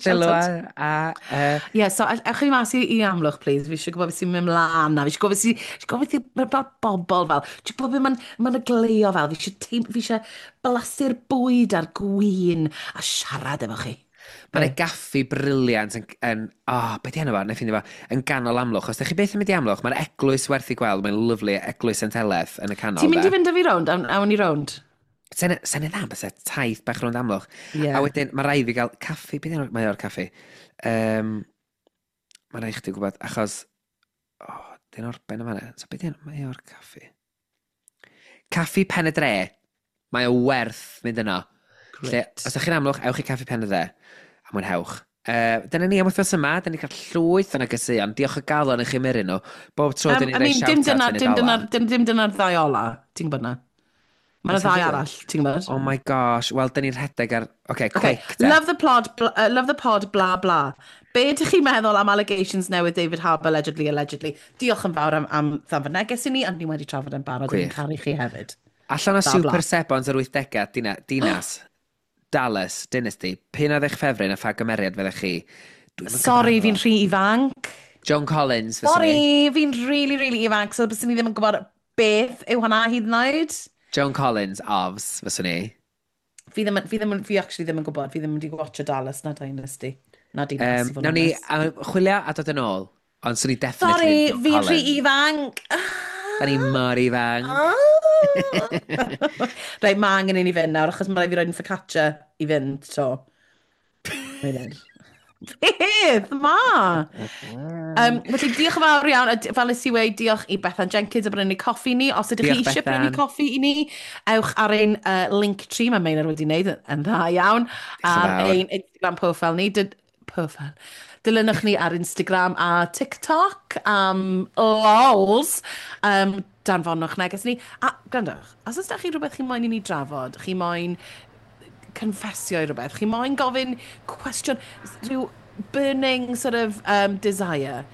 sylw a Ie, yeah, so ewch chi mas i Amlwch, please. Fi eisiau gwybod beth sy'n mynd mlaen na. Fi eisiau gwybod beth sy'n... Fi eisiau gwybod beth sy'n fel bobl fel. Fi eisiau gwybod beth mae'n gleo fel. Fi eisiau blasu'r bwyd a'r gwin a siarad efo chi. Mae'n e gaffi brilliant yn oh, beth di enw fo? Na i ffeindio fo, yn ganol Amlwch. Os ydych chi byth yn mynd i Amlwch, mae'r eglwys werth i gweld, mae'n lyfli, eglwys St Heledd yn y canol. Ti'n mynd de. i fynd â fi rownd? Awn ni rownd? Sen dda, byse taith bach rownd Amlwch. Ie. A wedyn, mae rhaid fi gael caffi, beth enw, mae o'r caffi. Mae rhaid chdi gwybod, achos, oh, dyn orben yma. So beth enw, mae o'r caffi. Caffi Pen y Dre. Mae o werth mynd yno. Lle, Great. os ydych chi'n Amlwch, ewch i Caffi Pen y Dre. A mwynhewch. Dyna ni am wythnos yma, da ni cael llwyth o negeseuon. Diolch o galon i chi myrru nhw. Bob tro dyn ni'n I rhoi mean, dim shout-out dyna, yn y dim dyna, dola. dim dyna'r ddau ola. Ti'n gwybod na? Mae'n Oes ddau na arall, ti'n gwybod? Oh my gosh, wel, dyn ni'n rhedeg ar. Okay, Okay. quick, te. Love the plod, love the pod, bla bla. Be ydych chi'n meddwl am allegations newydd David Harbour, allegedly, allegedly? Diolch yn fawr am ddanfon neges i ni, ond ni wedi trafod yn barod, Gwych. yn caru chi hefyd. Allan o Bla, Super bla. Sebons yr 80au, Dinas, Dallas, Dynasty, p'un oedd eich ffefryn a pha gymeriad fyddech chi? Dwi'm yn Sorry, cyfarfod. fi'n rhy ifanc. Joan Collins, fyswn i. Sorry, fi'n really, really ifanc, so byswn i ddim yn gwybod beth yw hwnna hyd yn oed. Joan Collins, ofs, fyswn i. Fi actually ddim yn gwybod, fi ddim wedi watcho Dallas na Dynasty. Na Dinas, i fod yn Nawn ni onest. chwilio a dod yn ôl, ond swn i definitely Sorry, Joan fi'n rhy Collins. ifanc. Da ni mor ifanc. Reit, mae angen i ni fynd nawr, achos mae rhaid fi roed yn focaccia i fynd, so. Mae'n Beth ma? Felly diolch yn fawr iawn, a fel nes i weud, diolch i Bethan Jenkins am brynu coffi ni. Os ydych chi eisiau prynu coffi i ni, ewch ar ein link tree, mae Meilir wedi wneud yn dda iawn, ar ein Instagram profile ni. Profile. Dilynwch ni ar Instagram a TikTok am lols. Danfonwch neges ni. A gwrandwch, os oes da chi rhywbeth chi moyn i ni drafod, chi moyn confessio i rhywbeth, chi moyn gofyn cwestiwn, rhyw burning sort of desire,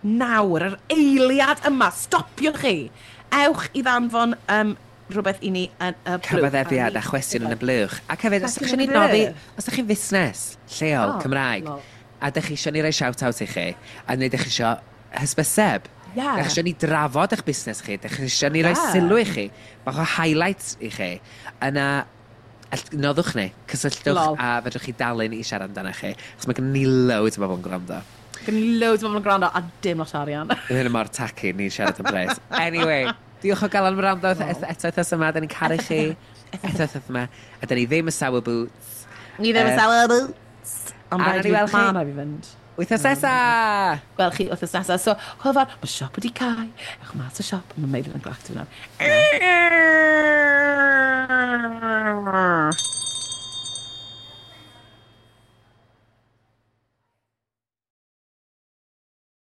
nawr, yr eiliad yma, stopiwch chi. Ewch i ddanfon rhywbeth i ni yn y blwch. Cyfaddefiad a chwestiwn yn y blwch. Ac hefyd, os ydych chi'n ei noddi, os ydych chi'n fusnes lleol, oh, Cymraeg, a ydych chi eisiau ni roi shout-out i chi, a neu ydych chi eisiau hysbyseb, ydych chi eisiau ni drafod eich busnes chi, ydych chi eisiau ni roi sylw i chi, bach o highlights i chi, yna noddwch ni, cysylltwch. Lol. A fedrwch chi dalu ni i siarad amdano chi. Achos mae gen ni loads o bobl yn gwrando. Gen ni loads o bobl yn gwrando a dim lot o arian. Mae hyn mor tacky ni'n siarad am bres. Anyway, diolch o galon am wrando eto wythnos yma. Da ni'n caru chi eto wythnos yma. A da ni ddim y sour boots. Ni ddim y sour boots. Ond rhaid i fi, ma rhaid fi fynd. Wythnos nesa! Gwel chi wythnos nesa. So, hwyl fawr, mae siop wedi cau. Ewch mas o siop, mae Meilir yn glactio nawr.